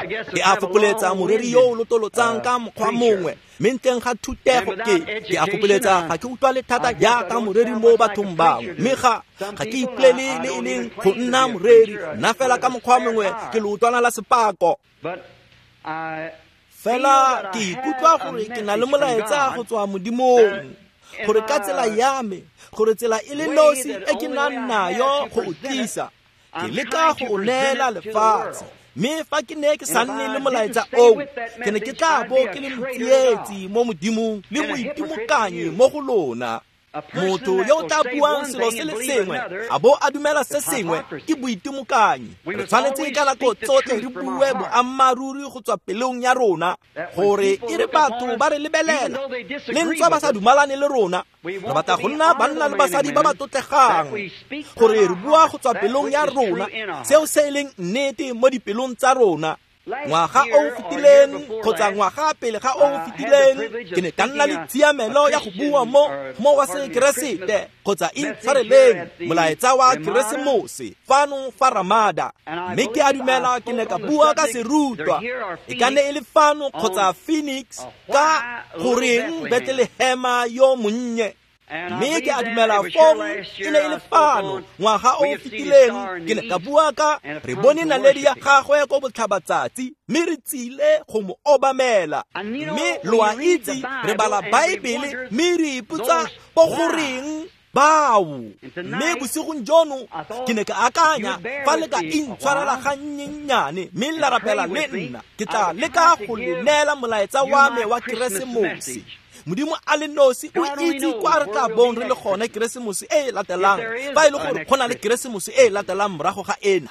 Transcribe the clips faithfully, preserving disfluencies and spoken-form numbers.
Ke a fokoletsa moreri yo o lotolotsang ka mokgwa mongwe, mme ntleng ga thutego ke ke a fokoletsa ga ke utlwale thata jaaka moreri mo bathong bangwe, mme ga ga ke ipolele le e leng go nna moreri, nna fela ka mokgwa mongwe ke leotwana la sepako. Fela ke ikutlwa gore ke na le molaetsa go tswa Modimong, gore ka tsela ya me, gore tsela e le nosi e ke nang nayo go o tlisa, ke leka go o neela lefatshe. Mme fa ke ne ke sa nne le molaetsa oo, ke ne ke tla bo ke le motsietsi mo Modimong le moitimokanyi mo go lona. Motho yo o tla buang selo se le sengwe a bo a dumela se sengwe ke boitimokanyi. Re tshwanetse ka nako tsotlhe re bue boammaaruri go tswa pelong ya rona, gore e re batho ba re lebelela le ntswa ba sa dumalane le rona, re batla go nna banna le basadi ba ba tlotlegang, gore re bua go tswa pelong ya rona seo se e leng nnete mo dipelong tsa rona. Ngwaga o o fetileng kgotsa ngwaga pele ga o o fetileng, ke ne ka nna le tshiamelo ya go bua mo mo wa sekeresete kgotsa intshwareleng molaetsa wa Keresemose fano fa Ramada, mme ke a dumela ke ne ka bua ka serutwa, e ka ne e le fano kgotsa Phoenix, ka goreng Bethlehema yo monnye. Mme ke a dumela fong e ne e le fano ngwaga o o fetileng, ke ne ka bua ka re bone naledi ya gagwe ko botlhabatsatsi, mme re tsile go mo obamela. Mme lo a itse re bala Baebele mme re ipotsa bo goreng bao. Mme bosigong jono ke ne ka akanya fa le ka intshwarela gannyennyane mme la rapela le nna, ke tla leka go le neela molaetsa wa me wa Keresemose. Modimo a le nosi o itse kwa re tla bong re le gone Keresemose e e latelang, fa e le gore go na le Keresemose e e latelang morago ga ena.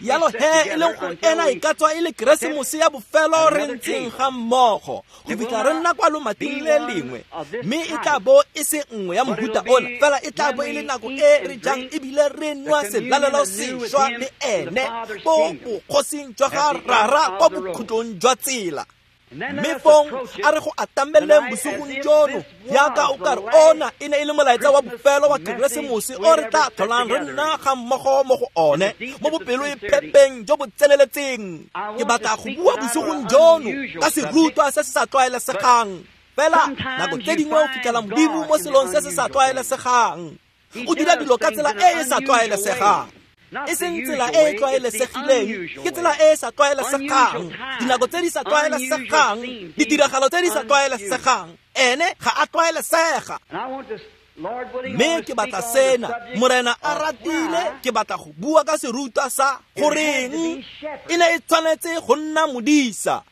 Jalo he e leng gore ena e ka tswa e le Keresemose ya bofelo re ntseng ga mmogo go fitlha re nna kwa lomating le lengwe, mme e tla bo e se nngwe ya mohuta ona, fela e tla bo e le nako e re jang ebile re nwa selalelo sešwa le ene ko bogosing jwa ga Rara kwa bokhutlong jwa tsela. Mme fong a re go atameleng bosigong jono, jaaka o ka re ona e ne e le molaetsa wa bofelo wa Keresemose o re tla tlholang re nna ga mmogo mo go one, mo bopelo e phepeng jo bo tseneletseng. Ke batla go bua bosigong jono ka serutwa se se sa tlwaelesegang, fela nako tse dingwe o fitlhela Modimo mo selong se se sa tlwaelesegang. O dira dilo ka tsela e e sa tlwaelesegang, e seng tsela e e tlwaelesegileng, ke tsela e e sa tlwaelesegang, dinako tse di sa tlwaelesegang, ditiragalo tse di sa tlwaelesegang. Ene ga a tlwaelesega. Mme ke batla sena, Morena a ratile, ke batla go bua ka serutwa sa goreng e ne e tshwanetse go nna modisa.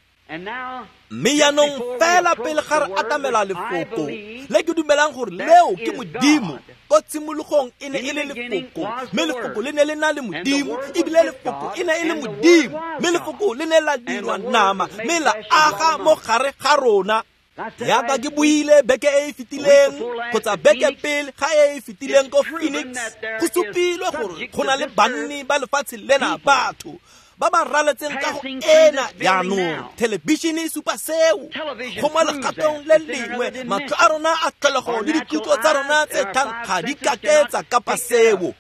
Mme jaanong fela pele ga re atamela lefoko le ke dumelang gore leo ke Modimo, ko tshimologong e ne e le lefoko, mme lefoko le ne le na le Modimo, ebile lefoko e ne e le Modimo, mme lefoko le ne la dirwa nama mme la aga mo gare ga rona. Jaaka ke buile beke e e fetileng kgotsa beke pele ga e e fetileng ko Phoenix, go supilwe gore go na le banni ba lefatshe lena, batho ba ba raletseng ka go ena jaanong. Thelebišene e supa seo go mo legatong le lengwe, matlho a rona a tlholego le dikutlo tsa rona tse tlhang ga di kake tsa kapa seo.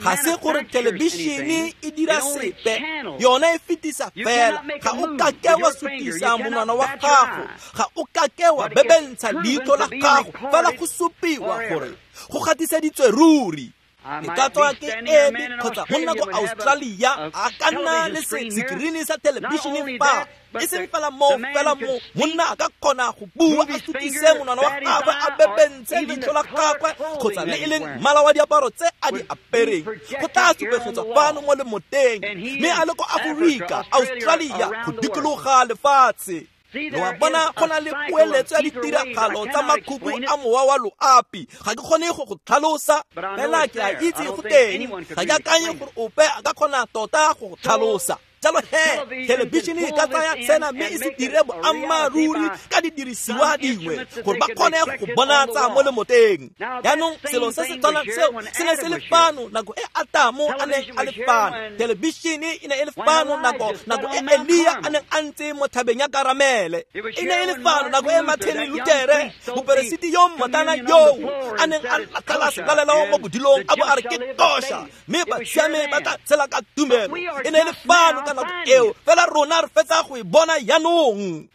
Ga se gore thelebišene e dira sepe, yona e fetisa fela. Ga o kake wa sutisa monwana wa gago, ga o kake wa bebentsha leitlho la gago, fela go supiwa gore go gatiseditswe ruri. E ka tswa ke eme kgotsa monna ko Australia a ka nna le sekirini sa thelebišene fa, e seng fela moo, fela mo monna a ka kgona go bua a sutise monwana wa gagwe, a bebentshe leitlho la gagwe kgotsa le e leng mmala wa diaparo tse a di apereng, go tla supegetswa fano mo lemoteng, mme a le ko Aforika, Australia, go dikologa lefatshe. Lo a bona go na le poeletso ya ditiragalo tsa makhubu a mowa wa loapi. Ga ke kgone go go tlhalosa, fela ke a itse go teng. Ga ke akanye gore ope a ka kgona tota go go tlhalosa. Jalo he thelebišene e ka tsaya sena mme e se dire boammaaruri ka didirisiwa dingwe gore ba kgone go bonatsa mo lemoteng. Jaanong selo se se tshwanang seo se ne se le fano nako e Atamo a neng a le fano. Thelebišene e ne e le fano nako nako e Elia a neng a ntse mo thabeng ya Karamele. E ne e le fano nako e Martin Luther, moperesiti yo mmotlana yoo a neng a latlhela selalelo mo bodilong a bo a re ke kosha, mme basiame ba tla tshela ka tumelo. E ne e le fano ka nako eo, fela rona re fetsa go e bona jaanong.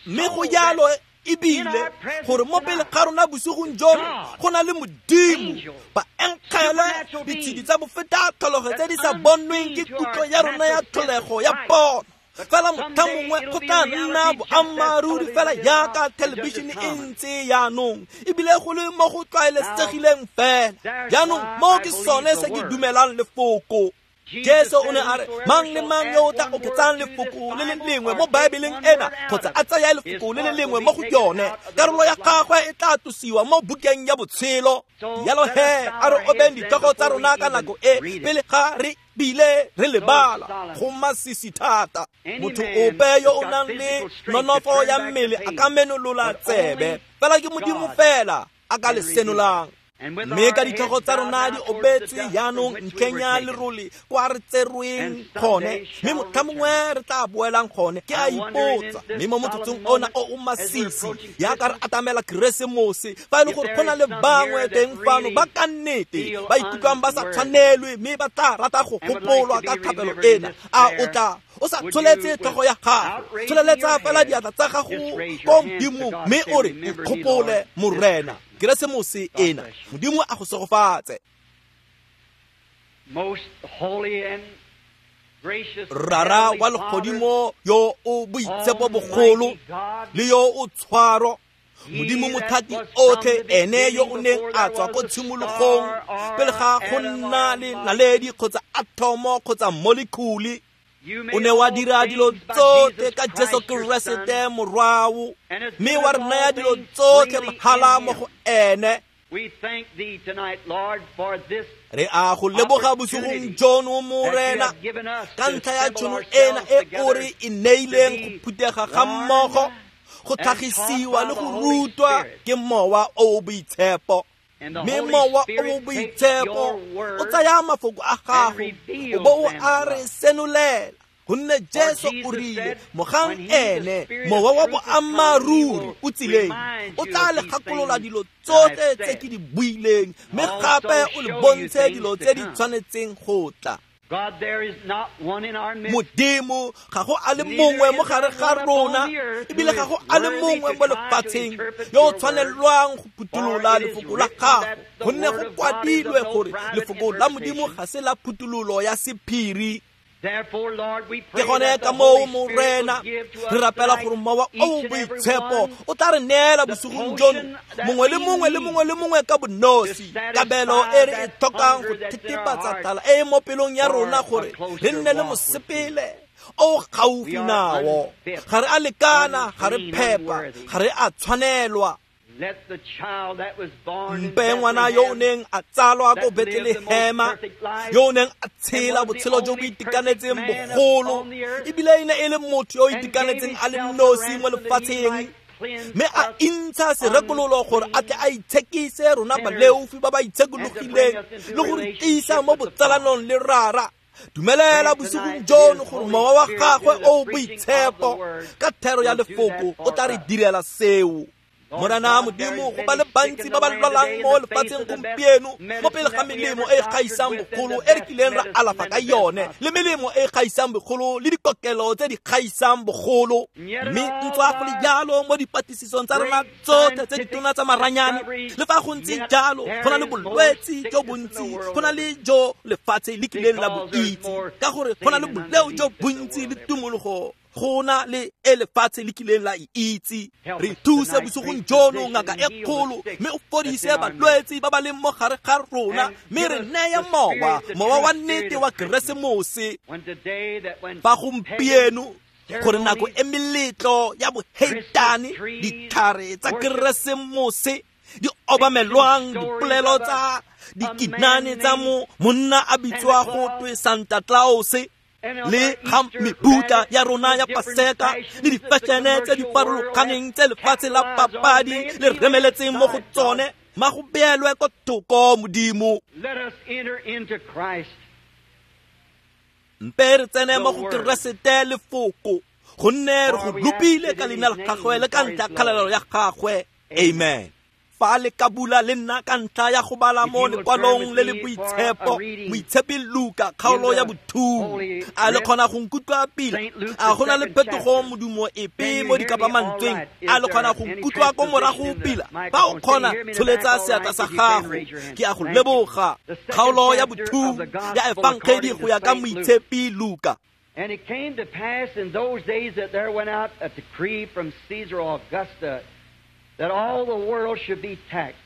Mme go jalo ebile gore mo pele ga rona bosigong jono go na le Modimo, baengele, ditshedi tsa bofeta tlholego tse di sa bonweng ke kutlo ya rona ya tlholego ya pono. Fela motlha mongwe go tla nna boammaaruri fela jaaka thelebišene e ntse jaanong, ebile go le mo go tlwaelesegileng fela. Jaanong mo ke sone se ke dumelang lefoko. Jesu o ne a re mang le mang yo o tla oketsang lefoko le le lengwe mo Baebeleng ena kgotsa a tsaya lefoko le le lengwe mo go yone, karolo ya gagwe e tla tlosiwa mo bukeng ya botshelo. Jalo he a re obeng ditlhogo tsa rona ka nako e pele ga re bile re lebala. Go masisi thata. Motho ope yo o nang le nonofo ya mmele a ka menolola tsebe, fela ke Modimo fela a ka le senolang. Mme ka ditlhogo tsa rona di obetswe jaanong ntlheng ya lerole kwa re tserweng gone, mme motlha mongwe re tla boelang gone. Ke a ipotsa, mme mo motsotsong ona o o masisi jaaka re atamela Keresemose, fa e le gore go na le bangwe teng fano ba ka nnete ba ikutlwang ba sa tshwanelwe mme ba tla rata go gopolwa ka thapelo ena, a o tla o sa tsholetse tlhogo ya gago, tsholeletsa fela diatla tsa gago ko Modimong mme o re nkgopole Morena. Keresemose ena, Modimo a go segofatse. Rara wa legodimo yo o boitshepo bogolo le yo o tshwaro, Modimo mothati otlhe, ene yo o neng a tswa ko tshimologong pele ga go nna le naledi kgotsa atomo kgotsa molecule, o ne wa dira dilo tsotlhe ka Jesu Keresete morwao, mme wa re naya dilo tsotlhe mahala mo go ene. Re a go leboga bosigong jono Morena ka ntlha ya tšhono ena e o re e neileng go phuthega ga mmogo, go tlhagisiwa le go rutwa ke Mowa o o Boitshepo. Mme Mowa o o Boitshepo o tsaya mafoko a gago o bo o a re senolela, gonne Jesu o rile mogang ene Mowa wa boammaaruri o tsileng o tla le gakolola dilo tsotlhe tse ke di buileng, mme gape o le bontshe dilo tse di tshwanetseng go tla. Modimo ga go a le mongwe mo gare ga rona, ebile ga go a le mongwe mo lefatsheng yo o tshwanelwang go phuthulola lefoko la gago, gonne go kwadilwe gore lefoko la Modimo ga se la phuthololo ya sephiri. Ke gone ka moo Morena re rapela gore Mowa o o Boitshepo o tla re neela bosigong jono mongwe le mongwe le mongwe le mongwe ka bonosi kabelo e re e tlhokang go thetefatsa tlala e e mo pelong ya rona gore re nne le mosepele o gaufi nao. Ga re a lekana, ga re phepa, ga re a tshwanelwa. Mpe ngwana yo o neng a tsalwa ko Betlehema, yo o neng a tshela botshelo jo bo itekanetseng bogolo, ebile e ne e le motho yo o itekanetseng a le nosi mo lefatsheng, mme a intsha serekololo gore a tle a itshekise rona baleofi ba ba itshekologileng le go re tiisa mo botsalanong le Rara. Dumelela bosigong jono gore Mowa wa gagwe o o Boitshepo ka thero ya lefoko o tla re direla seo. Morena Modimo, go ba le bantsi ba ba lwalang mo lefatsheng gompieno mo pele ga melemo e e gaisang bogolo e re kileng ra alafa ka yone, le melemo e e gaisang bogolo le dikokelo tse di gaisang bogolo. Mme ntswa go le jalo mo dipatlisisong tsa rona tsotlhe tse ditona tsa maranyane, le fa go ntse jalo go na le bolwetse jo bontsi, go na le jo lefatshe le kileng la bo itse, ka gore go na le boleo jo bontsi le tumologo go na le e lefatshe le kileng la e itse. Re thuse bosigong jono ngaka e kgolo, mme o fodise balwetse ba ba leng mo gare ga rona, mme re neye mowa, mowa wa nnete wa Keresemose. Fa gompieno gore nako e meletlo ya boheitane, ditlhare tsa Keresemose di obamelwang, dipolelo tsa dikinane tsa mo monna a bitswa go twe Santa Claus, le ga mebutla ya rona ya Paseka le difešene tse di farologaneng tse lefatshe la papadi le remeletseng mo go tsone, ma go beelwe ko thoko Modimo. Mpe re tsene mo go Keresete lefoko, gonne re go lopile ka leina la gagwe le ka ntlha kgalalelo ya gagwe. Amen. Fa le ka bula le nna ka ntlha ya go bala mo lekwalong le le boitshepo, Moitshepi Luka kgaolo ya bothuo, a le kgona go nkutlwa pila? A go na le phetogo modumo epe mo dikapamantsweng? A le kgona go nkutlwa ko morago pila? Fa o kgona, tsholetsa seatla sa gago. Ke a go leboga. Kgaolo ya bothuo ya Efangedi go ya ka Moitshepi Luka. And it came to pass in those days that there went out a decree from Caesar Augustus that all the world should be taxed.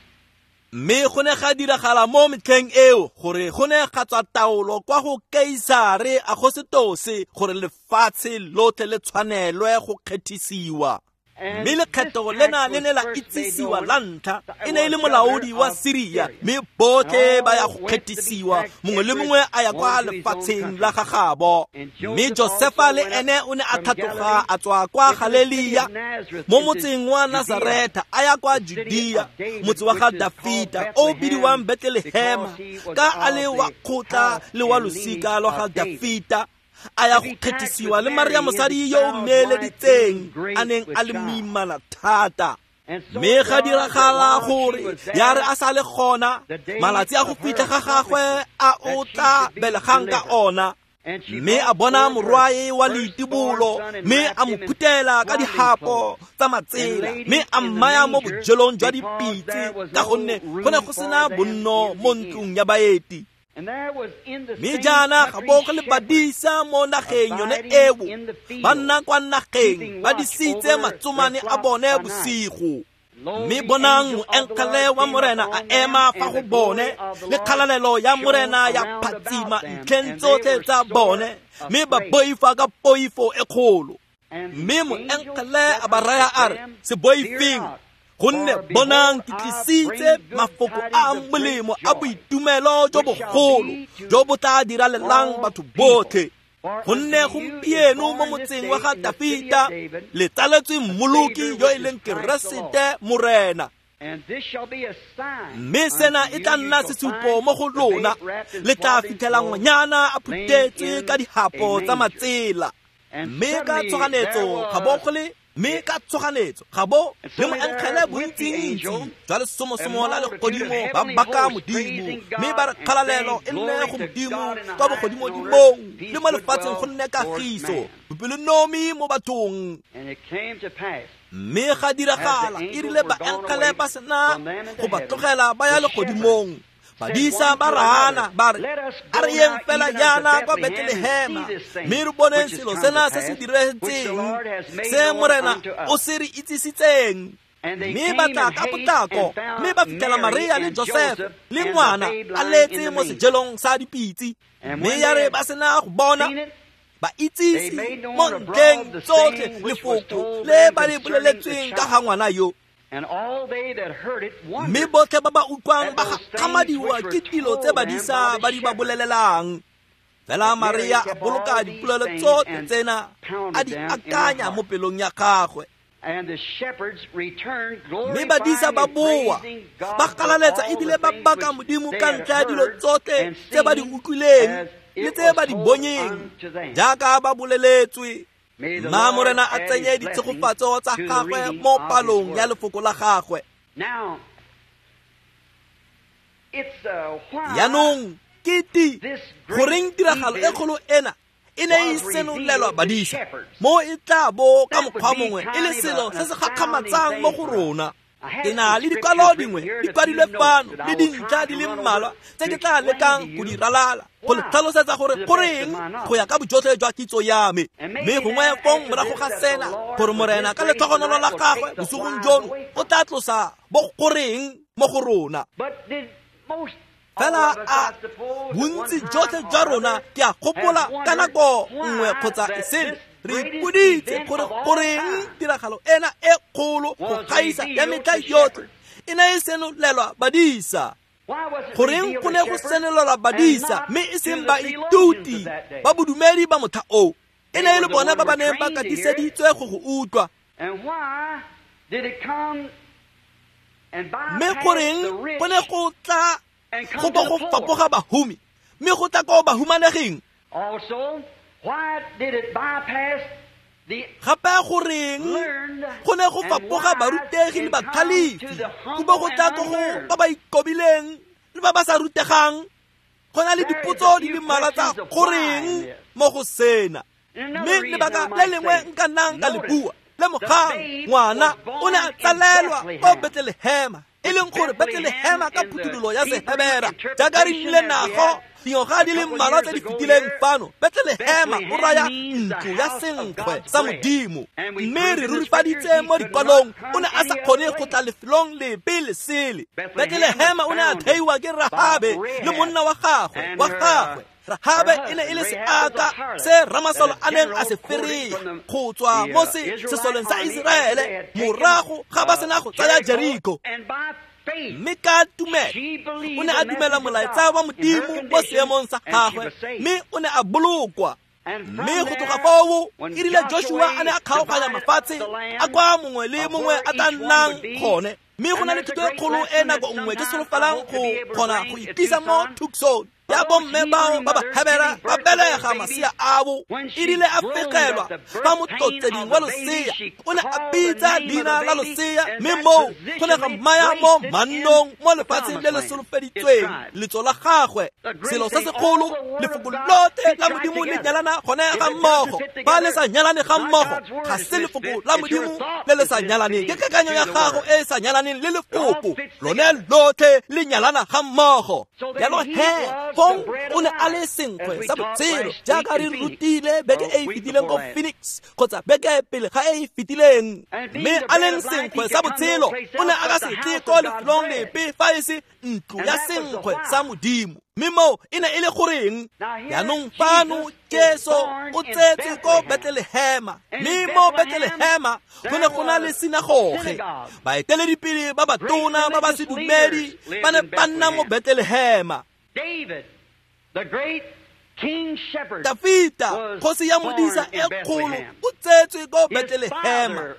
Mme go ne ga diragala mo metlheng eo gore go ne ga tswa taolo kwa go Kaisare Agosetose gore lefatshe lotlhe le tshwanelwe go kgethisiwa. Mme lekgetho lena le ne la itsisiwa la ntlha e ne e le molaodi wa Siria, mme botlhe ba ya go kgethisiwa, mongwe le mongwe a ya kwa lefatsheng la gagabo. Mme Josefa le ene o ne a tlhatloga a tswa kwa Galilea mo motseng wa Nazareta a ya kwa Judea, motse wa ga Dafita o bidiwang Bethlehema, ka a le wa kgotla le wa losika lwa ga Dafita, a ya go kgethisiwa le Maria mosadi yo o mmeeleditseng a neng a le moimana thata. Mme ga diragala gore ya re a sa le gona malatsi a go fitlha ga gagwe a o tla belegang ka ona, mme a bona morwae wa leitibolo, mme a mo phutela ka dihapo tsa matsela, mme a mmaya mo bojelong jwa dipitse, ka gonne go ne go sena bonno mo ntlong ya baeti. Mme jaana ga bo go le badisa mo nageng yone eo, ba nna kwa nageng ba disitse matsomane a bone bosigo. Mme bonang moengele wa Morena a ema fa go bone, le kgalalelo ya Morena ya phatsima ntlheng tsotlhe tsa bone, mme ba boifa ka poifo e kgolo. Mme moengele a ba raya a re, se boifeng, gonne bonang ke tlisitse mafoko a a molemo a boitumelo jo bogolo jo bo tla diralelang batho botlhe. Gonne gompieno mo motseng wa ga Dafita le tsaletswe Mmoloki yo e leng Keresete Morena. Mme sena e tla nna sesupo mo go lona, le tla fitlhela ngwanyana a phuthetswe ka dihapo tsa matsela. Mme ka tshoganetso ga bo go le mme ka tshoganetso ga bo le moengele bontsintsi jwa lesomosomo la legodimo ba baka Modimo, mme ba re kgalalelo e nne go Modimo kwa bogodimodimong, le mo lefatsheng go nne kagiso, bopelonomi mo bathong. Mme ga diragala e rile baengele ba sena go ba tlogela ba ya legodimong, badisa ba raana ba re, a re yeng fela jaana kwa Bethlehema, mme re boneng selo sena se se diretseng se Morena o se re itsisitseng. Mme ba tla ka potlako, mme ba fitlhela Maria le Josefa le ngwana a letse mo sejelong sa dipitse. Mme ya re ba sena go bona, ba itsise mo ntlheng tsotlhe lefoko le ba le boleletsweng ka ga ngwana yo. Mme botlhe ba ba utlwang ba gakgamadiwa ke dilo tse badisa ba di ba bolelelang. Fela Maria a boloka dipolelo tsotlhe tsena, a di akanya mo pelong ya gagwe. Mme badisa ba boa, ba galaletsa ebile ba baka Modimo ka ntlha ya dilo tsotlhe tse ba di utlwileng le tse ba di bonyeng, jaaka ba boleletswe. Mma Morena a tsenye ditshegofatso tsa gagwe mo palong ya lefoko la gagwe. Jaanong ke ti goreng tiragalo e kgolo ena e ne e senolelwa badisa, mo e tla bo ka mokgwa mongwe e le selo se se gakgamatsang mo go rona. Ke na le dikwalo dingwe di kwadilwe fano le dintlha di le mmalwa tse ke tla lekang go di ralala go le tlhalosetsa gore goreng go ya ka bojotlhe jwa kitso ya me. Mme gongwe fong morago ga sena gore Morena ka letlhogonolo la gagwe bosigong jono o tla tlosa bo goreng mo go rona. Fela a bontsi jotlhe jwa rona ke a gopola ka nako nngwe kgotsa e sele re ipoditse gore goreng tiragalo ena e kgolo go gaisa ya metlha yotlhe e ne e senolelwa badisa. Goreng go ne go senolelwa badisa mme e seng baithuti ba bodumedi ba motlha oo? E ne e le bona ba ba neng ba katiseditswe go go utlwa. Mme goreng go ne go tla go bo go fapoga bahumi mme go tla ko bahumaneging? Gape goreng go ne go fapoga barutegi le batlhalefi go bo go tla ko go ba ba ikobileng le ba ba sa rutegang? Go na le dipotso di le mmalwa tsa goreng mo go sena. Mme lebaka le lengwe nka nnang ka le bua, lemogang, ngwana o ne a tsalelwa ko Bethlehema, e leng gore Bethlehema ka phuthololo ya Sehebera, jaaka re nnile nago dingwaga di le mmalwa tse di fetileng fano. Bethlehema o raya ntlo ya senkgwe sa Modimo, mme re rurifaditse mo dikwalong o ne a sa kgone go tla lefelong lepe le sele. Bethlehema o ne a theiwa ke Rahabe le monna wa gagwe wa gagwe. Rahabe e ne e le seaka se ramasolo a neng a se ferea go tswa mo sesoleng sa Iseraele morago ga ba sena go tsaya Jeriko. Mme ka tumelo o ne a dumela molaetsa wa Modimo mo seemong sa gagwe, mme o ne a bolokwa. Mme go tloga foo e rile Joshua a ne a kgaoganya mafatshe a kwa mongwe le mongwe a tla nnang gone. Mme go na le thuto e kgolo e nako nngwe ke solofelang go kgona go itlisa mo Tucson ya bomme bao ba ba Hebera ba belega masea abo. E rile a fegelwa fa motlotseding wa losea, o ne a bitsa leina la losea, mme moo go ne ga mmaya mo mannong mo lefatsheng le le solofeditsweng letso la gagwe. Selo se segolo, lefoko lotlhe la Modimo le nyalana gone ga mmogo. Ba le sa nyalane ga mmogo ga se lefoko la Modimo le le sa nyalaneng, ke kakanyo ya gago e e sa nyalaneng le lefoko lone lotlhe le nyalana ga mmogo. Jalo he fong o ne a le senkgwe sa botshelo, jaaka re rutile beke e e fetileng ko Phoenix kgotsa beke pele ga e e fetileng. Mme a leng senkgwe sa botshelo o ne a ka se tle ko lefelong lepe fa e se ntlo ya senkgwe sa Modimo. Mme moo e ne e le goreng? Jaanong fano Jesu o tsetswe ko Bethlehema, mme mo Bethlehema go ne go na le sinagoge. Baeteledipele ba batona ba ba sedumedi ba ne ba nna mo Bethlehema. Dafita, kgosi ya modisa e kgolo, o tsetswe ko Bethlehema.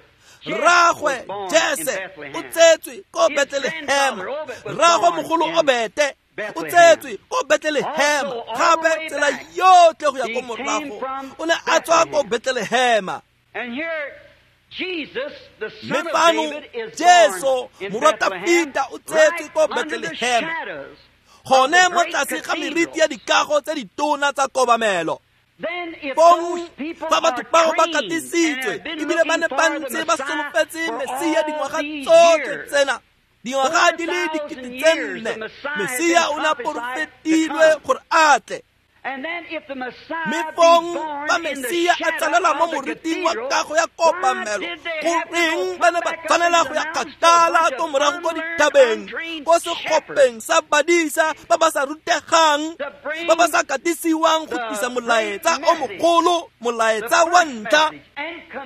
Rragwe Jese o tsetswe ko Bethlehema. Rragwe mogolo Obete o tsetswe ko Bethlehema. Gape tsela yotlhe go ya ko morago o ne a tswa ko Bethlehema. Mme fano Jesu morwa Dafita o tsetswe ko Bethlehema, gone mo tlase ga meriti ya dikago tse ditona tsa kobamelo. Fong fa batho bao ba katisitswe ebile ba ne ba ntse ba solofetse Mesia dingwaga tsotlhe tsena, dingwaga di le dikete tse nne, Mesia o ne a porofetilwe gore a tle. Mme fong fa Mesia a tsalelwa mo moriting wa kago ya kobamelo, goreng ba ne ba tshwanela go ya kgakala ko morago ko dithabeng, ko segopeng sa badisa ba ba sa rutegang, ba ba sa katisiwang go tlisa molaetsa o mogolo, molaetsa wa ntlha?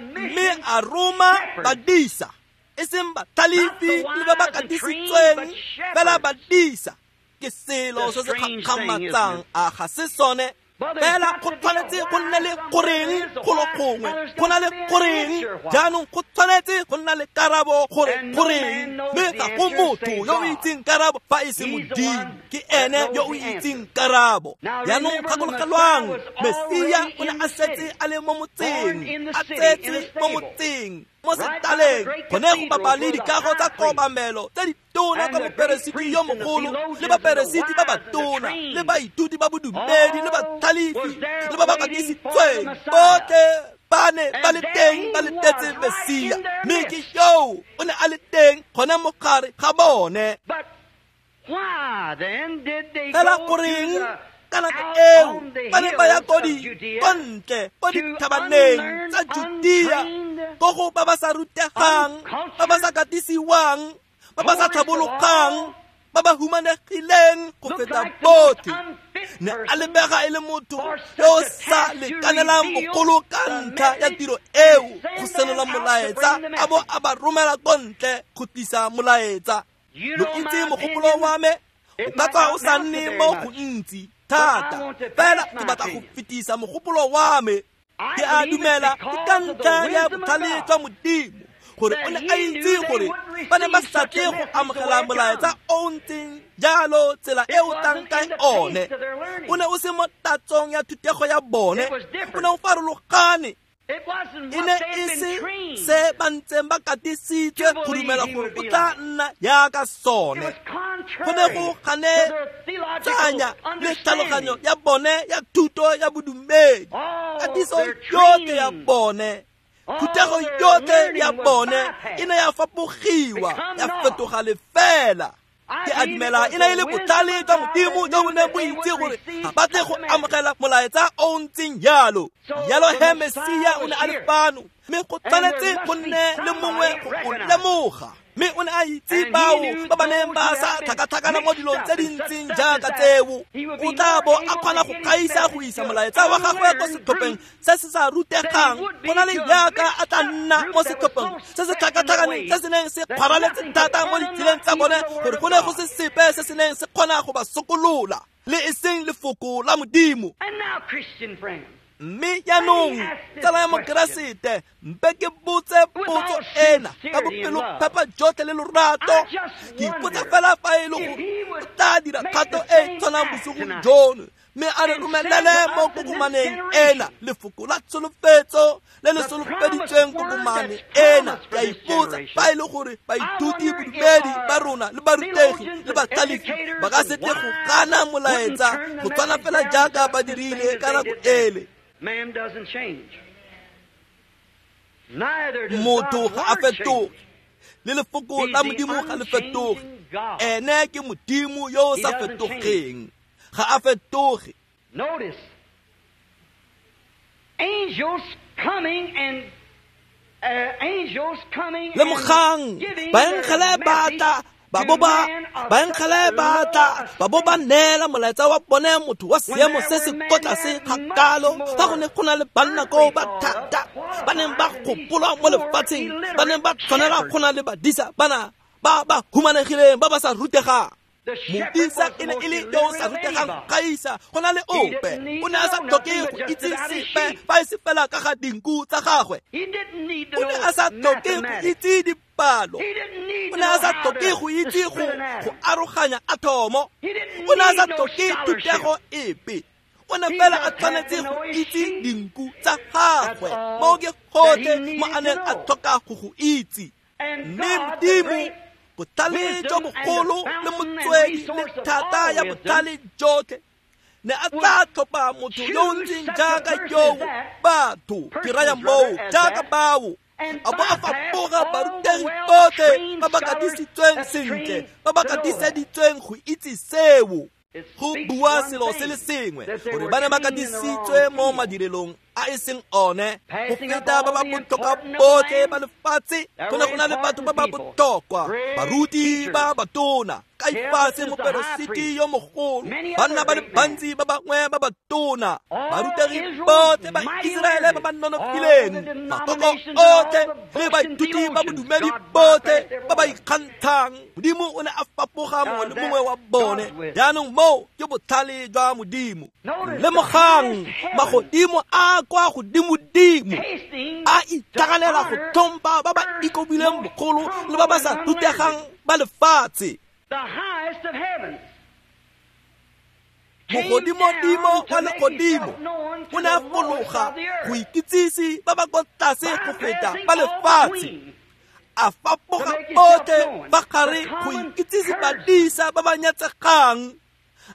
Mme a roma badisa, e seng batlhalefi le ba ba katisitsweng, fela badisa. Ke selo se se gakgamatsang, a ga se sone? Fela go tshwanetse go nne le goreng golo gongwe, go na le goreng. Jaanong go tshwanetse go nna le karabo gore goreng, mme ga go motho yo o itseng karabo fa e se Modimo. Ke ene yo o itseng karabo. Jaanong gakologelwang, Mesia o ne a setse a le mo motseng, a tsetse mo motseng, mo setaleng, gone go bapa le dikago tsa kobamelo tse ditona ka moperesiti yo mogolo le baperesiti ba batona le baithuti ba bodumedi le batlhalefi le ba ba katisitsweng. Botlhe ba ne ba le teng ba letetse Mesia, mme ke yoo o ne a le teng gone mo gare ga bone. Fela goreng ka nako eo ba ne ba ya ko ko ntle ko dithabaneng tsa Judea, ko go ba ba sa rutegang, ba ba sa katisiwang, ba ba sa tlhabologang, ba ba humanegileng go feta botlhe? Ne a lebega e le motho yo o sa lekanelang bogolo ka ntlha ya tiro eo go senola molaetsa, a bo a ba romela ko ntle go tlisa molaetsa. Lo itse mogopolo wa me O ka tswa o sa nne mo gontsi thata, fela ke batla go fetisa mogopolo wa me. Ke a dumela ke ka ntlha ya botlhale jwa Modimo gore o ne a itse gore ba ne ba sa tle go amogela molaetsa o o ntseng jalo tsela e o tlang ka one. O ne o se mo tatsong ya thutego ya bone, o ne o farologane. E ne e se se ba ntseng ba katisitswe go dumela gore o tla nna jaaka sone. Go ne go ganetsanya le tlhaloganyo ya bone ya thuto ya bodumedi, katiso yotlhe ya bone, thutego yotlhe ya bone e ne ya fapogiwa ya fetoga lefela. Ke a dumela e ne e le botlhale jwa Modimo jo bo neng bo itse gore ga ba tle go amogela molaetsa o o ntseng jalo. Jalo he Mesia o ne a le fano, mme go tshwanetse go nne le mongwe go o lemoga. Mme o ne a itse bao ba ba neng ba sa tlhakatlhakana mo dilong tse di ntseng jaaka tseo. O tla bo a kgona go gaisa go isa molaetsa wa gagwe ko setlhopheng se se sa rutegang go na le jaaka a tla nna mo setlhopheng se se tlhakatlhakaneng se se neng se kgwaraletse thata mo ditseleng tsa bone gore go ne go se sepe se se neng se kgona go ba sokolola, le e seng lefoko la Modimo. Mme jaanong tsala ya Mokeresete, mpe ke botse potso ena ka bopelophepa jotlhe le lorato. Ke ipotsa fela fa e le gore o tla dira kgato e e tshwanang bosigong jono, mme a re romelele mo kokomaneng ena lefoko la tsholofetso le le solofeditsweng kokomane ena. Ke a ipotsa fa e le gore baithuti bodumedi ba rona le barutegi le batlhalefi ba ka se tle go gana molaetsa go tshwana fela jaaka ba dirile ka nako ele. Man doesn't change. Neither does Motho God's ga a word change. fetoge, le lefoko la Modimo ga le fetoge. Ene ke Modimo yo o sa fetogeng, ga a fetoge. Notice, angels coming and uh, angels coming and Lemogang, giving their baengele ba message tla ba bo to ba man of baengele such ba low tla ba bo ba neela molaetsa wa bone motho wa When seemo there se se were men ko tlase that ga much kalo, fa go more ne go na le banna koo ba earthly thought thata of, ba neng ba qualified than these gopolwa mo poor, lefatsheng, ba neng ba illiterate tshwanela shepherds. go na le badisa bana ba ba humanegileng ba ba sa rutegang. The shepherd Modisa was e the ne most e le yo o sa illiterate of rutegang anybody. gaisa go na le He ope. didn't need O to ne a sa know tlhoke nothing go but just itse about his sepe sheep. fa e se fela ka ga dinku tsa gagwe. He didn't need to O ne know a sa tlhoke go mathematics. itse dipalo. He didn't need O to ne a know sa how tlhoke to, go to itse go split an go atom. aroganya atomo. He didn't O ne a sa need no tlhoke scholarship. thutego epe. O ne He fela a just had to tshwanetse know go his itse sheep. dinku tsa That's gagwe. all Moo ke that gotlhe he mo needed a to neng a know. tlhoka go go itse. And Mme God, the Modimo, great botlhale jo wisdom and the bogolo le fountain and motswedi le resource of thata all ya wisdom, botlhale jotlhe, ne a would tla tlhopha motho yo o choose ntseng such a jaaka person as yoo, that, batho ke raya persons moo rather, as jaaka that, bao, and a bo a bypass fapoga all the barutegi botlhe well-trained ba ba scholars katisitsweng that's sentle, trained ba ba to know that. katiseditsweng go itse seo. It Go speaks bua one selo se le thing, sengwe that they gore were ba ne ba trained in the wrong katisitswe mo field. madirelong a e seng one, go Passing up feta ba all ba the botlhokwa important of botlhe land, ba lefatshe. there Go ne were go na le batho ba important ba people, botlhokwa, great baruti teachers. ba batona, Kaifase Caiaphas is the high moperesiti priest, yo mogolo, many banna other ba le great men. bantsi ba bangwe ba batona, All barutegi Israel's botlhe ba mighty Iseraele ba learned, ba all the nonofileng, makoko denominations and all otlhe the le Boston baithuti ba theologians, bodumedi God botlhe bypassed every ba ba one of them. ikgantshang. Modimo o ne a fapoga Now mongwe le that's mongwe wa bone. God's wisdom. Jaanong moo ke botlhale jwa Modimo. Notice the Lemogang, highest heaven magodimo a kwa godimodimo hasting a to itlhaganela go honor tlhompha ba ba earth's ikobileng most bogolo le ba humble ba and sa unlearned, rutegang ba lefatshe. the highest of heavens, came Mogodimodimo down wa to make legodimo himself known o to ne a the lowest fologa of the go earth, ikitsise ba ba ko tlase go feta bypassing ba all the lefatshe, queens a to fapoga make himself botlhe known, fa the gare go common ikitsise herdsman, badisa ba ba nyatsegang,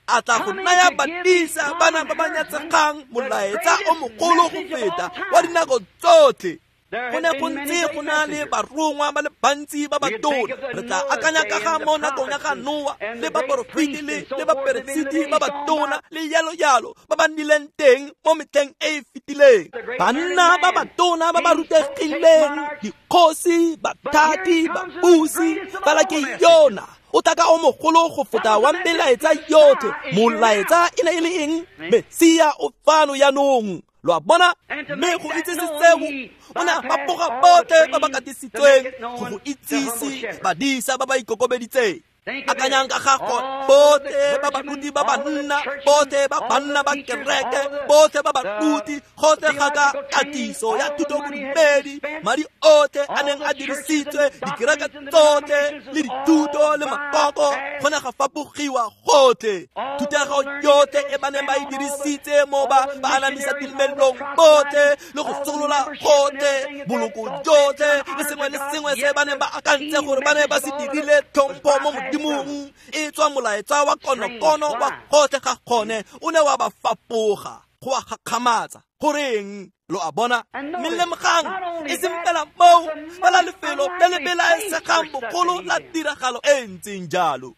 a tla go coming naya to give these badisa bana common ba ba herdsmen nyatsegang the molaetsa o greatest mogolo go message of feta all wa time. dinako tsotlhe. There Go had ne go been many ntse great go na le messengers. barongwa ba le bantsi ba We could think batona. of the Re tla Noah's akanya day ka ga and the mo nakong ya prophets ga and, Noa and le the great baporofeti priests le and so le forth that have been in the baperesiti ba days gone by, batona le yalo yalo ba ba nnileng teng mo metlheng e e fetileng. the great learned Banna ba man, batona ba ba kings, potentates, rutegileng, monarchs. dikgosi, But here he bathati, comes with the babusi, greatest of fela all ke messages. yona o tla ka o mogolo go What feta was wa the message? melaetsa The yotlhe. Messiah is here Molaetsa now. e ne e le eng? See? Mesia o fano jaanong. Lo a bona? And to Mme make go that itsise known, seo, he o ne a bypassed fapoga all the botlhe ba ba trained to make katisitsweng it go go known to humble itsise shepherds. badisa ba ba ikokobeditseng. Akanyang ka ga gone, botlhe ba baruti ba banna, botlhe ba banna ba kereke, botlhe ba baruti, gotlhe ga ka katiso ya thutobodumedi, madi otlhe a neng a dirisitswe, dikereke tsotlhe le dithuto le makoko, go ne ga fapogiwa gotlhe. Thutego yotlhe e ba neng ba e dirisitse mo ba ba anamisa tumelong botlhe le go solola gotlhe, boloko jotlhe le sengwe le sengwe se ba neng ba akantse gore ba ne ba se dirile tlhompho mo Modimong, e tswa molaetsa wa konokono wa gotlhe ga gone o ne wa ba fapoga, go a gakgamatsa. Goreng? Lo a bona? Mme lemogang, e seng fela moo, fela lefelo le le belaesegang bogolo la tiragalo e ntseng jalo.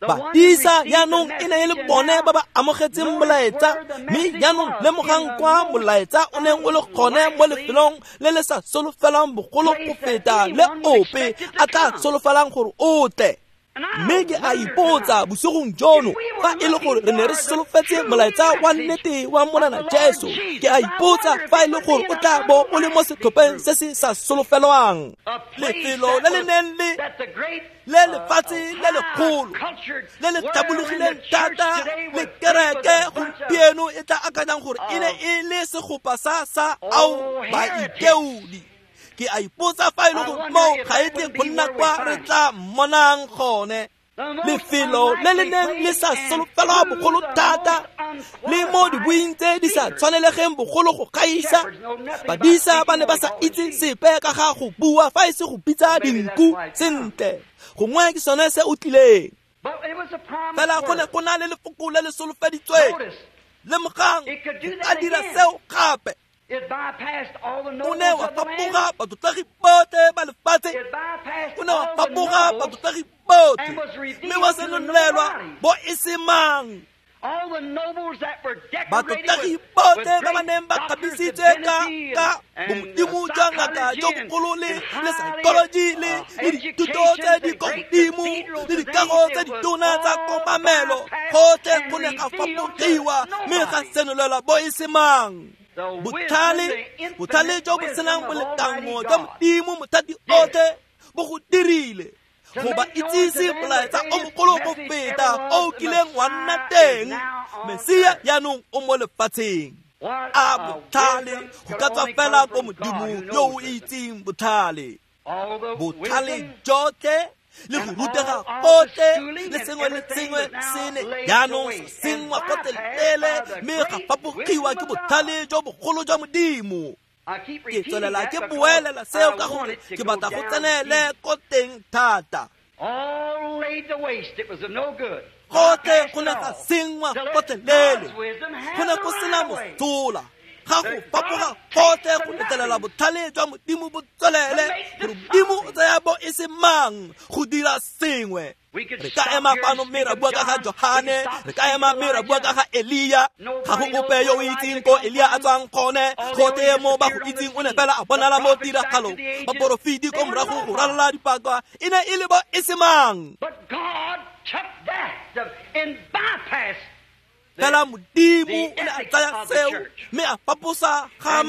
Badisa jaanong e ne e le bone ba ba amogetseng molaetsa, mme jaanong lemogang kwa molaetsa o neng o le gone mo lefelong le le sa solofelang bogolo go feta le ope a tla solofelang gore o tle. Mme ke a ipotsa bosigong jono fa e le gore re ne re solofetse molaetsa wa nnete wa Morena Jesu, ke a ipotsa fa e le gore o tla bo o le mo setlhopheng se se sa solofelwang. Lefelo le le neng le le lefatshe le legolo le le tlhabologileng thata le kereke gompieno e tla akanyang gore e ne e le segopa sa sa ao baikeodi. Ke a ipotsa fa e le gore moo ga e tle go nna kwa re tla mmonang gone. Lefelo le le neng le sa solofelwa bogolo thata le mo dibuing tse di sa tshwanelegeng bogolo go gaisa, badisa ba ne ba sa itse sepe ka ga go bua fa e se go bitsa dinku sentle. Gongwe ke sone se o tlileng. Fela go ne go na le lefoko le le solofeditsweng. Lemogang, a dira seo gape. O ne wa fapoga batlotlegi botlhe ba lefatshe, o ne wa fapoga batlotlegi botlhe, mme wa senolelwa bo e se mang. Batlotlegi botlhe ba ba neng ba kgabisitswe ka ka bomodimo jwa ngaka jo bogolo le le psychology le le dithuto tse di ko godimo le dikago tse ditona tsa kobamelo, gotlhe go ne ga fapogiwa mme ga senolelwa bo e se mang. Botlhale, botlhale jo bo senang bolekango jwa Modimo mothati otlhe bo go dirile go ba itsise molaetsa o mogolo go feta o kileng wa nna teng. Mesia jaanong o mo lefatsheng. A botlhale go ka tswa fela ko Modimo yo o itseng botlhale. Botlhale jotlhe le go rutega gotlhe le sengwe le sengwe se ne jaanong sa senngwa gotlhelele mme ga fapogiwa ke botlhale jo bogolo jwa Modimo. Ke tswelela ke boelela seo ka gore ke batla go tsenele ko teng thata. Gotlhe go ne ga senngwa gotlhelele, go ne go sena mosola. Ga go fapoga gotlhe go letlelela botlhale jwa Modimo bo tswelele, gore Modimo o tsaya bo e se mang go dira sengwe. Re ka ema fano mme ra bua ka ga Johane, re ka ema mme ra bua ka ga Elia. Ga go ope yo o itseng ko Elia a tswang gone, gotlhe mo ba go itseng o ne fela a bonala mo tiragalong. Baporofeti ko morago go ralala dipaka e ne e le bo e se mang. Fela Modimo o ne a tsaya seo mme a faposa ga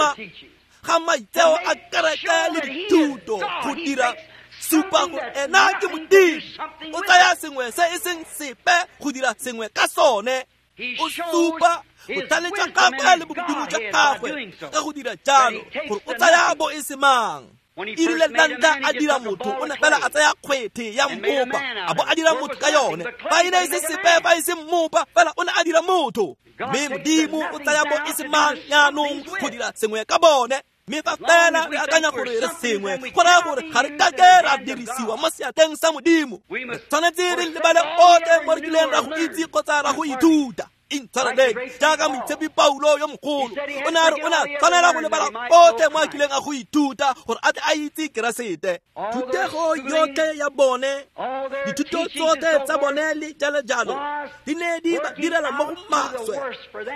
ga maitseo a kereke le dithuto go dira supa gore ena ke Modimo. O tsaya sengwe se e seng sepe go dira sengwe ka sone. O supa botlhale jwa gagwe le bomodimo jwa gagwe ka go dira jalo gore o tsaya bo e se mang. E rile la ntlha a dira motho, o ne fela a tsaya kgwethe ya mmopa a bo a dira motho ka yone. Fa e ne e se sepe, fa e se mmopa, fela o ne a dira motho. Mme Modimo o tsaya bo e se mang jaanong go dira sengwe ka bone. Mme fa fela re akanya gore re sengwe, go raya gore ga re kake ra dirisiwa mo seatleng sa Modimo. Re tshwanetse re lebale otlhe mo re kileng ra go itse kgotsa ra go ithuta. Intshwareleng jaaka moitshepi Paulo yo mogolo o ne a re o ne a tshwanela go lebala otlhe mo a kileng a go ithuta gore a tle a itse Keresete. Thutego yotlhe ya bone, dithuto tsotlhe tsa bone le jalo jalo di ne di ba direla mo go maswe.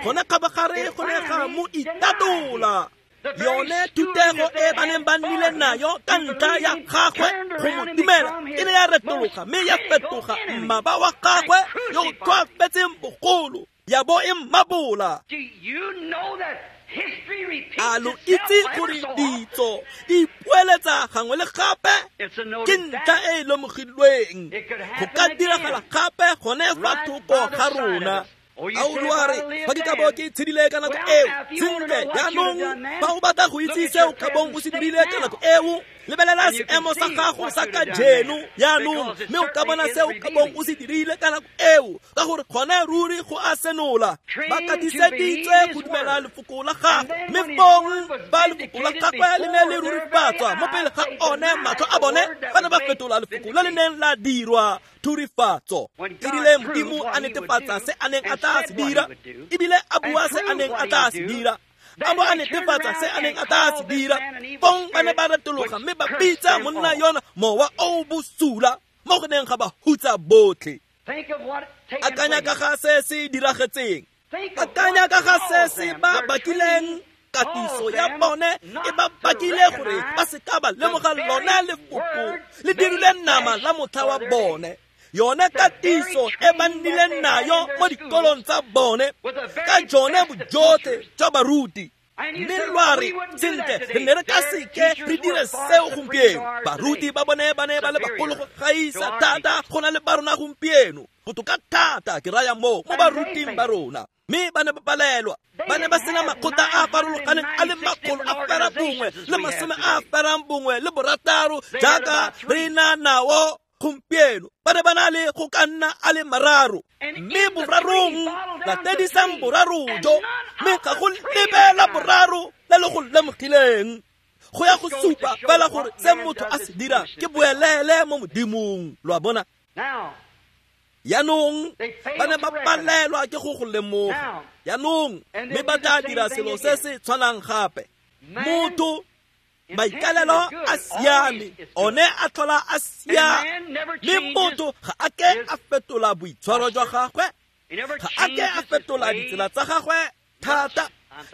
Gone kgabagare go ne ga mo itatola. Yone thutego e ba neng ba nnile nayo ka ntlha ya gagwe go mo dumela e ne ya retologa mme ya fetoga mmaba wa gagwe yo o tlhoafetseng bogolo, ya bo e mmabola. Do you know that A lo itse gore ditso di ipoeletsa gangwe le gape? Ke ntlha e e lemogilweng. Go ka diragala gape gone fa thoko ga rona. A o lwa re fa ke ka bo ke tshedile ka nako eo? Sentle, jaanong fa o batla go itse se o ka bong o se dirile ka nako eo, lebelela seemo sa gago sa kajeno jaanong, mme o ka bona se o ka bong o se dirile ka nako eo, ka gore gone ruri go a senola. Ba katiseditswe go dumela lefoko la gagwe, mme fong ba lefoko la gagwe le ne le rurifatswa mo pele ga one matlho a bone, ba ne ba fetola lefoko le le neng la dirwa thurifatso. Erile Modimo a netefatsa se a neng a tla se dira, ebile a bua se a neng a tla se dira, a bo a netefatsa se a neng a tla se dira. Fong ba ne ba retologa mme ba bitsa monna yona mowa o bosula mo go neng ga ba hutsa botlhe. Akanya ka ga se se diragetseng, akanya ka ga se se ba bakileng. Katiso ya bone e ba bakile gore ba se ka ba lemoga lone lefoko le dirile nama la motlha wa bone. Yone katiso e ba nnileng nayo mo dikolong tsa bone ka jone bojotlhe jwa baruti. Mme lwa re sentle, re ne re ka seke re dire seo gompieno. Baruti ba bone ba ne ba le bagolo go gaisa thata go na le ba rona gompieno, botoka thata ke raya moo mo baruting ba rona. Mme ba ne ba palelwa, ba ne ba sena makgotla a a farologaneng a le makgolo a fera bongwe le masome a ferang bongwe le borataro jaaka re na nao gompieno. Ba ne ba na le go ka nna a le mararo, mme borarong latedisang boraro jo, mme ga go lebela boraro le le go lemogileng. Go ya go supa fela gore se motho a se dirang ke boelele mo Modimong. Lo a bona? Jaanong ba ne ba palelwa ke go go lemoga. Jaanong mme ba tla dira selo se se tshwanang gape. Motho maikalelo a siame, one a tlhola a siame, mme motho ga a ke a fetola boitshwaro jwa gagwe, ga a ke a fetola ditsela tsa gagwe thata.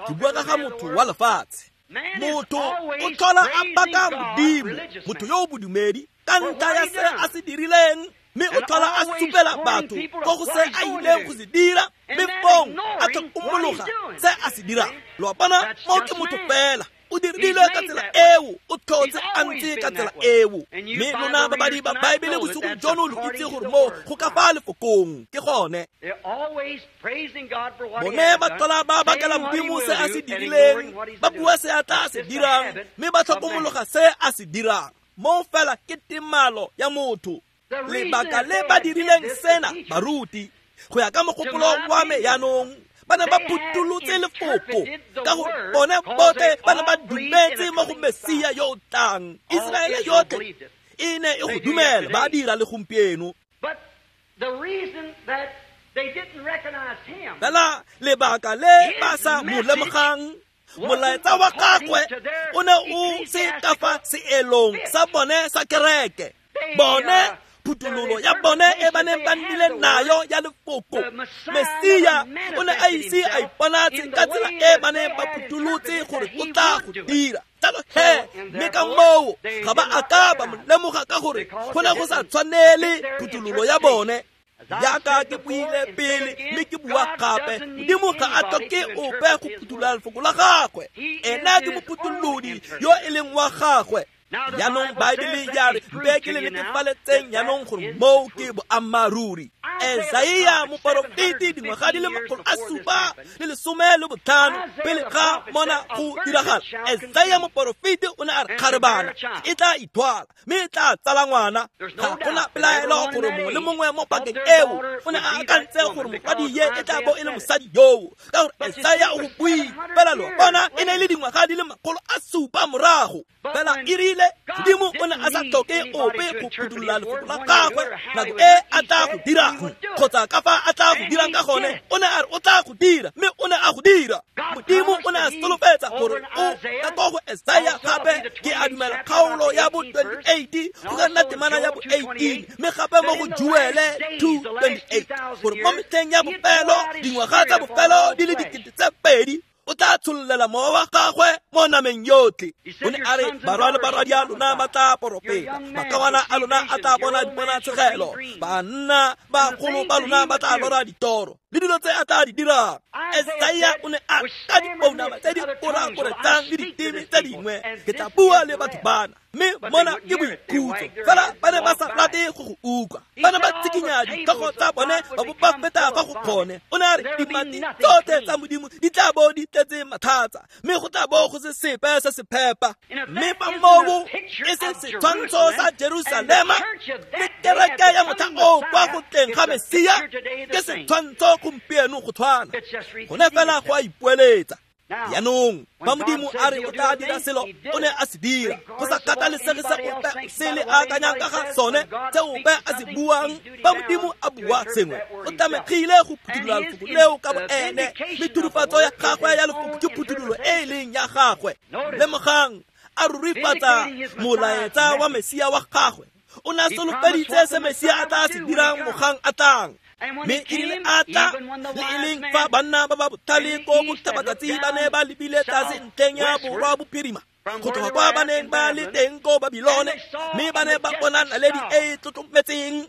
Ke bua ka ga motho wa lefatshe. Motho o tlhola a baka Modimo, motho yo o bodumedi, ka ntlha ya se a se dirileng, mme o tlhola a supela batho ko go se a ileng go se dira, mme fong a tlhokomologa se a se dirang. Lo a bona? Mo ke motho fela, o dirilwe ka tsela eo, o tlhotse a ntse ka tsela eo. Mme lona babadi ba Baebele bosigo jono lo itse gore mo go ka fa lefokong ke gone. Bone ba tlhola ba bakela Modimo se a se dirileng, ba bua se a tla se dirang, mme ba tlhokomologa se a se dirang. Mo fela ke temalo ya motho. Lebaka le ba dirileng sena baruti, go ya ka mogopolo wa me jaanong, ba ne ba phutholotse lefoko ka gore bone botlhe ba ne ba dumetse mo go Mesia yo o tlang. Iseraele yotlhe e ne e go dumela, ba dira le gompieno. Fela lebaka le ba sa mo lemogang, molaetsa wa gagwe o ne o se ka fa seelong sa bone sa kereke. Bone phuthololo ya bone e ba neng ba nnile nayo ya lefoko, Mesia o ne a ise a iponatse ka tsela e ba neng ba phutholotse gore o tla go dira. Jalo he, mme ka moo ga ba a ka ba mo lemoga ka gore go ne go sa tshwanele phuthololo ya bone. Jaaka ke buile pele mme ke bua gape, Modimo ga a tlhoke ope go phuthulola lefoko la gagwe. Ena ke mophutholodi yo e leng wa gagwe. Jaanong Baebele ya re mpe ke le netefaletseng jaanong gore moo ke boammaaruri. Esaia moporofeti dingwaga di le makgolo a supa le lesome le botlhano pele ga mona go diragala, Esaia moporofeti o ne a re kgarebana e tla ithwala mme e tla tsala ngwana. Ga gona pelaelo gore mongwe le mongwe mo pakeng eo o ne a akantse gore morwadie e tla bo e le mosadi yoo, ka gore Esaia o go buile. Fela lo bona e ne e le dingwaga di le makgolo a supa morago. Fela e rile Modimo o ne a sa tlhoke ope go phuthulola lefoko la gagwe nako e a tla go dirang, kgotsa ka fa a tla go dirang ka gone. O ne a re o tla go dira, mme o ne a go dira. Modimo o ne a solofetsa gore o ka ko go Esaia gape, ke a dumela kgaolo ya bo twenty-eight go ka nna temana ya bo eighteen, mme gape mo go Joele two twenty-eight, gore mo metlheng ya bofelo, dingwaga tsa bofelo di le dikete tse pedi, O tla tshollela mowa wa gagwe mo nameng yotlhe. O ne a re barwa le barwadi a lona ba tla porofeta, makawana a lona a tla bona diponatshegelo, banna bagolo ba lona ba tla lora ditoro le dilo tse a tla di dirang. Esaia o ne a ka dipounama tse di korakoretsang le diteme tse dingwe, ke tla bua le batho bana, mme mona ke boikhutso. Fela ba ne ba sa rate go go utlwa, ba ne ba tsikinya ditlhogo tsa bone ba bo ba feta fa go kgone. O ne a re dimati tsotlhe tsa Modimo di tla bo di tletse mathata, mme go tla bo go se sepe se se phepa. Mme fa moo e se setshwantsho sa Jerusalema le kereke ya motlha o kwa go tleng ga Mesia, ke setshwantsho gompieno go tshwana, gone fela go a ipoeletsa. Jaanong fa Modimo a re o tla dira selo, o ne a se dira, go sa kgathalesege se ope se le akanyang ka ga sone, se ope a se buang. Fa Modimo a bua sengwe, o tlamegile go phuthulola lefoko leo ka boene, mme thurifatso ya gagwe ya lefoko ke phuthulo e e leng ya gagwe. Lemogang, a rurifatsa molaetsa wa Mesia wa gagwe. O ne a solofeditse se Mesia a tla se dirang mogang a tlang. Mme e rile a tla, le e leng fa banna ba ba botlhale ko botlhabatsatsi ba ne ba lebile tlase ntlheng ya borwa bophirima, go tloga kwa ba neng ba le teng ko Babilone, mme ba ne ba bona naledi e e tlotlometseng.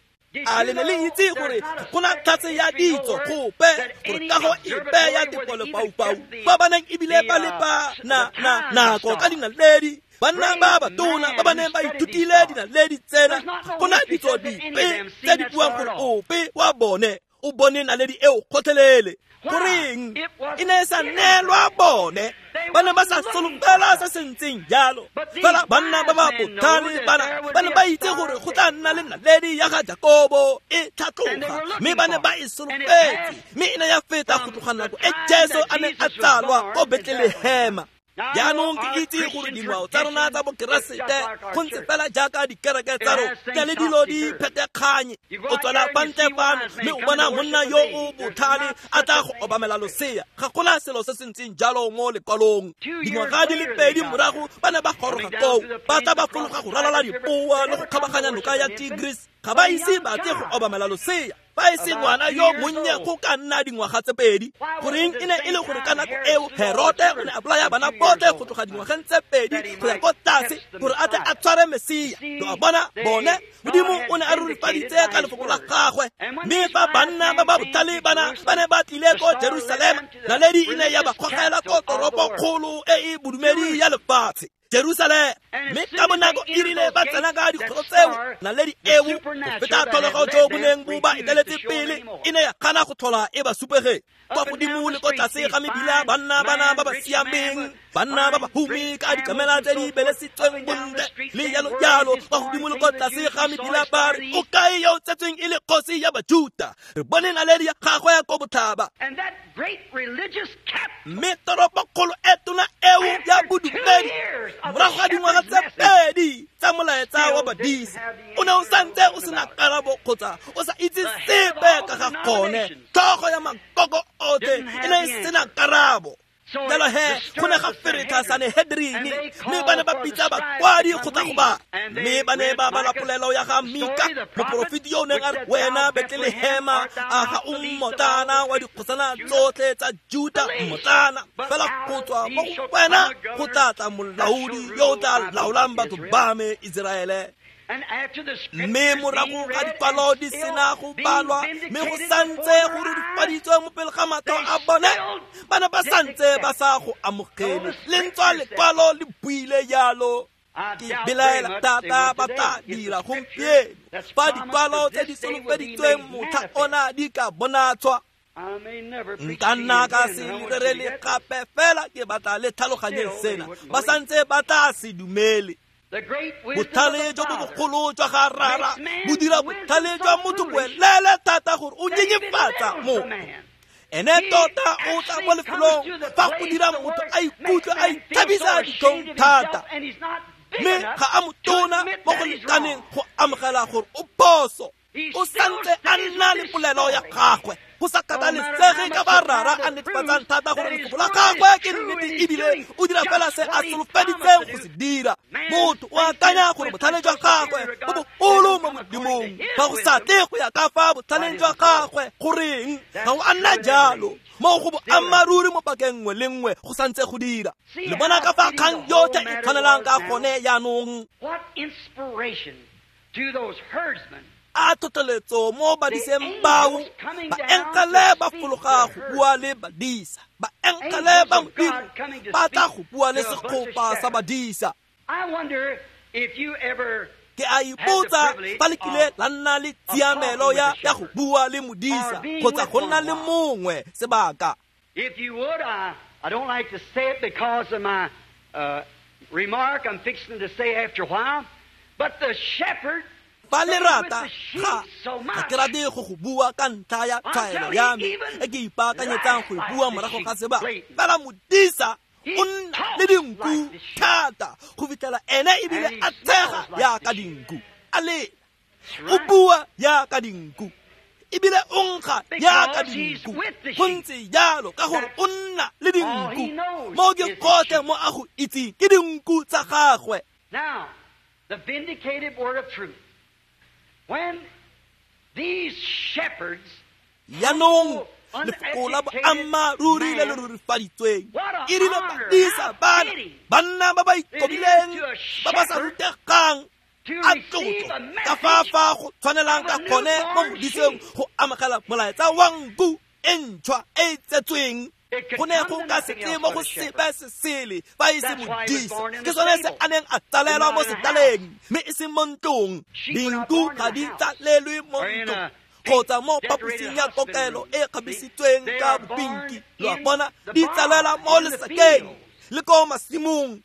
A le ne le itse gore go na tlhatse ya ditso gope gore kago epe ya dipolopaupau kwa ba neng ebile ba lepa na na nako ka dinaledi. Banna ba batona ba ba neng ba ithutile dinaledi tsena, go na ditso dipe tse di buang gore ope wa bone o bone naledi eo gotlhelele. Goreng e ne e sa neelwa bone? Ba ne ba sa solofela se se ntseng jalo. Fela banna ba ba botlhale bana ba ne ba itse gore go tla nna le naledi ya ga Jakobo e tlhatloga, mme ba ne ba e solofetse, mme e ne ya feta go tloga nako e Jesu a neng a tsalwa ko Betlelehema. Jaanong ke itse gore dingwao tsa rona tsa bokeresete go ntse fela jaaka dikereke tsa rona tse le dilo di phetekganye. O tswela fa ntle fano mme o bona monna yo o botlhale a tla go obamela losea. Ga gona selo se se ntseng jalo mo lekwalong. Dingwaga di le pedi morago ba ne ba goroga koo, ba tla ba fologa go ralala dipoa le go kgabaganya noka ya Tigris. Ga ba ise ba tle go obamela losea, fa e se ngwana yo monnye go ka nna dingwaga tse pedi. Goreng e ne e le gore ka nako eo Herote o ne a bolaya bana botlhe go tloga dingwageng tse pedi go ya ko tlase gore a tle a tshware Mesia. Lo a bona bone, Modimo o ne a rurifaditse ka lefoko la gagwe. Mme fa banna ba ba botlhale bana ba ne ba tlile ko Jerusalema, naledi e ne ya ba gogela ko toropokgolo e e bodumedi ya lefatshe, Jerusalema. Mme ka bonako e rile ba tsena ka dikgoro tseo, naledi eo go feta tlholego jo bo neng bo ba eteletse pele e ne ya gana go tlhola e ba supege. Kwa godimo le ko tlase ga mebila banna bana ba ba siameng, banna ba ba humi ka dikamela tse di belesitsweng bontle le jalo jalo. Kwa godimo le ko tlase ga mebila ba re, o kae yo o tsetsweng e le kgosi ya Bajuta? Re bone naledi ya gagwe ya ko botlhaba. Mme toropokgolo e tona eo ya bodumedi, morago ga dingwaga tse pedi tsa molaetsa wa badisa, o ne o santse o sena karabo kgotsa o sa itse sepe ka ga gone. Tlhogo ya makoko otlhe e ne e sena karabo. Jalo he go ne ga feretlha Sanehedrini, mme ba ne ba bitsa bakwadi go tla go ba, mme ba ne ba bala polelo ya ga Mika, moporofeti yo o neng a re, wena Betlelehema, a ga o mmotlana wa dikgosana tsotlhe tsa Juta, mmotlana fela go tswa mo go wena go tla tla molaodi yo o tla laolang batho ba me Iseraele. Mme morago ga dikwalo di sena go balwa, mme go santse go rurifaditswe mo pele ga matlho a bone, ba ne ba santse ba sa go amogele. Lentswa lekwalo le buile jalo. Ke belaela thata ba tla dira gompieno fa dikwalo tse di solofeditsweng motlha ona di ka bonatswa. Nka nna ka se rerele gape, fela ke batla le tlhaloganyeng sena. Ba santse ba tla se dumele. Botlhale jo bo bogolo jwa ga Rara bo dira botlhale jwa motho boelele thata gore o nyenyefatsa motho. Ene tota o tla mo lefelong fa go dira motho a ikutlwe a ithabisa ditlhong thata, mme ga a motona mo go lekaneng go amogela gore o phoso. O santse a nna le polelo ya gagwe, go sa kgathalesege ka ba Rara a netefatsang thata gore lefoko la gagwe ke nnete ebile o dira fela se a solofeditseng go se dira. Motho o akanya gore botlhale jwa gagwe bo bogolo mo Modimong, fa go sa tle go ya ka fa botlhaleng jwa gagwe. Goreng ga o a nna jalo? Mo go boammaaruri mo pakeng nngwe le nngwe go santse go dira. Le bona ka fa kgang yotlhe e tshwanelang ka gone jaanong. What inspiration to those herdsmen! A tlhotlheletso mo badiseng bao, baengele ba fologa go bua le badisa, baengele ba Modimo ba tla go bua le segopa sa badisa. I wonder if you ever Ke a ipotsa fa le kile la nna le tshiamelo ya ya go bua le modisa kgotsa go nna le mongwe sebaka. If you would, I, I don't like to say it because of my uh, remark I'm fixing to say after a while, but the shepherd Fa le rata, ga ga ke rate go go bua ka ntlha ya tshwaelo ya me e ke ipaakanyetsang go e bua morago ga sebaka. Fela modisa o nna le dinku thata go fitlhela ene ebile a tshega yaka dinku, a lela, o bua yaka dinku, ebile o nkga yaka dinku. Go ntse jalo ka gore o nna le dinku. Mo ke gotlhe mo a go itseng ke dinku tsa gagwe. Now, the vindicated word of truth. When these shepherds Jaanong lefoko la boammaaruri le le rurifaditsweng e rile badisa bana, banna ba ba ikobileng, ba ba sa rutegang, a tlotlo ka fa fa go tshwanelang ka gone mo modiseng go amogela molaetsa wa nku e ntšhwa e e tsetsweng. Go ne go ka se tle mo go sepe se sele fa e se modisa. Ke sone se a neng a tsalelwa mo setaleng, mme e seng mo ntlong. Dinku ga di tsalelwe mo ntlong kgotsa mo phaposing ya kokelo e kgabisitsweng ka bopinki. Lo a bona, di tsalelwa mo lesakeng le ko masimong.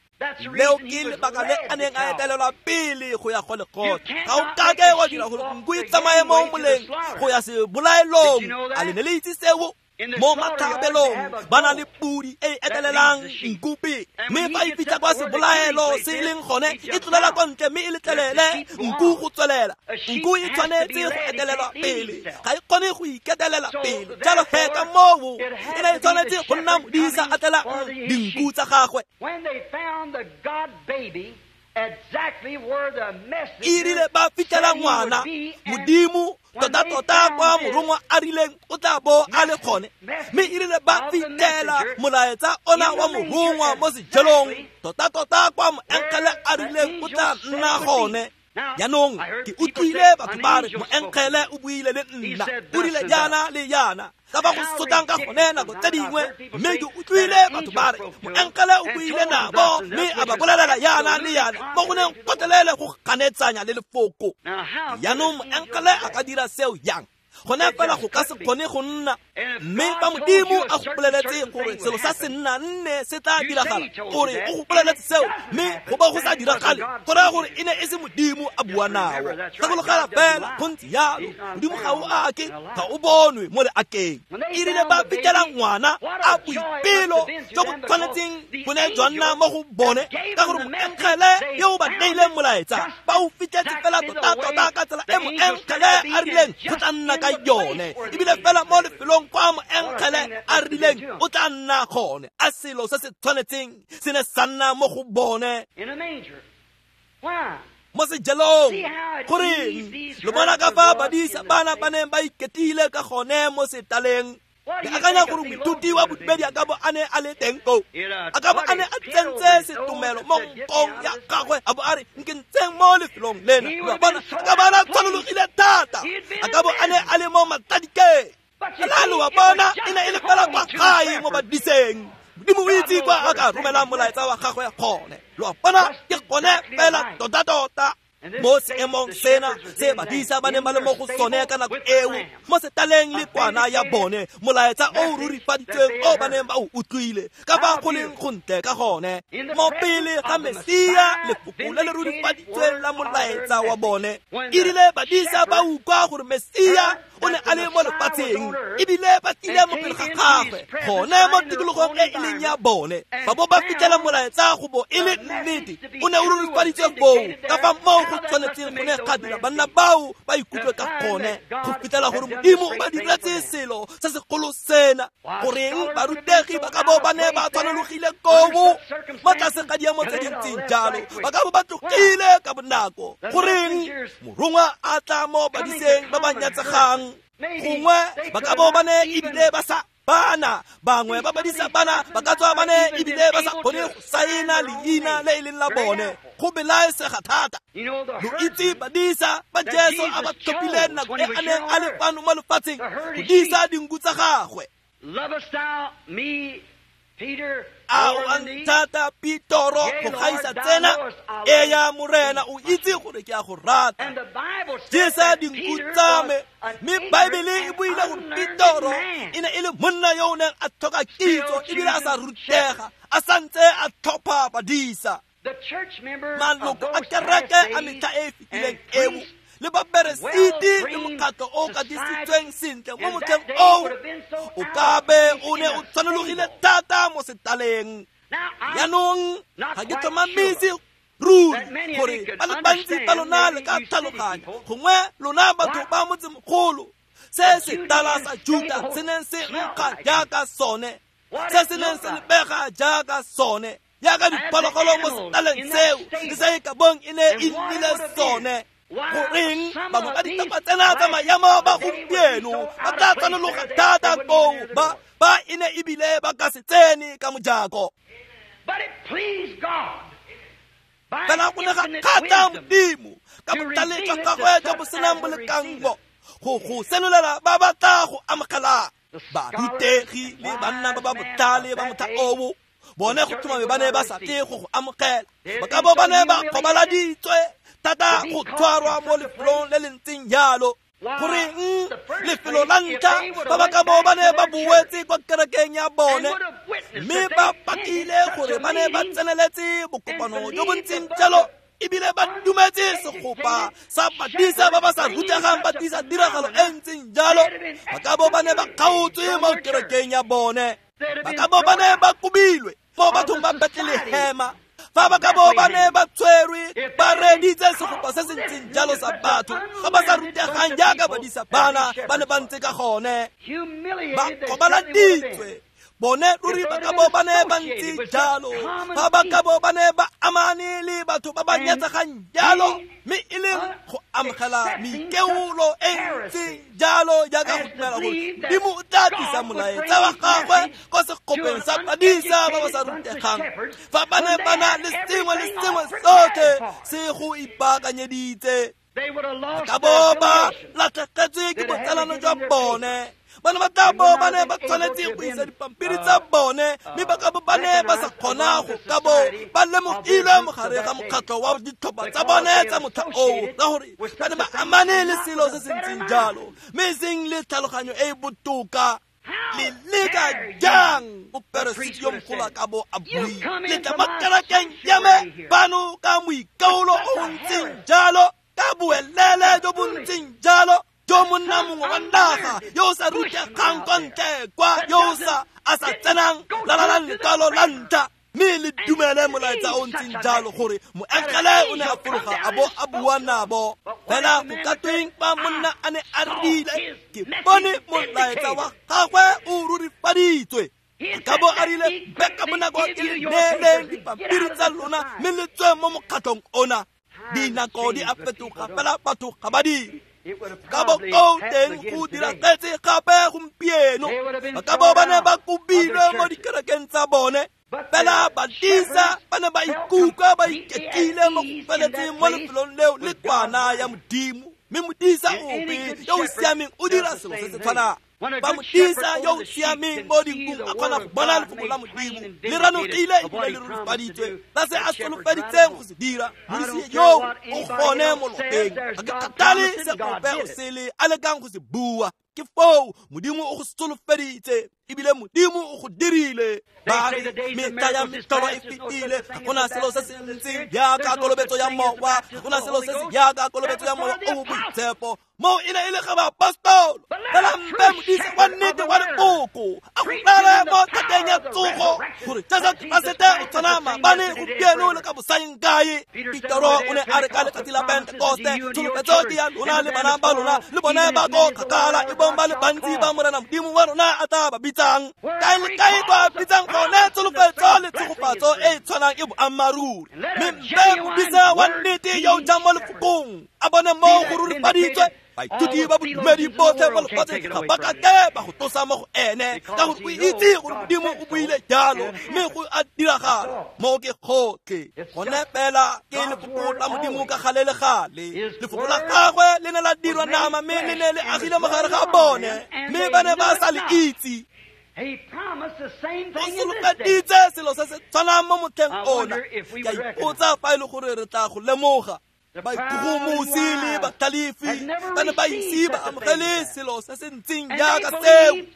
Leo ke lebaka le a neng a etelelwa pele go ya go lekgotla. Ga o kake wa dira gore nku e tsamaye mo moleng go ya sebolaelong. A le ne le itse seo? Mo matlhabelong ba na le pudi e e etelelang nku pele, mme fa e fitlha kwa sebolaelo se e leng gone e tlolela kwa ntle mme e letlelele nku go tswelela. Nku e tshwanetse go etelelwa pele, ga e kgone go iketelela pele. Jalo he ka moo e ne e tshwanetse go nna modisa a tlelang dinku tsa gagwe. When they found the God baby exactly where the messenger E rile ba fitlhela ngwana Modimo tota-tota kwa morongwa a rileng o tla bo a le gone, mme e rile ba fitlhela molaetsa ona wa morongwa mo sejelong tota-tota kwa moengele a rileng o tla nna gone. Jaanong ke utlwile batho ba re moengele o buile le nna, o rile jaana le jaana, ka ba go sotlang ka gone nako tse dingwe. Mme ke utlwile batho ba re moengele o buile nabo mme a ba bolelela jaana le jaana, mo go neng gotlhelele go ganetsanya le lefoko. Jaanong moengele a ka dira seo jang? Gone fela go ka se kgone go nna. Mme fa Modimo a go boleletse gore selo sa se nna nne se tla diragala, gore o go boleletse seo mme go ba go sa diragale, go raya gore e ne e se Modimo a bua nao. Gakologela fela go ntse jalo, Modimo ga o ake, ga o bonwe mo leakeng. E rile ba fitlhela ngwana a boipelo jo bo tshwanetseng bo ne jwa nna mo go bone, ka gore moengele yo o ba neileng molaetsa ba o fitlhetse fela tota-tota ka tsela e moengele a rileng go tla nna ka yone, ebile fela mo lefelong kwa moengele a rileng o tla nna gone. A selo se se tshwanetseng se ne sa nna mo go bone in a manger. Why? mo sejelong. Goreng lo bona ka fa badisa bana ba neng ba iketile ka gone mo setaleng? Ke akanya gore moithuti wa bodumedi a ka bo a ne a le teng koo, a ka bo a ne a tsentse setumelo mo nkong ya gagwe, a bo a re nke ntseng mo lefelong lena. Lo a bona, a ka bo a ne a tshwanologile thata, a ka bo a ne a le mo matladikeng. Fela lo a bona, e ne e le fela kwa gae mo badiseng. Modimo o itse kwa a ka romelang molaetsa wa gagwe gone. Lo a bona, ke gone fela tota-tota mo seemong sena se badisa ba neng ba le mo go sone ka nako eo, mo setaleng le kwana ya bone, molaetsa o o rurifaditsweng o ba neng ba o utlwile ka fa go leng gontle ka gone mo pele ga Mesia, lefoko le le rurifaditsweng la molaetsa wa bone. E rile badisa ba utlwa gore Mesia o ne a le mo lefatsheng, ebile ba tlile mo pele ga gagwe gone mo tikologong e e leng ya bone, ba bo ba fitlhela molaetsa go bo e le nnete o ne o rurifaditswe foo ka fa moo go tshwanetseng go ne ga dira banna bao ba ikutlwe ka gone go fitlhela gore Modimo o ba diretse selo se segolo sena. Goreng barutegi ba ka bo ba ne ba tshwanologile koo mo tlase ga diemo tse di ntseng jalo, ba ka bo ba tlogile ka bonako. Goreng morongwa a tla mo badiseng ba ba nyatsegang? Gongwe ba ka bo ba ne ebile ba sa Bana bangwe ba badisa bana ba ka tswa ba ne ebile ba sa kgone go saena leina le e leng la bone. Go belaesega thata. Lo itse badisa ba Jesu a ba tlhophileng nako e a neng a le fano mo lefatsheng go disa dinku tsa gagwe. A o a nthata Petoro go gaisa tsena? Eya Morena, o itse gore ke a go rata. Jesa dinku tsa me. Mme Baebele e buile gore Petoro e ne e le monna yo o neng a tlhoka kitso ebile a sa rutega, a santse a tlhopha badisa. Maloko a kereke a metlha e e fetileng eo le baperesiti le mokgatlho o katisitsweng sentle mo motlheng oo o ka be o ne o tshwanelogile thata mo setaleng. Jaanong ga ke tlhomamise ruri gore ba le bantsi ba lona le ka tlhaloganya, gongwe lona batho ba motsemogolo, se setala sa Juta se neng se nkga jaaka sone, se se neng se lebega jaaka sone, jaaka diphologolo mo setaleng seo le se e ka bong e ne e nnile sone. Goreng bangwe ba ditlhopha tsena tsa maemo ba gompieno ba tla tshwanologa thata koo ba ba e ne ebile ba ka se tsene ka mojako. Fela go ne ga kgatlha Modimo ka botlhale jwa gagwe jo bo senang bolekanngo go go senolela ba ba tla go amogelang. Barutegi le banna ba ba botlhale ba motlha oo bone go tlhomame ba ne ba sa tle go go amogela, ba ka bo ba ne ba kgobaladitswe thata go tshwarwa mo lefelong le le ntseng jalo. Goreng lefelo la ntlha ba ba ka bo ba ne ba boetse kwa kerekeng ya bone mme ba pakile gore ba ne ba tseneletse bokopano jo bo ntseng jalo ebile ba dumetse segopa sa badisa ba ba sa rutegang ba tlisa tiragalo e ntseng jalo, ba ka bo ba ne ba kgaotswe mo kerekeng ya bone, ba ka bo ba ne ba kobilwe mo bathong ba Betlelehema. Fa ba ka bo ba ne ba tshwerwe ba reditse segopa se se ntseng jalo sa batho ba ba sa rutegang jaaka badisa bana ba ne ba ntse ka gone, ba kgobaladitswe bone ruri ba ka bo ba ne ba ntse jalo. Fa ba ka bo ba ne ba amane le batho ba ba nyatsegang jalo, mme e leng go amogela meikeolo e ntseng jalo jaaka go dumela gore Modimo o tla tlisa molaetsa wa gagwe kwa segopeng sa badisa ba ba sa rutegang, fa ba ne ba na le sengwe le sengwe sotlhe se go ipaakanyeditse, ba ka bo ba latlhegetswe ke botsalano jwa bone. Ba ne ba tla bo ba ne ba tshwanetse go isa dipampiri tsa bone, mme ba ka bo ba ne ba sa kgona go ka bo ba lemogilwe mo gare ga mokgatlho wa ditlhopha tsa bone tsa motlha oo, ka gore ba ne ba amane le selo se se ntseng jalo, mme e seng le tlhaloganyo e e botoka. Le leka jang moperesiti yo mogolo a ka bo a buile, le tla mo kerekeng ya me fano ka moikaolo o ntseng jalo, ka boelele jo bo ntseng jalo, jo monna mongwe wa naga yo o sa rutegang kwa ntle kwa, yo o sa a sa tsenang lalalang lekwalo la ntlha, mme le dumele molaetsa o ntseng jalo gore moengele o ne a fologa a bo a bua nabo. Fela go ka tweng fa monna a ne a rile, ke bone molaetsa wa gagwe o rurifaditswe, ka bo a rile beka bonako ke le neeleng dipampiri tsa lona mme le tswe mo mokgatlhong ona. Dinako di a fetoga fela batho ga ba dire. Ka bo koo teng go diragetse gape gompieno, ba ka bo ba ne ba kobilwe mo dikerekeng tsa bone, fela badisa ba ne ba ikutlwa ba iketlile mo go feletseng mo lefelong leo le kwana ya Modimo. Mme modisa ope yo o siameng o dira selo se se tshwanang. Fa modisa yo o siameng mo dinkung a kgona go bona lefoko la Modimo le ranogile ebile le rurifaditswe la se a solofeditseng go se dira, modisi yo o gone mo lopeng. Ga ke kgathale se ope o sele a lekang go se bua, ke foo Modimo o go solofeditse ebile Modimo o go dirile. Ba re metlha ya metlholo e fetile, ga gona selo se se ntseng jaaka kolobetso ya mowa, ga gona selo se se jaaka kolobetso ya mowa o o boitshepo. Moo e ne e le ga baapostolo. Fela mpe modisa wa nnete wa lefoko a go rere mo thateng ya tsogo gore Jesu Keresete o tshwana maabane, gompieno le ka bosaeng kae. Petoro o ne a re ka letsatsi la Pentekoste, tsholofetso ke ya lona le bana ba lona le bone ba ko kgakala, e bong ba le bantsi ba Morena Modimo wa rona a tla ba bitsang. Kae le kae kwa bitsang gone tsholofetso le tshegofatso e e tshwanang e boammaaruri. Mme mpe modisa wa nnete yo o jang mo lefokong a bone mo go rurifaditswe Baithuti ba bodumedi botlhe mo lefatsheng ga ba ka ke ba go tlosa mo go ene, ka gore o itse gore Modimo o buile jalo, mme go a diragala. Mo ke gotlhe gone fela ke lefoko la Modimo ka gale le gale. Lefoko la gagwe le ne la dirwa nama, mme le ne le agile mo gare ga bone, mme ba ne ba sa le itse. O solofeditse selo se se tshwanang mo motlheng ona. Ke a ipotsa fa e le gore re tla go lemoga. Baikgogomosi le batlhalefi ba ne ba ise ba amogele selo se se ntseng jaaka seo,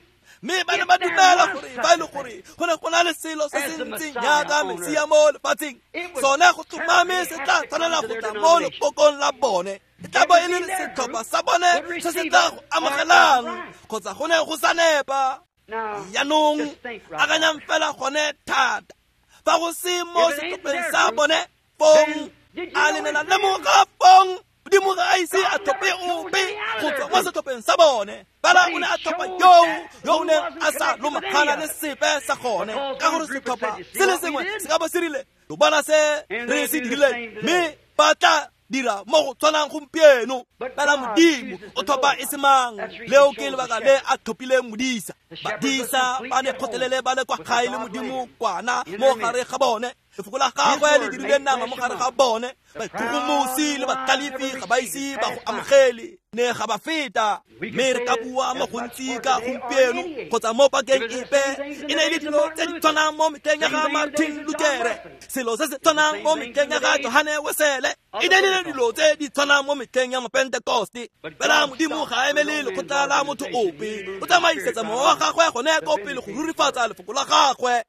mme ba ne ba dumela gore fa e le gore go ne go na le selo se se ntseng jaaka Mesia mo lefatsheng, sone go tlhomame se tla tshwanela go tla mo lekokong la bone. E tla bo e le setlhopha sa bone se se tla go amogelang, kgotsa go ne go sa nepa. Jaanong akanyang fela gone thata, fa go se mo setlhopheng sa bone fong, a le ne la lemoga fong Modimo ga a ise a tlhophe ope go tswa mo setlhopheng sa bone. Fela o ne a tlhopha yoo yo o neng a sa lomagana le sepe sa gone, ka gore setlhopha se le sengwe se ka bo se rile, lo bona se re se dirileng, mme ba tla dira mo go tshwanang gompieno. Fela Modimo o tlhopha e se mang. Leo ke lebaka le a tlhophileng modisa. Badisa ba ne kgotlelele ba le kwa gae le Modimo kwana mo gare ga bone. Lefoko la gagwe le dirile nama mo gare ga bone. Baikgogomosi le batlhalefi ga ba ise ba go amogele, ne ga ba feta. Mme re ka bua mo gontsi ka gompieno kgotsa mo pakeng epe, e ne e le dilo tse di tshwanang mo metlheng ya ga Martin Luther, selo se se tshwanang mo metlheng ya ga Johane Wesele, e ne e le dilo tse di tshwanang mo metlheng ya Mapentekoste. Fela Modimo ga a emele lekgotla la motho ope, o tsamaisetsa mowa wa gagwe gone ko pele go rurifatsa lefoko la gagwe.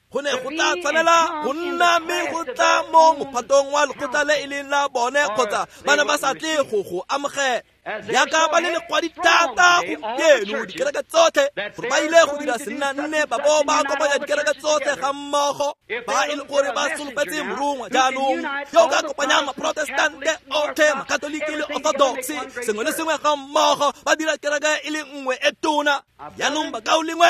Go ne go tla tshwanela go nna mme go tla mo mophatong wa lekgotla le e leng la bone, kgotsa ba ne ba sa tle go go amogela. Jaaka ba le lekwadi thata gompieno dikereke tsotlhe, gore ba ile go dira sennanne ba bo ba kopanya dikereke tsotlhe ga mmogo, ba e le gore ba solofetse morongwa jaanong yo o ka kopanyang maprotestante otlhe, makatoliki le orthodox, sengwe le sengwe ga mmogo, ba dira kereke e le nngwe e tona. Jaanong bakaulengwe,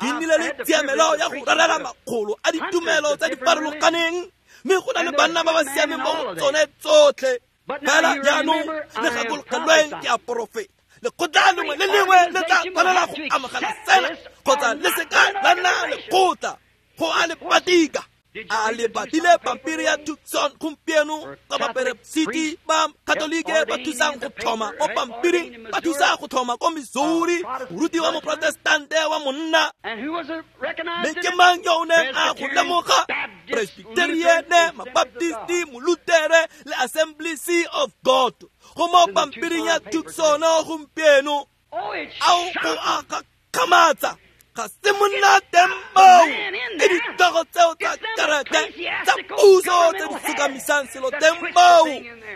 ke nnile le tshiamelo ya go rerela makgolo a ditumelo tse di farologaneng, mme go na le banna ba ba siameng mo go tsone tsotlhe. Fela jaanong le gakologelweng ke a porofeta, lekgotla lengwe le lengwe le tla tshwanela go amogela sena, kgotsa le se ka la nna lekgotla. Go a le patika. A le badile pampiri ya Tucson gompieno ka baperesiti ba Katolike ba thusang go tlhoma mo pampiring, ba thusa go tlhoma ko Missouri moruti wa moprotestante wa monna. Mme ke mang yo o neng a go lemoga? Presbyteriane, Mabaptisti, Molutere le Assemblies of God. Go mo pampiring ya Tucson gompieno. Ao go a gakgamatsa. Ga se monna teng moo, ke ditlhogo tseo tsa kereke tsa puso tse di sokamisang selo teng moo,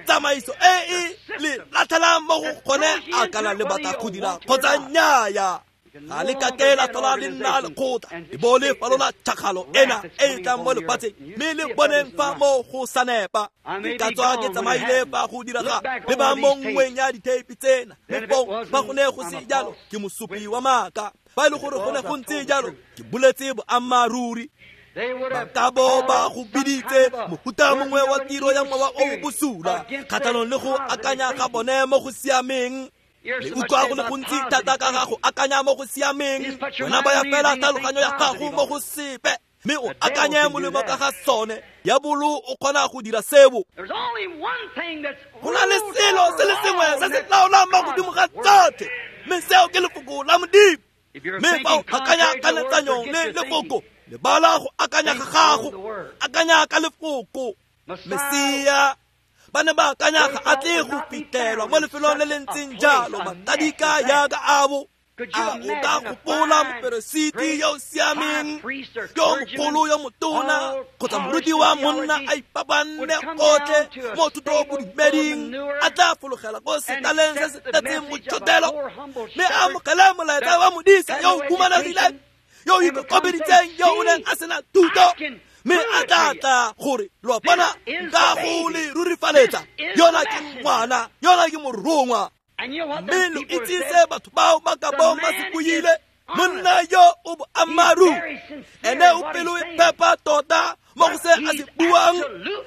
tsamaiso e e le latlhelang mo go gone a kana le batla go dira kgotsa nnyaya. Ga le ka ke la tlhola le nna lekgotla, e bo le falola tšhakgalo ena e e tlang mo lefatsheng, mme le boneng fa mo go sa nepa. Ke ka tswa ke tsamaile fa go diraga le ba mo nngweng ya ditheipi tsena, mme fong fa go ne go se jalo ke mosupi wa maaka. Fa e le gore go ne go ntse jalo, ke boletse boammaaruri. Ba ka bo ba go biditse mofuta mongwe wa tiro ya mowa o o bosula kgatlhanong le go akanya ga bone mo go siameng. Le utlwa go le gontsi thata ka ga go akanya mo go siameng, wena baya fela tlhaloganyo ya gago mo go sepe, mme o akanye molemo ka ga sone. Diabolo o kgona go dira seo. Go na le selo se le sengwe se se laolang mo godimo ga tsotlhe, mme seo ke lefoko la Modimo. Mme fa o akanya kanetsanyong le lefoko, lebala go akanya ga gago, akanya ka lefoko. Mesia ba ne ba akanya ga a tle go fitlhelwa mo lefelong le le ntseng jalo, matadika jaaka abo. A o ka gopola moperesiti yo o siameng, yo mogolo yo motona, kgotsa moruti wa monna a ipabanne gotlhe mo thutobodumeding, a tla fologela ko setaleng se se tletseng motšhotelo, mme a amogele molaetsa wa modisa yo o humanegileng, yo o ikokobeditseng, yo o neng a sena thuto, mme a tla tla gore lo a bona nka go le rurifaletsa, yona ke ngwana, yona ke morongwa. Mme lo itse se batho bao ba ka bong ba se buile, monna yo o boammaaruri, ene o pelo e phepa tota mo go se a se buang,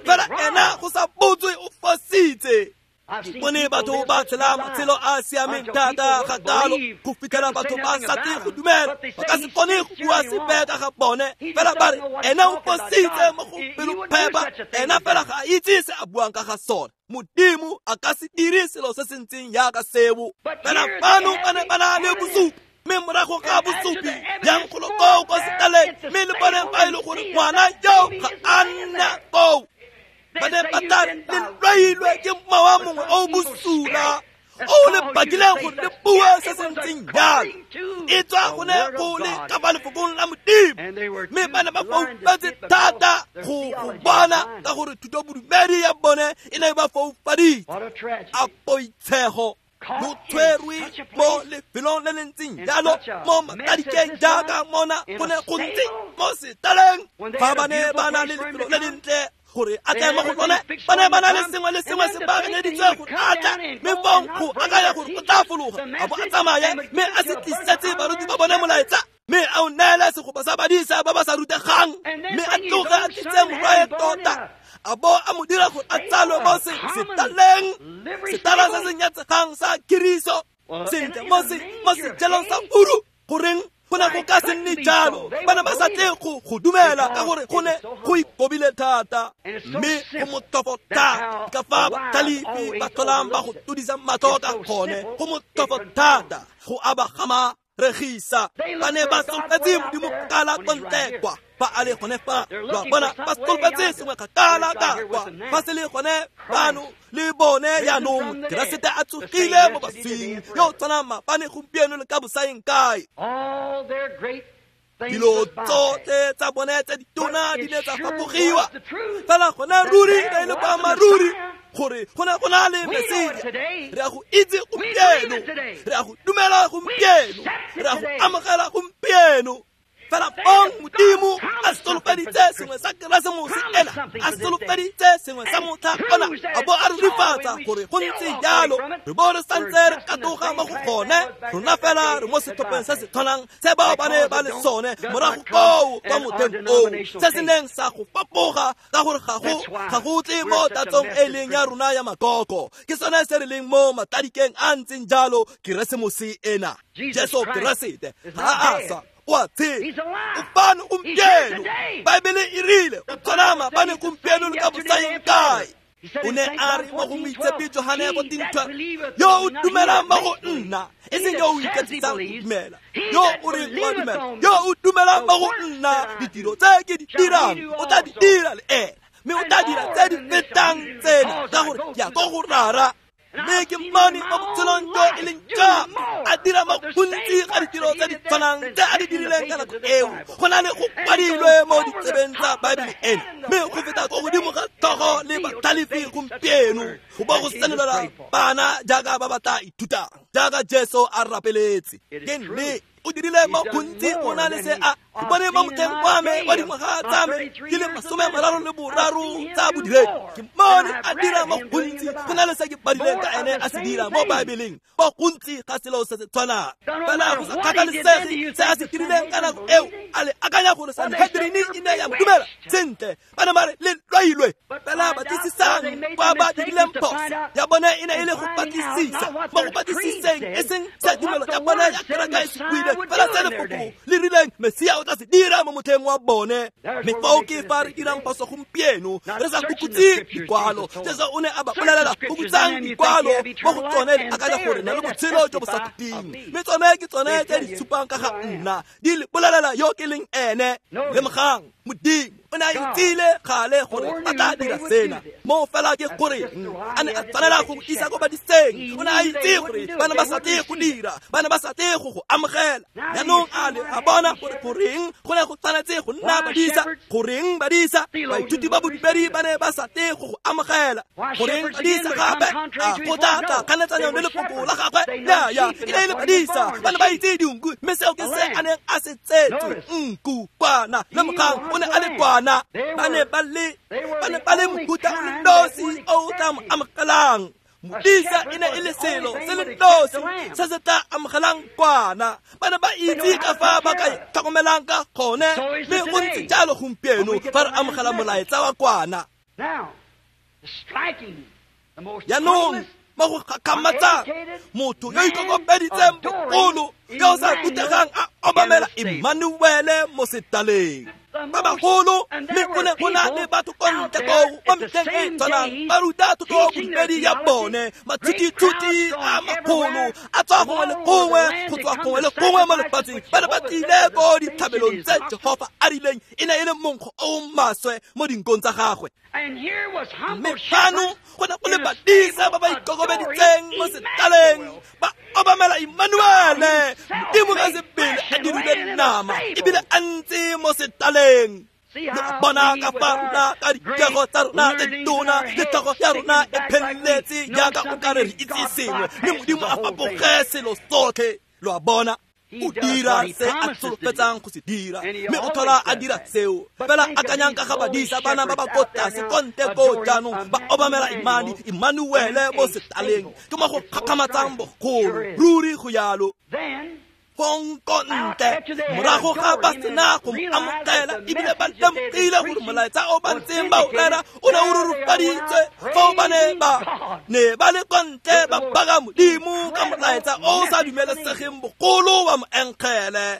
fela ena go sa botswe o fositse. Ke bone batho ba tshela matshelo a siameng thata ga kalo go fitlhela batho ba sa tle go dumela, ba ka se kgone go bua sepe ka ga bone, fela ba re ena o fositse mo go pelophepa, ena fela ga a itse se a buang ka ga sone. Modimo a ka se dire selo se se ntseng jaaka seo. Fela fano ba ne ba na le bosupi, mme morago ga bosupi yang golo koo kwa setaleng, mme le bone fa e le gore ngwana yo ga a nna koo. Ba ne ba tla le lwailwe ke mowa mongwe o bosula o le bakileng gore le bue se se ntseng jalo. E tswa gone go le ka fa lefokong la Modimo, mme ba ne ba foufetse thata go go bona ka gore thutobodumedi ya bone e ne e ba foufaditse. A poitshego lo tshwerwe mo lefelong le le ntseng jalo, mo matadikeng jaaka mona go ne go ntse mo setaleng. Fa ba ne ba na le lefelo le lentle gore a tle mo go lone, ba ne ba na le sengwe le sengwe se baakanyeditswe gore a tle, mme fong go akanya gore o tla fologa a bo a tsamaye mme a se tlisetse baruti ba bone molaetsa, mme a o neele segopa sa badisa ba ba sa rutegang, mme a tloge a tlise morwae tota, a bo a mo dira gore a tsalwe mo setaleng, setala se se nyatsegang sa kiriso, sentle mo mo sejelong sa furu. Goreng go ne go ka se nne jalo? Ba ne ba sa tle go go dumela ka gore go ne go ikobile thata, mme go motlhofo thata ka fa batlhalefi ba tlholang ba go todisa matlho ka gone. Go motlhofo thata go aba gama regisa. Ba ne ba solofetse Modimo kgakala ko ntle kwa, fa a le gone fa. Lo a bona, ba solofetse sengwe kgakala ka kwa, fa se le gone fano le bone jaanong. Keresete a tsogile mo baswing, yo o tshwanang maabane, gompieno le ka bosaeng kae. Dilo tsotlhe tsa bone tse ditona di ne tsa fapogiwa, fela gone ruri e le boammaaruri gore go ne go na le Mesia. Re a go itse gompieno, re a go dumela gompieno, re a go amogela gompieno. Fela fong Modimo a solofeditse sengwe sa Keresemose ena, a solofeditse sengwe sa motlha ona, a bo a rurifatsa gore go ntse jalo. Re bo re santse re katoga mo go gone, rona fela re mo setlhopheng se se tshwanang se bao ba ne ba le sone morago koo kwa motheng oo, se se neng sa go fapoga ka gore ga go ga go tle mo tatsong e leng ya rona ya makoko. Ke sone se re leng mo matadikeng a ntseng jalo Keresemose ena. Jesu Keresete ga a swa, o a tshela, o fano gompieno. Baebele e rile o tshwana maabane, gompieno le ka bosaeng kae. O ne a re mo go moitshepi Johane fourteen twelve, yo o dumelang mo go nna, e seng yo o iketsisang go dumela, yo o reng o a dumela, yo o dumelang mo go nna, ditiro tse ke di dirang o tla di dira le ena, mme o tla dira tse di fetang tsena, ka gore ke ya ko go Rara. Mme ke mmone mo botshelong jo e leng jang a dira mo gontsi ga ditiro tse di tshwanang tse a di dirileng ka nako eo, go na le go kwadilwe mo ditsebeng tsa Baebele ena, mme go feta ko godimo ga tlhogo le batlhalefi gompieno go bo go senolela bana jaaka ba ba tla ithutang, jaaka Jesu a rapeletse. Ke nnete o dirile mo gontsi go na le se a ke bone mo motlheng wa me wa dingwaga tsa me di le masome a mararo le boraro tsa bodiredi, ke mmone a dira mo gontsi go na le se ke badileng ka ene a se dira mo Baebeleng, mo gontsi ga selo se se tshwanang. Fela go sa kgathalesege se a se dirileng ka nako eo, a le akanya gore Sanhedrin e ne ya mo dumela sentle, ba ne ba re le lwailwe. Fela batlisisang kwa ba dirileng phoso ya bone e ne e le go batlisisa, mo go batlisiseng e seng se tumelo ya bone ya kereke e se buile, fela se lefoko le rileng Mesia o tla se dira mo motlheng wa bone. Mme fao ke fa re dirang phoso gompieno, re sa fokotse dikwalo. Jesu o ne a ba bolelela, fokotsang dikwalo mo go tsone le akanya gore na le botshelo jo bo sa khutleng, mme tsone ke tsone tse di supang ka ga nna, di le bolelela yo ke leng ene. Lemogang, Modimo o ne a itsile gale gore a tla dira sena, mo fela ke gore a ne a tshwanela go isa ko badiseng. O ne a itse gore ba ne ba sa tle go dira, ba ne ba sa tle go go amogela. Jaanong a le a bona gore goreng go ne go tshwanetse go nna badisa, goreng badisa baithuti ba bodumedi ba ne ba sa tle go go amogela, goreng badisa gape a go tla tla kganetsanyo le lefoko la gagwe. Nnyaa, e ne e le badisa, ba ne ba itse dinku, mme seo ke se a neng a se tsetse, nku kwana. Lemogang, o ne a le kwana. Ba ne ba le ba ne ba le mohuta o le nosi o o tla mo amogelang. Modisa e ne e le selo se le nosi se se tla amogelang kwana. Ba ne ba itse ka fa ba ka tlhokomelang ka gone, mme go ntse jalo gompieno fa re amogela molaetsa wa kwana. Jaanong Mo go gakgamatsang motho yo ikokobeditseng bogolo yo o sa rutegang a obamela Emmanuele mo setaleng. Ba bagolo mme go ne go na le batho ko ntle koo mo metlheng e tshwanang ba ruta thuto bodumedi ya bone. Matshutitshuti a magolo a tswa gongwe le gongwe go tswa gongwe le gongwe mo lefatsheng ba ne ba tlile ko ditlhabelong tse Jehofa a rileng e ne e le monkgo o o maswe mo dinkong tsa gagwe. Mme fano go ne go le badisa ba ba ikokobeditseng mo setaleng ba obamela Emmanuele, Modimo ka sebele a dirile nama ebile a ntse mo setaleng. Lo bona ka fa rona ka dikego tsa rona tse ditona le tlhogo ya rona e pheletse jaaka o ka re re itse sengwe mme Modimo a fapoge selo sotlhe. Lo a bona, o dira se a solofetsang go se dira mme o tlhola a dira seo. Fela akanyang ka ga badisa bana ba ba ko tlase ko ntle koo jaanong ba obamela Imani Emmanuele mo setaleng. Ke mo go gakgamatsang bogolo ruri go yalo. Fong ko ntle morago ga ba sena go mo amogela ebile ba lemogile gore molaetsa o ba ntseng ba o rera o ne o rurufaditswe, foo ba ne ba ne ba le ko ntle ba baka Modimo ka molaetsa o o sa dumelesegeng bogolo wa moengele.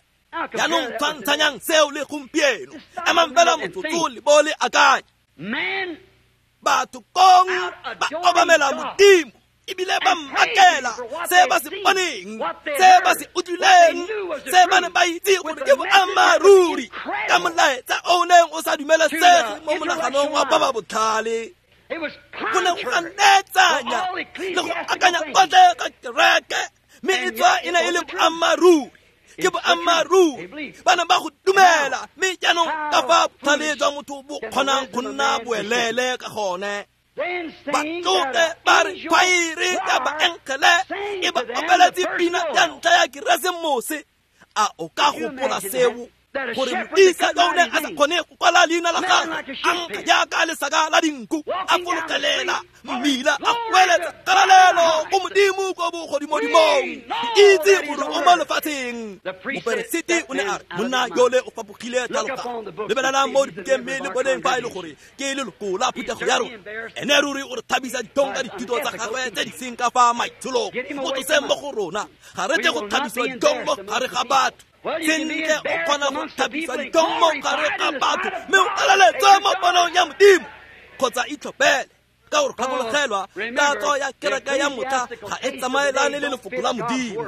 Jaanong tshwantshanyang seo le gompieno. Emang fela motsotso le bo le akanya. Batho kong ba obamela Modimo ebile ba mmakela se ba se boneng, se ba se utlwileng, se ba ne ba itse gore ke boammaaruri ka molaetsa o neng o sa dumelesege mo monaganong wa ba ba botlhale. Go ne go ganetsanya le go akanya kotlhe ka kereke, mme e tswa e ne e le boammaaruri. Ke boammaaruri, ba ne ba go dumela, mme jaanong ka fa botlhale jwa motho bo kgonang go nna boelele ka gone. Ba tloge ba re khwaere ka baengele e ba opeletse pina ya ntlha ya Keresemose. A o ka gopola seo gore modisa yo o neng a sa kgone go kwala leina la gagwe a nkga jaaka lesaka la dinku a fologelela mmila a goeletsa kgalalelo go Modimo ko bogodimodimong, itse gore o mo lefatsheng. Moperesiti o ne a re monna yole o fapogile tlhaloganyo. Lebelelang mo dibukeng mme le boneng fa e le gore ke leloko la phuthego ya rona. Ene ruri o re thabisa ditlhong ka dithuto tsa gagwe tse di seng ka fa maitsholong. Mo tloseng mo go rona, ga re tle go thabisiwa ditlhong mo gare ga batho. Sentle o kgona go thabisa ditlhong mo gare ga batho mme o galaletswe mo ponong ya Modimo. Kgotsa itlhophele ka gore gakologelwa tatso ya kereke ya motlha ga e tsamaelane le lefoko la Modimo.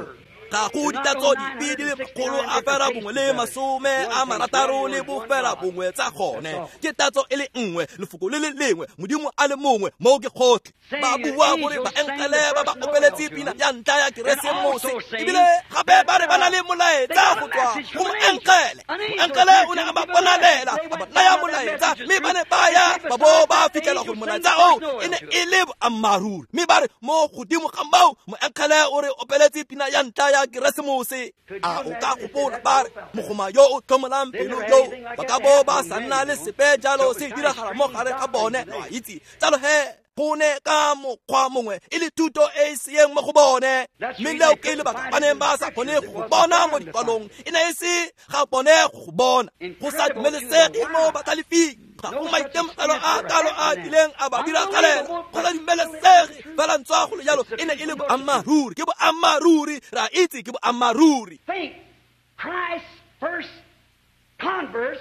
Ga go ditatso dipe di le makgolo a fera bongwe le masome a marataro le bofela bongwe tsa gone. Ke tatso e le nngwe, lefoko le le lengwe, Modimo a le mongwe, moo ke gotlhe. Ba bua gore baengele ba ba opeletse pina ya ntlha ya Keresemose ebile gape ba re ba na le molaetsa go tswa go moengele. Moengele o ne a ba bonalela, a ba naya molaetsa, mme ba ne ba ya ba bo ba fitlhela gore molaetsa oo e ne e le boammaaruri. Mme ba re mo godimo ga moo moengele o re opeletse pina ya ntlha ya Keresemose. A o ka gopola ba re mogoma yo o tlhomolang pelo yo ba ka bo ba sa nna le sepe jalo se diragala mo gare ga bone. Lo a itse jalo he go ne ka mokgwa mongwe e le thuto e e seeng mo go bone, mme leo ke lebaka ba neng ba sa kgone go bona mo dikwalong. E ne e se ga bone go bona go sa dumelesege mo batlhalefing. Ga go maitemogelo a kalo a kileng a ba diragalela go sa dumelesege, fela ntswa go le jalo e ne e le boammaaruri. Ke boammaaruri, re a itse ke boammaaruri.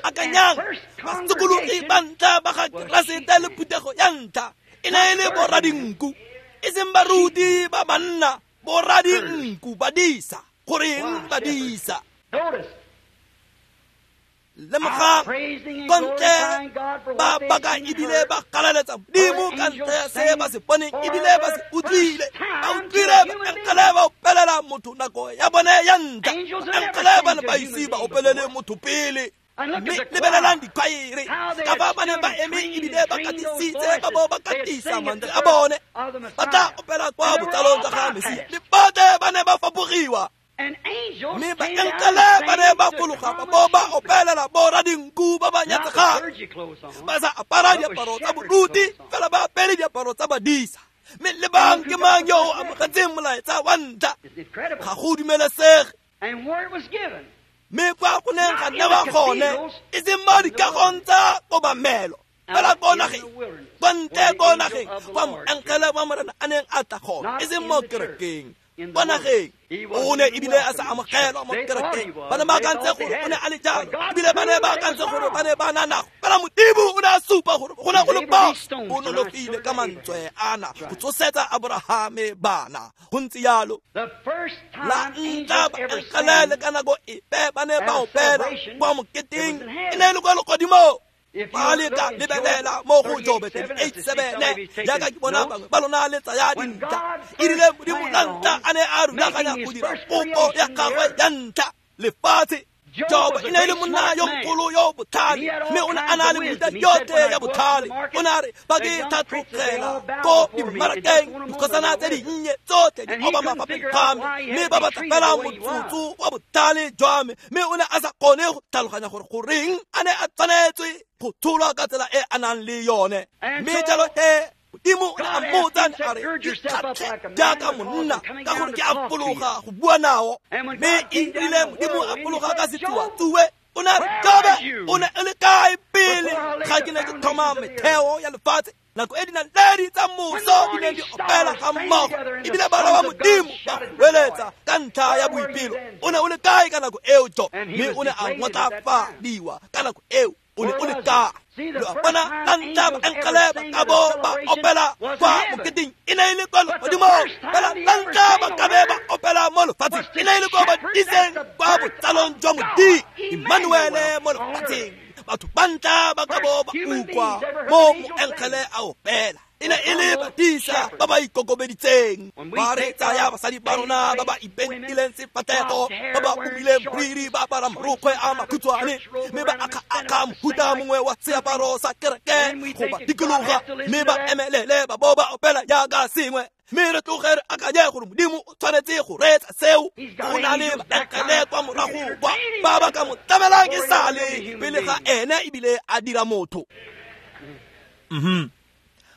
Akanyang basokologi ba ntlha ba ga Keresete le phuthego ya ntlha e ne e le boradinku, e seng baruti ba banna, boradinku, badisa. Goreng badisa? Lemogang ko ntle ba baka ebile ba galaletsa Modimo ka ntlha ya se ba se boneng ebile ba se utlwile. Ba utlwile baengele ba opelela motho nako ya bone ya ntlha. Baengele ba ne ba ise ba opelele motho pele. Mme lebelelang dikhwaere ka fa ba ne ba eme ebile ba katisitse ba bo ba katisa mantswe a bone, ba tla opela kwa botsalong tsa ga Mesia. Le botlhe ba ne ba fapogiwa, mme baengele ba ne ba fologa ba bo ba opelela boradinku ba ba nyatsegang, ba sa apara diaparo tsa boruti fela ba apere diaparo tsa badisa. Mme lebang ke mang yo o amogetseng molaetsa wa ntlha? Ga go dumelesege. Mme kwa go neng ga newa gone e seng mo dikagong tsa kobamelo, Fela ko nageng, kwa ntle ko nageng, kwa moengele wa Morena a neng a tla gone, e seng mo kerekeng, kwa nageng. O ne ebile a sa amogelwa mo kerekeng. Ba ne ba akantse gore o ne a le jalo, ebile ba ne ba akantse gore ba ne ba na nago. Fela Modimo o ne a supa gore go ne go le phoso. O nonofile ka mantswe ana go tsosetsa Aborahame bana. Go ntse jalo. La ntlha baengele le ka nako epe ba ne ba opela kwa moketeng, e ne e le kwa legodimong. Ba leka lebelela mo go Jobe thirty-eight seven, jaaka ke bona bangwe ba lona le tsaya dintlha. E rile Modimo la ntlha a ne a rulaganya go dira popo ya gagwe ya ntlha, lefatshe. Jobe e ne e le monna yo mogolo yo botlhale, mme o ne a na le mefuta yotlhe ya botlhale. O ne a re, fa ke tlhatlogela ko dimmarakeng, dikgosana tse dinnye tsotlhe di obama fa pele ga me, mme ba batla fela motsotso wa botlhale jwa me. Mme o ne a sa kgone go tlhaloganya gore goreng a ne a tshwanetswe go tsholwa ka tsela e a nang le yone. Mme jalo he, Modimo o ne a mmotsa a re, ikgatlhe jaaka monna, ka gore ke a fologa go bua nao. Mme e rile Modimo a fologa ka setsuatsue, o ne a re, Jobe, o ne o le kae pele ga ke ne ke thoma metheo ya lefatshe? Nako e dinaledi tsa moso di ne di opela ga mmogo, ebile bana ba Modimo ba goeletsa ka ntlha ya boipelo. O ne o le kae ka nako eo, Jobe? Mme o ne a ngotlafadiwa ka nako eo. O ne o le kae? Lo a bona, la ntlha baengele ba ka bo ba opela kwa moketeng, e ne e le kwa legodimong. Fela la ntlha ba ka be ba opela mo lefatsheng, e ne e le kwa badiseng kwa botsalong jwa Modimo, Emmanuele mo lefatsheng. Batho ba ntlha ba ka bo ba utlwa mo moengele a opela, e ne e le badisa ba ba ikokobeditseng. Ba re tsaya basadi ba rona ba ba ipentileng sefatlhego, ba ba umileng moriri, ba apara marokgwe a makhutshwane, mme ba akga-akga mohuta mongwe wa seaparo sa kereke go ba dikologa, mme ba emelele ba bo ba opela jaaka sengwe. Mme re tloge re akanye gore Modimo o tshwanetse go reetsa seo. Go na le baengele kwa morago kwa ba ba ka mo tlamelang e sale pele ga ene ebile a dira motho. Mhm.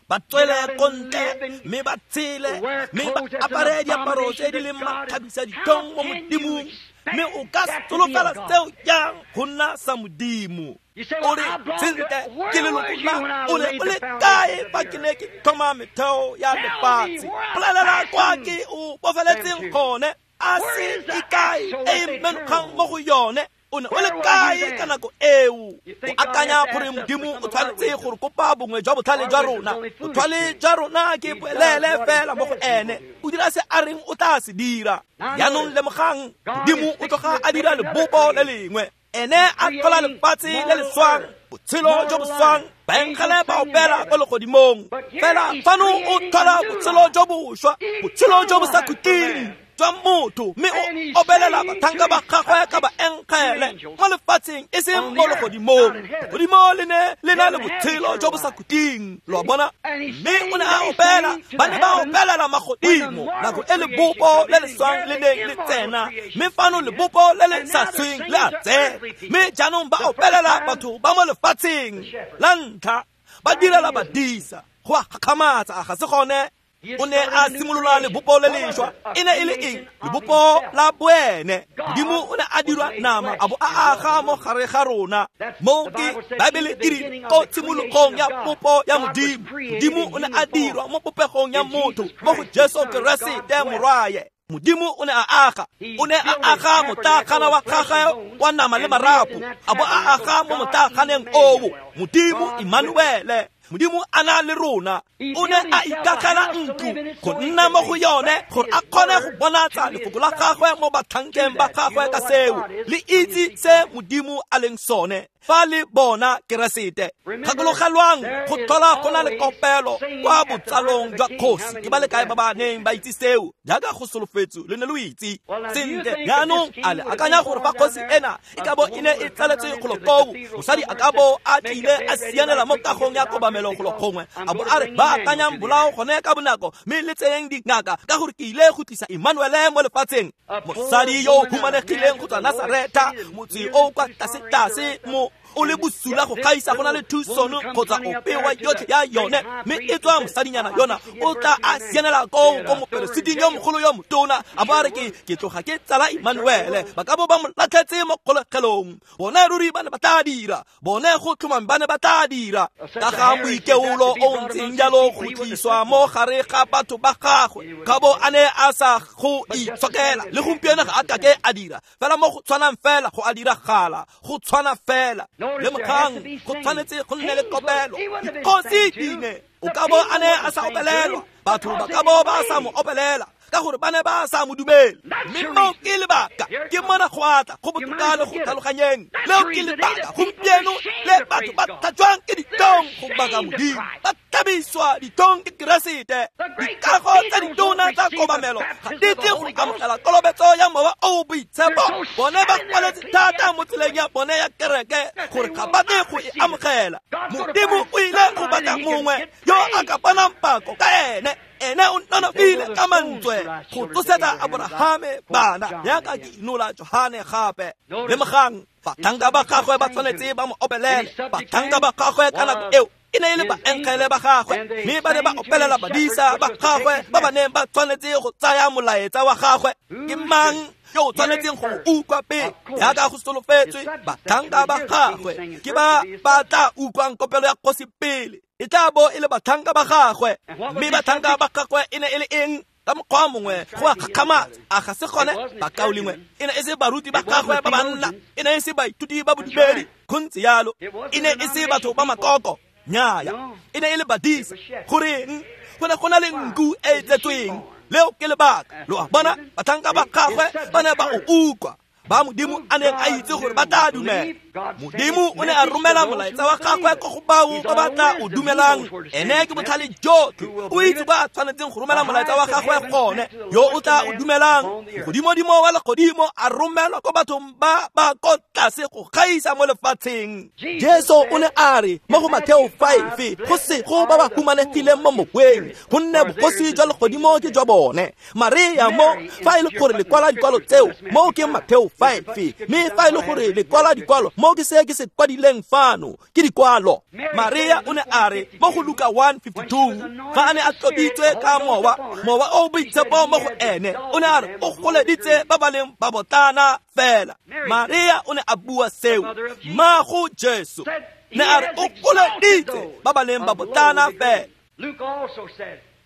Ba tswele ko ntle, mme ba tshele, mme ba apare diaparo tse di leng makgabisa ditlhong mo Modimong. Mme o ka solofela seo jang go nna sa Modimo? O re, sentle, ke leloko la, o ne o le kae fa ke ne ke thoma metheo ya lefatshe? Bolelela kwa ke o bofeletseng gone, a se e kae e menogang mo go yone? O ne o le kae ka nako eo? O akanya gore Modimo o tshwanetse gore kopa bongwe jwa botlhale jwa rona? Botlhale jwa rona ke boelele fela mo go ene. O dira se a reng o tla se dira. Jaanong lemogang, Modimo o tloga a dira lebopo le lengwe. Ene a tlhola lefatshe le le swang, botshelo jo bo swang, baengele ba opela ko legodimong. Fela fano o tlhola botshelo jo bošwa, botshelo jo bo sa khutleng jwa motho, mme o opelela batlhanka ba gagwe ka baengele mo lefatsheng, e seng mo legodimong. Legodimo le ne le na le botshelo jo bo sa khutleng, lo a bona. Mme o ne a opela, ba ne ba opelela magodimo nako e lebopo le le swang le neng le tsena, mme fano lebopo le le sa sweng le a tsena. Mme jaanong ba opelela batho ba mo lefatsheng la ntlha, ba direla badisa. Go a gakgamatsa, a ga se gone? O ne a simolola lebopo le lešwa. E ne e le eng? Lebopo la boene. Modimo o ne a dirwa nama a bo a aga mo gare ga rona. Mo ke Baebele e re ko tshimologong ya popo ya Modimo, Modimo o ne a dirwa mo popegong ya motho, mo go Jesu Keresete morwaye. Modimo o ne a aga, o ne a aga motlaaganeng wa gagwe wa nama le marapo, a bo a aga mo motlaaganeng oo. Modimo Emmanuele, Modimo a na le rona. O ne a ikagela ntlo go nna mo go yone, gore a kgone go bonatsa lefoko la gagwe mo batlhankeng ba gagwe ka seo. Le itse se Modimo a leng sone fa le bona Keresete. Gakologelwang, go tlhola go na le kopelo kwa botsalong jwa kgosi. Ke ba le kae ba ba neng ba itse seo? Jaaka go solofetswe, le ne lo itse sentle. Jaanong a le akanya gore fa kgosi ena e ka bo e ne e tsaletswe golo koo, mosadi a ka bo a tlile a sianela mo kagong ya kobamelo golo gongwe, a bo a re, ba akanyang bolao gone ka bonako, mme le tseyeng dingaka, ka gore ke ile go tlisa Emmanuele mo lefatsheng. Mosadi yo o humanegileng go tswa Nasaretha, motse o kwa tlase-tlase mo o le bosula go gaisa go na le Tucson kgotsa ope wa yotlhe ya yone, mme e tswa mosadinyana yona o tla a sianela koo ko moperesiting yo mogolo yo motona, a bo a re ke ke tloga ke tsala Emmanuele. Ba ka bo ba mo latlhetse mo kgolegelong. Bone ruri ba ne ba tla dira, bone go tlhomang ba ne ba tla dira. Ka ga moikeolo o ntseng jalo go tliswa mo gare ga batho ba gagwe, ka bo a ne a sa go itshokela. Le gompieno ga a kake a dira fela mo go tshwanang fela go a diragala, go tshwana fela. Lemogang, go tshwanetse go nne le kopelo. Dikgosi di ne o ka bo a ne a sa opelelwa, batho ba ka bo ba sa mo opelela, ka gore ba ne ba sa mo dumele. Mme moo ke lebaka, ke mona go atla go botoka le go tlhaloganyeng. Leo ke lebaka gompieno le batho ba tlhajwang ke ditong go baka Modimo, ba tlhabiswa ditong ke Keresete. Dikago tsa ditona tsa kobamelo ga di tle go amogela kolobetso ya Mowa o o Boitshepo. Bone ba kwaletse thata mo tseleng ya bone ya kereke gore ga ba tle go e amogela. Modimo o ile go batla mongwe yo a ka bonang pako ka ene. Ene o nonofile ka mantswe go tsosetsa Aborahame bana, yaka ke inola Johane gape. Lemogang, batlhanka ba gagwe ba tshwanetse ba mo opelele. Batlhanka ba gagwe ka nako eo e ne e le baengele ba gagwe, mme ba ne ba opelela badisa ba gagwe ba ba neng ba tshwanetse go tsaya molaetsa wa gagwe. Ke mang yo o tshwanetseng go utlwa pele? Yaka go solofetswe, batlhanka ba gagwe ke ba ba tla utlwang kopelo ya kgosi pele. E tla bo e le batlhanka ba gagwe. Mme batlhanka ba gagwe e ne e le eng? Ka mokgwa mongwe go a gakgamatsa, a ga se gone bakaulengwe? E ne e se baruti ba gagwe ba banna, e ne e se baithuti ba bodumedi, go ntse yalo. E ne e se batho ba makoko, nnyaya, e ne e le badisa. Goreng? Go ne go na le nku e e tletsweng. Leo ke lebaka. Lo a bona, batlhanka ba gagwe ba ne ba o utlwa, ba Modimo a neng a itse gore ba tla dumela. Modimo o ne a romela molaetsa wa gagwe ko go bao ba ba tla o dumelang. Ene ke botlhale jotlhe, o itse ba tshwanetseng go romela molaetsa wa gagwe gone. Yo o tla o dumelang, godimodimo wa legodimo a romelwa ko bathong ba ba ko tlase go gaisa mo lefatsheng. Jesu o ne a re mo go Mateo five, go sego ba ba humanegileng mo moweng, gonne bogosi jwa legodimo ke jwa bone. Maria mo, fa e le gore le kwala dikwalo tseo, mo ke Mateo five, mme fa e le gore le kwala dikwalo, mo ke se ke se kwadileng fano ke dikwalo. Maria o ne a re mo go Luka one fifty-two, fa a ne a tloditswe ka mowa, mowa o boitshepo mo go ene, o ne a re o goleditse ba ba leng babotlana fela. Maria o ne a bua seo, mmago Jesu ne a re o goleditse ba ba leng babotlana fela.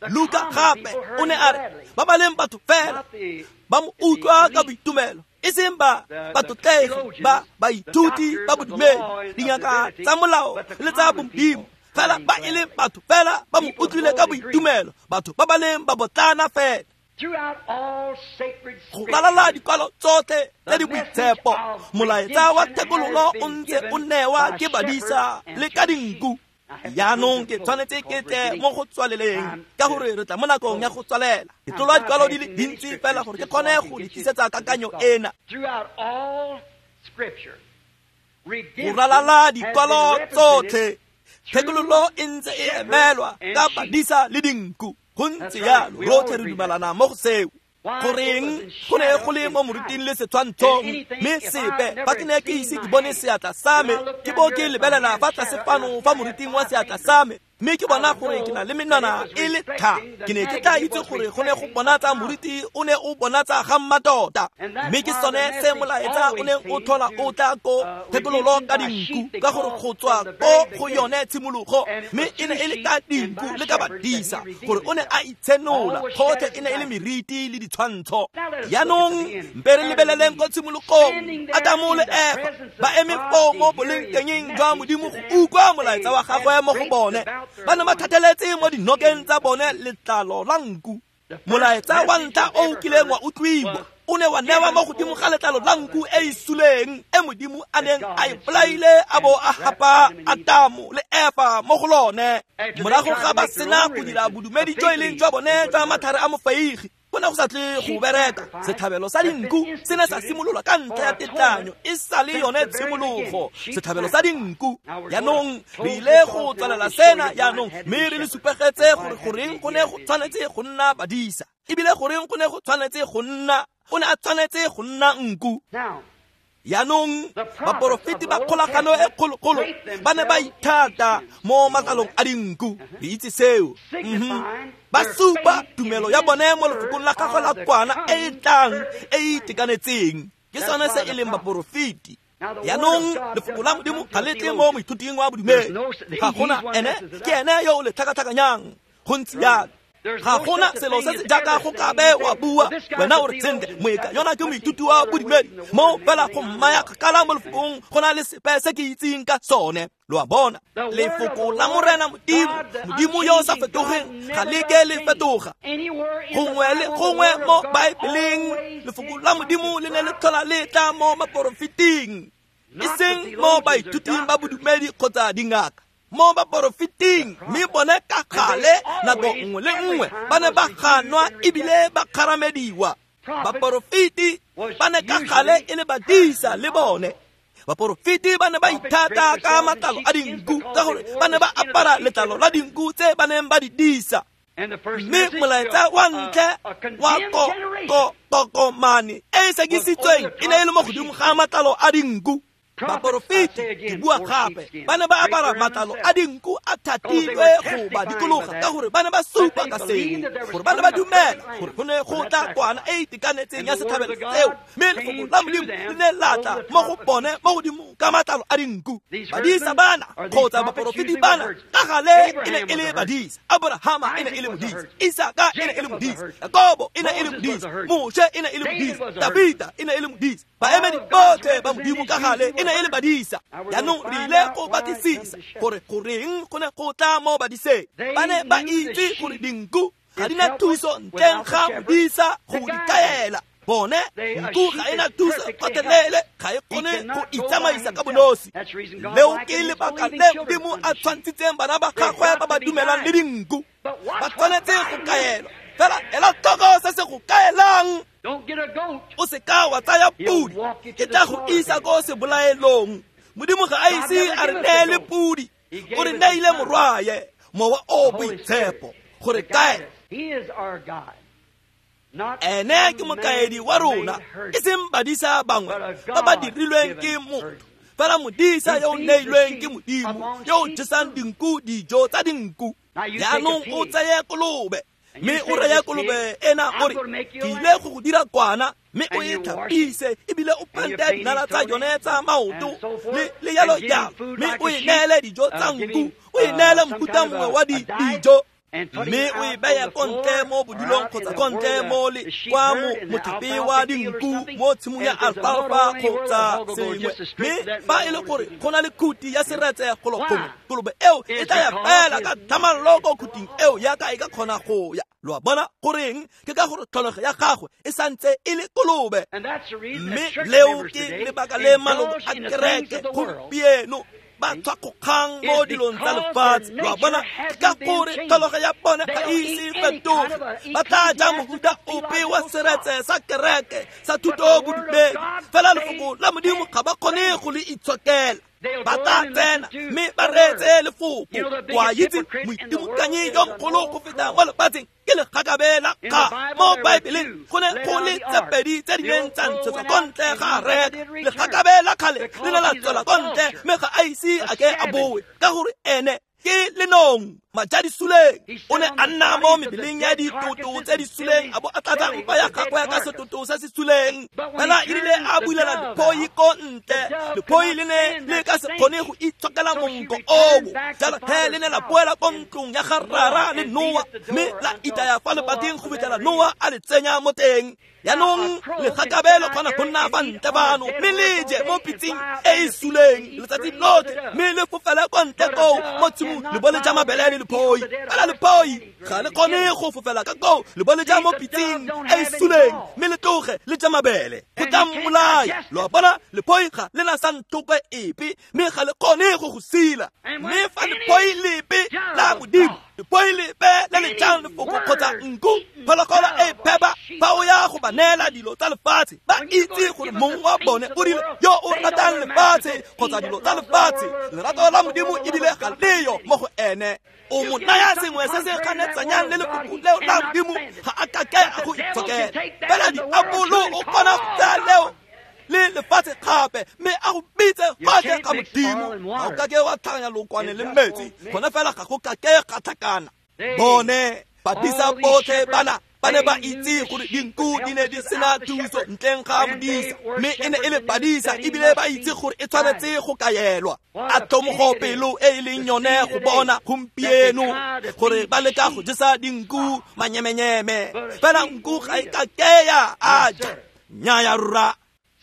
Luka gape o ne a re ba ba leng batho fela ba mo utlwa ka boitumelo, e seng ba batlotlegi ba baithuti ba bodumedi, dingaka tsa molao le tsa bomodimo, fela ba e le batho fela ba mo utlwile ka boitumelo, batho ba ba leng babotlana fela. Go ralala dikwalo tsotlhe tse di boitshepo, molaetsa wa thekololo o ntse o newa ke badisa le ka dinku. Jaanong ke tshwanetse ke tle mo go tswaleleng, ka gore re tla mo nakong ya go tswalela. Ke tlolwa dikwalo di le dintsi fela gore ke kgone go le tlisetsa kakanyo ena. Go ralala dikwalo tsotlhe, thekololo e ntse e emelwa ka badisa le dinku. Go ntse jalo, rotlhe re dumelana mo go seo. Goreng go ne go le mo moruting le setshwantshong, mme sepe fa ke ne ke ise ke bone seatla sa me, ke bo ke lebelela fa tlase fano fa moruting wa seatla sa me, mme ke bona gore ke na le menwana e le tha. Ke ne ke tla itse gore go ne go bonatsa moruti o ne o bonatsa ga mmatota. Mme ke sone se molaetsa o neng o tlhola o tla ko thekololo ka dinku, ka gore go tswa ko go yone tshimologo, mme e ne e le ka dinku le ka badisa, gore o ne a itshenola. Gotlhe e ne e le meriti le ditshwantsho. Jaanong mpe re lebeleleng ko tshimologong, Adamo le Efa ba eme foo mo bolengtengeng jwa Modimo go utlwa molaetsa wa gagwe mo go bone. Ba ne ba thatheletse mo dinokeng tsa bone letlalo la nku. Molaetsa wa ntlha o o kileng wa utlwiwa o ne wa newa mo godimo ga letlalo la nku e e suleng, e Modimo a neng a e bolaile a bo a gapa Adamo le Efa mo go lone. Morago ga ba sena go dira bodumedi jo e leng jwa bone jwa matlhare a mofeigi, go ne go sa tle go bereka. Setlhabelo sa dinku se ne sa simololwa ka ntlha ya tetlanyo, e sa le yone tshimologo. Setlhabelo sa dinku. Jaanong re ile go tswalela sena jaanong, mme re le supegetse gore goreng go ne go tshwanetse go nna badisa, ebile goreng go ne go tshwanetse go nna, o ne a tshwanetse go nna nku. Jaanong baporofeti ba kgolagano e kgologolo ba ne ba ithata mo matlalong a dinku, re itse seo. Ba supa tumelo ya bone mo lefokong la gagwe la kwana e e tlang e e itekanetseng. Ke sone se e leng baporofeti. Jaanong lefoko la Modimo ga le tle mo moithuting wa bodumedi. Ga gona ene, ke ene yo o le tlhakatlhakanyang. Go ntse jalo. Ga gona selo se se jaaka go ka be wa bua wena o re sentle moeka yona ke moithuti wa bodumedi mo fela go mmaya kgakala mo lefokong go na le sepe se ke itseng ka sone. Lo a bona, lefoko la Morena Modimo, Modimo yo o sa fetogeng, ga le ke le fetoga. Gongwe le gongwe mo Baebeleng lefoko la Modimo le ne le tlhola le tla mo baporofeting, e seng mo baithuting ba bodumedi kgotsa dingaka. Mo baporofeting, mme bone ka gale nako nngwe le nngwe ba ne ba ganwa ebile ba kgaramediwa. Baporofeti ba ne ka gale e le badisa le bone. Baporofeti ba ne ba ithata ka matlalo a dinku ka gore ba ne ba apara letlalo la dinku tse ba neng ba di disa. Mme molaetsa wa ntlha wa kokomane e e sekisitsweng e ne e le mo godimo ga matlalo a dinku. Baporofeti, ke bua gape, ba ne ba apara matlalo a dinku a thatilwe go ba dikologa ka gore ba ne ba supa ka seo, gore ba ne ba dumela gore go ne go tla kwana e e itekanetseng ya setlhabelo seo. Mme lefoko la Modimo le ne la tla mo go bone mo godimo ka matlalo a dinku. Badisa bana kgotsa baporofeti bana ka gale e ne e le badisa. Abrahama e ne e le modisa, Isaka e ne e le modisa, Jakobo e ne e le modisa, Moshe e ne e le modisa, Dafita e ne e le modisa. Baemedi botlhe ba Modimo ka gale e ne e le badisa. Jaanong re ile go batlisisa gore goreng go ne go tla mo badiseng. Ba ne ba itse gore dinku ga di na thuso ntleng ga modisa go di kaela. Bone nku ga e na thuso gotlhelele, ga e kgone go itsamaisa ka bonosi. Leo ke lebaka le Modimo a tshwantshitseng bana ba gagwe ba ba dumelang le dinku. Ba tshwanetse go kaelwa. Fela ela tlhoko se se go kaelang. O se ka wa tsaya pudi, ke tla go isa ko sebolaelong. Modimo ga a ise a re neele pudi, o re neile morwaye, Mowa o Boitshepo, gore kae. Ene ke mokaedi wa rona, e seng badisa bangwe ba ba dirilweng ke motho, fela modisa yo o neilweng ke Modimo, yo o jesang dinku dijo tsa dinku. Jaanong o tseye kolobe, mme o reye kolobe ena o re, ke ile go go dira kwana, mme o e tlhapise ebile o pente dinala tsa yone tsa maoto le le jalo jalo, mme o e neele dijo tsa nku, o e neele mofuta mongwe wa dijo, mme o e beye ko ntle mo bodilong kgotsa ko ntle mo le kwa motlhape wa dinku mo tshimong ya alfalfa kgotsa sengwe. Mme fa e le gore go na le khuti ya seretse golo gongwe, kolobe eo e tla ya fela ka tlhamallo ko khuting eo yaka e ka kgona go ya. Lo a bona goreng? Ke ka gore tlholego ya gagwe e santse e le kolobe. Mme leo ke lebaka le maloko a kereke gompieno ba tswa kgokgang mo dilong tsa lefatshe. Lo a bona, ka gore tlholego ya bone ga e ise fetoge. Ba tla ja mofuta ope wa seretse sa kereke sa thuto bodumedi, fela lefoko la Modimo ga ba kgone go le itshokela. Ba tla tsena mme ba reetse lefoko. Wa itse moitimokanyi yo mogolo go feta mo lefatsheng ke legakabe la kga. Mo Baebeleng go ne go le tse pedi tse di neng tsa ntshetswa ko ntle ga areka. Legakabe la kgale le ne la tswela ko ntle, mme ga a ise a ke a boe, ka gore ene ke lenong majadi suleng. O ne a nna mo mebeleng ya ditoto tse di suleng, a bo a tlatsa mpa ya gagwe ka setoto se se suleng. Fela e rile a bulela lephoi ko ntle, lephoi le ne le ka se kgone go itshokela monko oo. Jalo he le ne la boela ko ntlong ya ga rara le Noa, mme la itaya fa lebating go fitlhela Noa a le tsenya mo teng. Jaanong legakabe le kgona go nna fa ntle fano, mme le je mo pitseng e e suleng letsatsi lotlhe, mme le fofele ko ntle koo mo tshimong le bo le ja mabele le lephoi. Fela lephoi ga le kgone go fofela ka koo le bo le ja mo pitseng e e suleng, mme le tloge le ja mabele, go tla mmolaya. Lo a bona, lephoi ga le na sa nthokwe epe, mme ga le kgone go go sila. Mme fa lephoi lepe la Modimo, lephoi lepe le le jang lefoko kgotsa nku, phologolo e phepa, fa o ya go ba neela dilo tsa lefatshe, ba itse gore mong wa bone o rile yo o ratang lefatshe kgotsa dilo tsa lefatshe, lerato la Modimo ebile ga leyo mo go ene. O mo naya sengwe se se ganetsanyang le lefoko leo la Modimo, ga a kake a go itshokela. Fela diabolo o kgona go tsaya leo Le lefatshe gape mme a go bitse gotlhe ga Modimo. Ga o kake wa tlhakanya lookwane le metsi, gone fela ga go kake ga tlhakana. Bone badisa botlhe bana ba ne ba itse gore dinku di ne di sena thuso ntleng ga modisa, mme e ne e le badisa ebile ba itse gore e tshwanetse go kaelwa. A tlhomogo pelo e e leng yone go bona gompieno gore ba leka go jesa dinku manyemenyeme, fela nku ga e kake ya a ja. Nnyaya rra.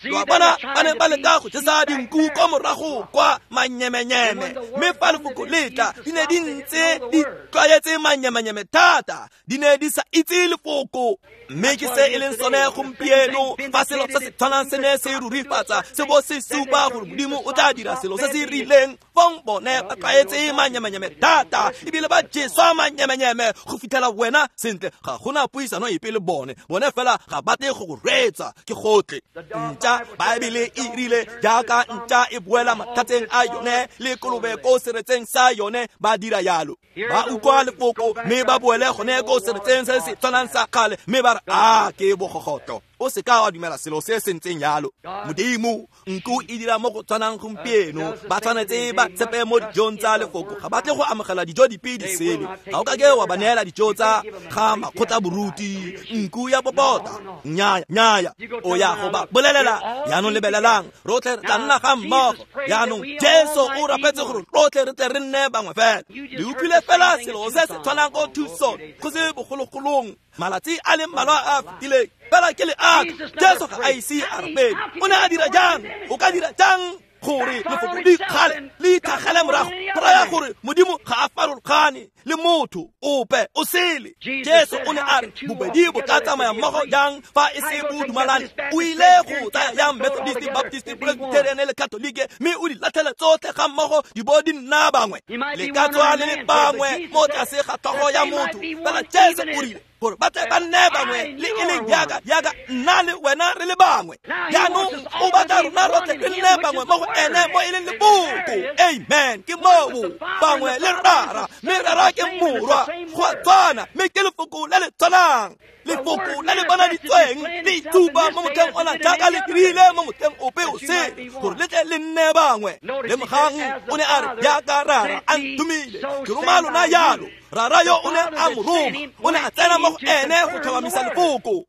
Lo a bona, ba ne ba leka go jesa dinku ko morago kwa manyemenyeme, mme fa lefoko le tla di ne di ntse di tlwaetse manyemenyeme thata, di ne di sa itse lefoko. Mme ke se e leng sone gompieno, fa selo se se tshwanang se ne se rurifatsa se bo se supa gore Modimo o tla dira selo se se rileng, fong bone ba tlwaetse manyemenyeme thata ebile ba jeswa manyemenyeme go fitlhela wena sentle ga gona puisano epe le bone. Bone fela ga ba tle go go reetsa, ke gotlhe. Ntša, Baebele e rile jaaka ntša e boela mathateng a yone le kolobe ko seretseng sa yone, ba dira yalo. Ba utlwa lefoko mme ba boele gone ko seretseng se se tshwanang sa kgale, mme ba re a ke bogogotlo. O se ka wa dumela selo se se ntseng yalo. Modimo, nku e dira mo go tshwanang gompieno. Ba tshwanetse ba tshepe mo dijong tsa lefoko, ga ba tle go amogela dijo dipe di sele. Ga o kake wa ba neela dijo tsa ga makgotla boruti, nku ya popota. Nnyaya, nnyaya. O ya go ba bolelela jaanong lebelelang, rotlhe re tla nna ga mmogo. Jaanong Jesu o rapetse gore rotlhe re tle re nne bangwe fela. Le utlwile fela selo se se tshwanang ko Tucson go se bogologolong malatsi a le mmalwa a fetileng. Fela ke le aka, Jesu ga a ise a rapele. O ne a dira jang? O ka dira jang gore lefoko le ikgale le itlhagele morago? Go raya gore Modimo ga a farologane le motho ope o sele. Jesu o ne a re bobedi bo ka tsamaya mmogo jang fa e se bo dumalane? O ile go tsaya yang Methodist, Baptist, Presbyterian le Catholic, mme o di latlhele tsotlhe ga mmogo di bo di nna bangwe. Le ka tswa le le bangwe mo tlase ga tlhogo ya motho, fela Jesu o rile gore ba tle ba nne bangwe le e leng jaaka jaaka nna le wena re le bangwe. Jaanong o batla rona rotlhe re nne bangwe mo go ene mo e leng lefoko. Amen. Ke moo bangwe le Rara, mme Rara ke Morwa, go a tshwana, mme ke lefoko le le tshwanang. Lefoko le le bonaditsweng le itshupa mo motlheng ona jaaka le dirile mo motlheng ope o sele, gore le tle le nne bangwe. Lemogang o ne a re jaaka Rara a nthomile, ke roma lona jalo. Rara yo o ne a mo roma, o ne a tsena mo go ene go tlhomamisa lefoko.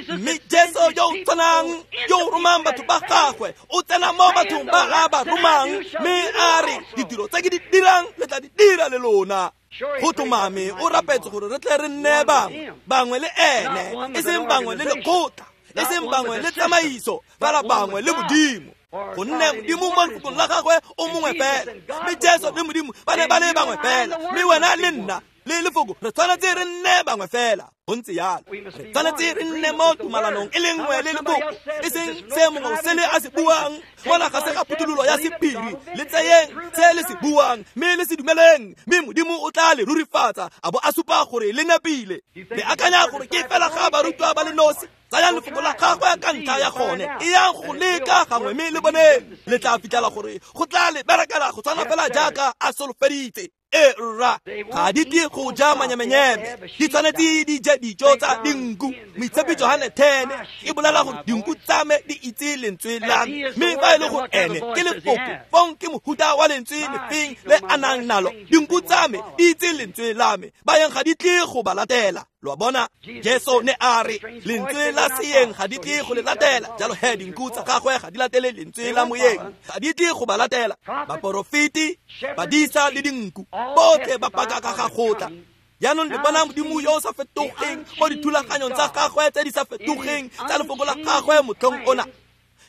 Mme Jesu yo o tshwanang yo o romang batho ba gagwe o tsena mo bathong ba a ba romang, mme a re ditiro tse ke di dirang le tla di dira le lona. Go tlhomame o rapetse gore re tle re nne bangwe, bangwe le ene, e seng bangwe le lekgotla, e seng bangwe le tsamaiso, fela bangwe le Modimo. Gonne Modimo mo lefokong la gagwe o mongwe fela, mme Jesu le Modimo ba ne ba le bangwe fela, mme wena le nna le lefoko re tshwanetse re nne bangwe fela. Go ntse yalo, re tshwanetse re nne mo tumalanong e le nngwe le lefoko, e seng se mongwe o sele a se buang. Mona ga se ga phuthololo ya sephiri, le tseyeng se le se buang mme le se dumeleng, mme Modimo o tla le rurifatsa a bo a supa gore le nepile. Le akanya gore ke fela ga barutwa ba le nosi? Tsayang lefoko la gagwe ka ntlha ya gone, e yang go leka gangwe mme le boneng, le tla fitlhela gore go tla le berekela go tshwana fela jaaka a solofeditse. E rra, ga di tle go ja manyemenyeme, di tshwanetse di je dijo tsa dinku. Moitshepi Johane ten e bolela gore dinku tsa me di itse lentswe la me, mme fa e le gore ene ke lefoko, fong ke mohuta wa lentswe lefeng le a nang nalo? Dinku tsa me di itse lentswe la me, bayeng ga di tle go ba latela. Lo a bona, Jesu ne a re lentswe la seeng ga di tle go le latela, jalo he dinku tsa gagwe ga di latele lentswe la moyeng, ga di tle go ba latela. Baporofeti, badisa le dinku botlhe ba paka ka ga gotla. Jaanong le bona Modimo yo o sa fetogeng mo dithulaganyong tsa gagwe tse di sa fetogeng tsa lefoko la gagwe motlhong ona.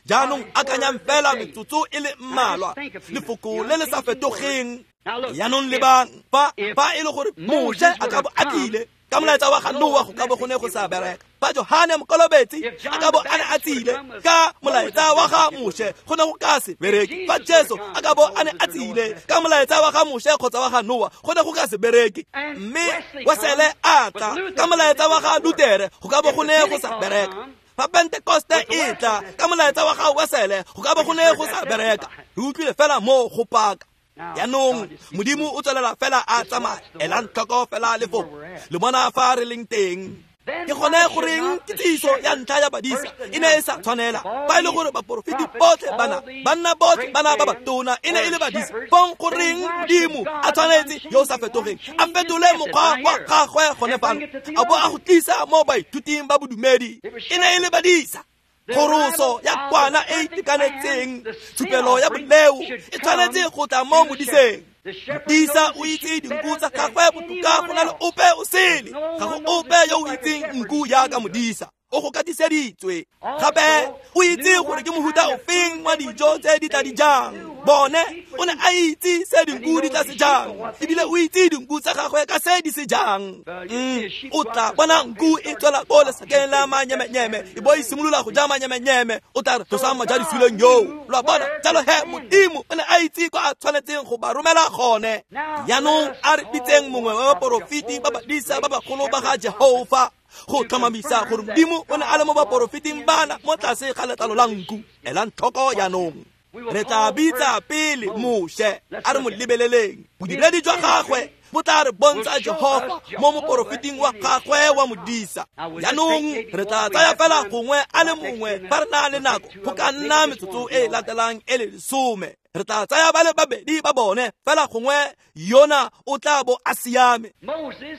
Jaanong akanyang fela metsotso e le mmalwa, lefoko le le sa fetogeng. Jaanong lebang, fa fa e le gore Moshe a ka bo a tlile ka molaetsa wa ga Noa, go ka bo go ne go sa bereka. Fa Johane Mokolobetsi a ka bo a ne a tsile ka molaetsa wa ga Moshe, go ne go ka se bereke. Fa Jesu a ka bo a ne a tsile ka molaetsa wa ga Moshe kgotsa wa ga Noa, go ne go ka se bereke. Mme Wesele a tla ka molaetsa wa ga Lutere, go ka bo go ne go sa bereka. Fa Pentekoste e tla ka molaetsa wa ga Wesele, go ka bo go ne go sa bereka. Re utlwile fela mo go paka. Jaanong Modimo o tswelela fela a tsamaya, elang tlhoko fela lefoko. Le bona fa re leng teng. Ke gone goreng kitsiso ya ntlha ya badisa e ne e sa tshwanela fa e le gore baporofeti botlhe bana banna botlhe bana ba batona e ne e le badisa fong goreng Modimo a tshwanetse yo o sa fetogeng a fetole mokgwa wa gagwe gone fano a bo a go tlisa mo baithuting ba bodumedi e ne e le badisa. Kgoroso ya kwana e itekanetseng tshupelo ya boleo e tshwanetse go tla mo modiseng. Modisa o itse dinku tsa gagwe botoka go na le ope o sele. Ga go ope yo o itseng nku jaaka modisa. O go katiseditswe. Gape o itse gore ke mohuta ofeng wa dijo tse di tla di jang. Bone o ne a itse se dinku di tla se jang, ebile o itse dinku tsa gagwe ka se di se jang. O tla bona nku e tswela ko lesakeng la manyemenyeme e bo e simolola go ja manyemenyeme, o tla re tlosa maja disuleng yo. Lo a bona? Jalo he Modimo o ne a itse kwa a tshwanetseng go ba romela gone. Jaanong a re bitseng mongwe wa baporofeti ba badisa ba bagolo ba ga Jehofa go tlhomamisa gore Modimo o ne a le mo baporofeting bana mo tlase ga letlalo la nku. Elang tlhoko jaanong. Re tla bitsa pele Moshe a re mo lebeleleng. Bodiredi jwa gagwe bo tla re bontsha Jehofa mo moporofeting wa gagwe wa modisa. Jaanong re tla tsaya fela gongwe a le mongwe fa re na le nako go ka nna metsotso e e latelang e le lesome. Re tla tsaya ba le babedi ba bone fela gongwe yona o tla bo a siame. Moshe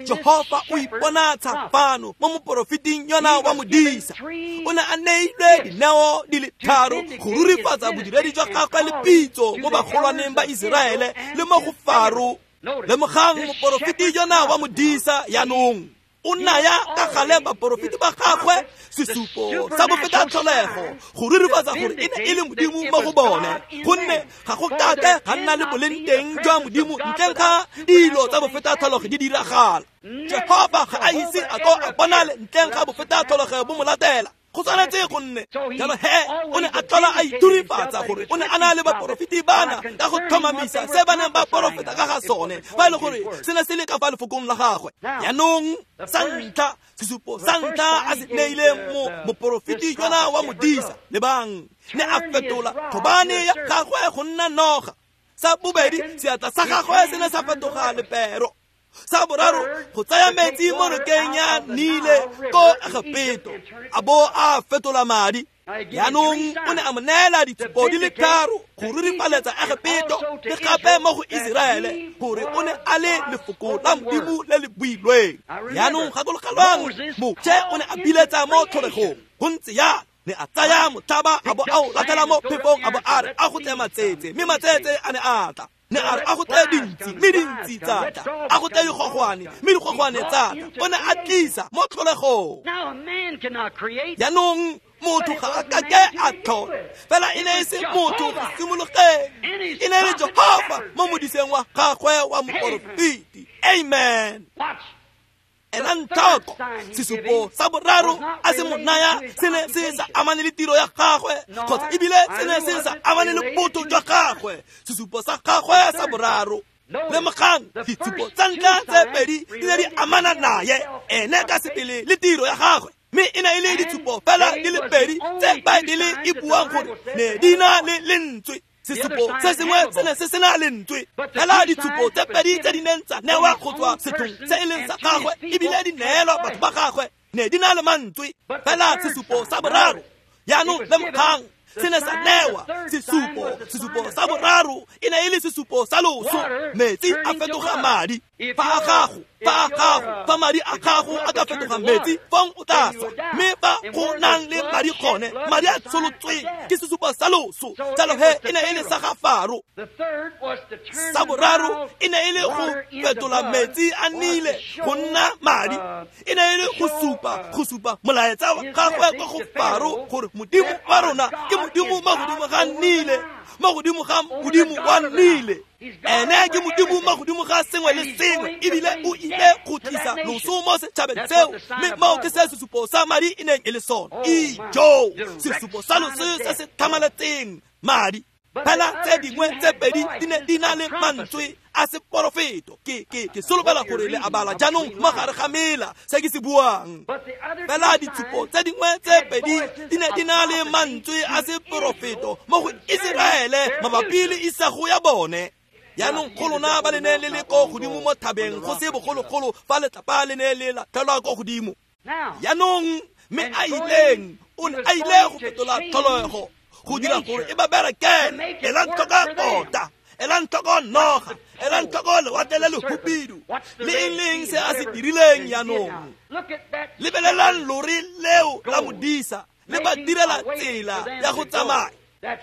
Jehofa o iponatsha fano mo moporofeting yona wa modisa. O ne a neilwe dineo di le tharo go rurifatsa bodiredi jwa gagwe le pitso mo bagolwaneng ba Iseraele le mo go Faro. Lemogang moporofeti yona wa modisa jaanong o naya ka gale baporofeti ba gagwe sesupo sa bofetatlholego go rurifatsa gore e ne e le Modimo mo go bone, gonne ga go kake ga nna le boleng teng jwa Modimo ntleng ga dilo tsa bofetatlholego di diragala. Jehofa ga a ise a ko a bonale ntleng ga bofetatlholego bo mo latela. Go tshwanetse go nne jalo he o ne a tlhola a iturifatsa gore o ne a na le baporofeti bana ka go tlhomamisa se ba neng ba porofeta ka ga sone fa e le gore se ne se le ka fa lefokong la gagwe. Jaanong sa ntlha sesupo sa ntlha a se neileng mo moporofeti yona wa modisa, lebang, ne a fetola thobane ya gagwe go nna noga. Sa bobedi seatla sa gagwe se ne sa fetoga lepero. Sa boraro go tsaya metsi mo nokeng ya Nile ko Egepeto a bo a fetola madi. Jaanong o ne a mo neela ditshupo di le tharo go rurifaletsa Egepeto le gape mo go Iseraele gore o ne a le lefoko la Modimo le le builweng. Jaanong gakologelwang Moshe o ne a biletsa mo tlholegong go ntse jalo. Ne a tsaya motlhaba a bo a o latlhela mo phefong a bo a re a go tle matsetse, mme matsetse a ne a tla. Ne a re a go tle dintsi, mme dintsi tsa tla. A go tle digogwane, mme digogwane tsa tla. O ne a tlisa mo tlholegong. Jaanong motho ga a kake a tlhola, fela e ne e se motho go simologeng, e ne e le Jehofa mo modiseng wa gagwe wa moporofeti. Amen. Elang tlhoko sesupo sa boraro a se mo naya se ne se sa amane le tiro ya gagwe kgotsa ebile se ne se sa amane le botho jwa gagwe. Sesupo sa gagwe sa boraro, lemogang ditshupo tsa ntlha tse pedi di ne di amana naye ene ka sebele le tiro ya gagwe, mme e ne e le ditshupo fela di le pedi tse Baebele e buang gore ne di na le lentswe. Sesupo se sengwe se ne se sena lentswe, fela ditshupo tse pedi tse di neng tsa newa go tswa sethong se e leng sa gagwe ebile di neelwa batho ba gagwe ne di na le mantswe. Fela sesupo sa boraro jaanong lemogang se ne sa newa sesupo. Sesupo sa boraro e ne e le sesupo sa loso. Metsi a fetoga madi. Fa a gago fa a gago fa madi a gago a ka fetoga metsi fong o tla swa, mme fa go nang le madi gone madi a tsholotsweng ke sesupo sa loso. Jalo he e ne e le sa ga Faro. Sa boraro e ne e le go fetola metsi a Nile go nna madi. E ne e le go supa go supa molaetsa wa gagwe kwa go Faro gore Modimo wa rona ke Modimo mo godimo ga Nile, mo godimo ga Modimo wa Nile. Ene ke Modimo mo godimo ga sengwe le sengwe, ebile o ile go tlisa loso mo setšhabeng seo, mme moo ke se sesupo sa madi e neng e le sone. Ijo, sesupo sa loso se se tlhamaletseng madi. Fela tse dingwe tse pedi di ne di na le mantswe a seporofeto. Ke ke ke solofela gore le a bala jaanong mo gare ga mela se ke se buang. Fela ditshupo tse dingwe tse pedi di ne di na le mantswe a seporofeto mo go Iseraele mabapi le isago ya bone. Jaanong go lona ba le ne le le ko godimo mo thabeng go se bogologolo fa letlapa le ne le latlhelwa ko godimo. Jaanong mme a ileng o ne a ile go fetola tlholego go dira gore e ba berekele. Elang tlhoko tota, elang tlhoko noga, elang tlhoko lewatle le lehubidu le eng le eng se a se dirileng. Jaanong lebelelang lori leo la modisa le ba direla tsela ya go tsamaya.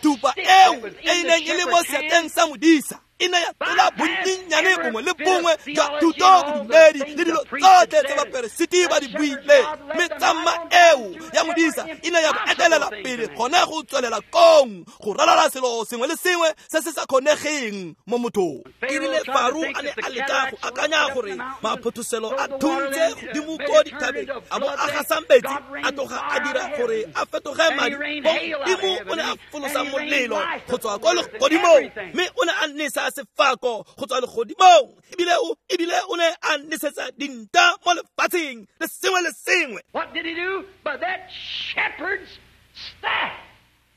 Thupa eo e neng e le mo seatleng sa modisa e ne ya tlola bontsinyane bongwe le bongwe jwa thuto bodumedi le dilo tsotlhe tse baperesiti ba di buileng. Mme tsamma eo ya modisa e ne ya bo etelela pele gone go tswelela kong go ralala selo sengwe le sengwe se se sa kgonegeng mo mothong. E rile Faro a ne a leka go akanya gore maphothoselo a thuntse godimo ko dithabeng a bo a gasang metsi a tloga a dira gore a fetoge madi, Modimo o ne a folosa molelo go tswa kwa legodimong mme o ne a nesa sefako go tswa legodimong, ebile o ebile o ne a nesetsa dinta mo lefatsheng le sengwe le sengwe. What did he do? By that shepherd's staff.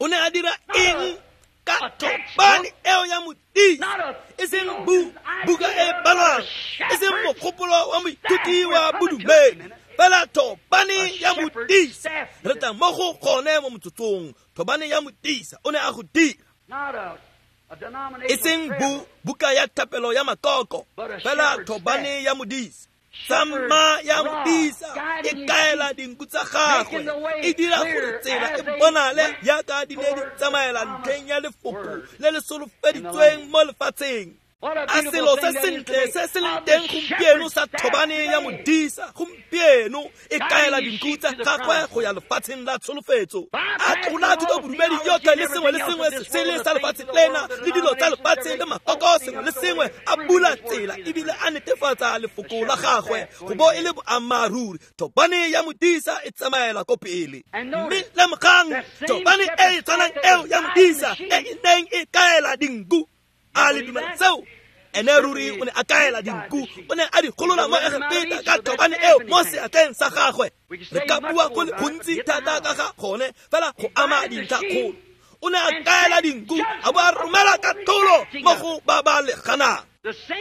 O ne a dira eng ka thobane eo ya modisa? E seng bu buka e balwang, e seng mogopolo wa moithuti wa bodumedi, fela thobane ya modisa. Re tla mo go gone mo motsotsong. Thobane ya modisa o ne a go dira. E seng bu buka ya thapelo ya makoko, fela thobane ya modisa. Tsamma ya modisa e kaela dinku tsa gagwe, e dira gore tsela e bonale jaaka di ne di tsamaela ntlheng ya lefoko le le solofeditsweng mo lefatsheng. A selo se sentle se se leng teng gompieno sa thobane ya modisa gompieno e kaela dinku tsa gagwe go ya lefatsheng la tsholofetso. A tlola thuto bodumedi yotlhe le sengwe le sengwe se sele sa lefatshe lena le dilo tsa lefatshe le makoko sengwe le sengwe, a bula tsela ebile a netefatsa lefoko la gagwe go bo e le boammaaruri. Thobane ya modisa e tsamaela ko pele. Mme lemogang thobane e e tshwanang eo ya modisa e e neng e kaela dinku. A le dumela seo? Ene ruri o ne a kaela dinku, o ne a di golola mo Egepeta ka thobane eo mo seatleng sa gagwe. Re ka bua go le gontsi thata ka ga gone, fela go ama dintlha kgolo. O ne a kaela dinku a bo a romela katlholo mo go ba ba le ganang.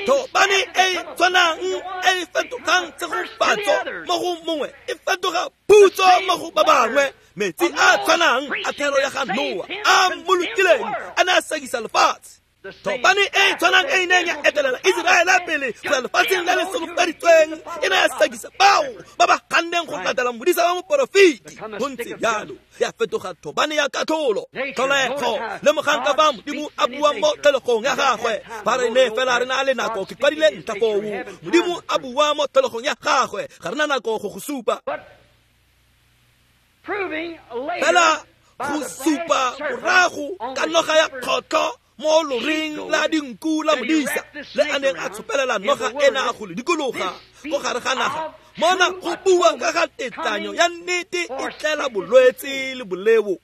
Thobane e tshwanang e e fetogang tshegofatso mo go mongwe e fetoga phutso mo go ba bangwe. Metsi a tshwanang a thero ya ga Noa a mmolokileng a ne a sekisa lefatshe. Thobane e tshwanang e neng ya etelela Iseraele pele go ya lefatsheng le le solofeditsweng e ne ya sekisa bao ba ba ganneng go latela modisa wa moporofeti. Go ntse jalo ya fetoga thobane ya katlholo. Tlholego lemogang ka fa Modimo a buang mo tlholegong ya gagwe. Fa re ne fela re na le nako, ke kwadile ntlha foo. Modimo a bua mo tlholegong ya gagwe, ga re na nako go go supa. Fela go supa morago ka noga ya kgotlho mo loring la dinku la modisa le a neng a tshopelela noga ena go le dikologa go gare ga naga. Mona go bua ka ga tetlanyo ya nnete e tlela bolwetse le boleo.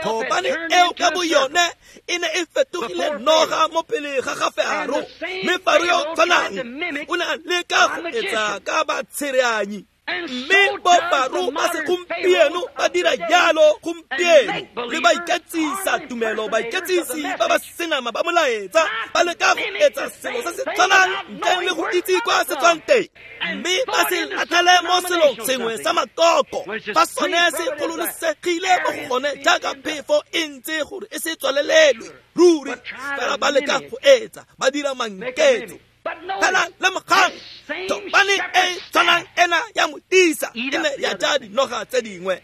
Thobane eo ka bo yone e ne e fetogile noga mo pele ga ga Faro, mme Faro yo tshwanang o ne a leka go etsa ka batshereanyi. Mme bo Faro ba segompieno ba dira jalo gompieno, le ba iketsisa tumelo, baiketsisi ba ba senama ba molaetsa ba leka go etsa selo se se tshwanang ntleng le go itse kwa se tswang teng, mme ba se latlhele mo selong sengwe sa makoko fa sone se gololosegile mo go gone jaaka phefo e ntse gore e se tswalelelwe ruri. Fela ba leka go etsa, ba dira manketso. Fela lemogang thobane e tshwanang ena ya modisa e ne ya ja dinoga tse dingwe.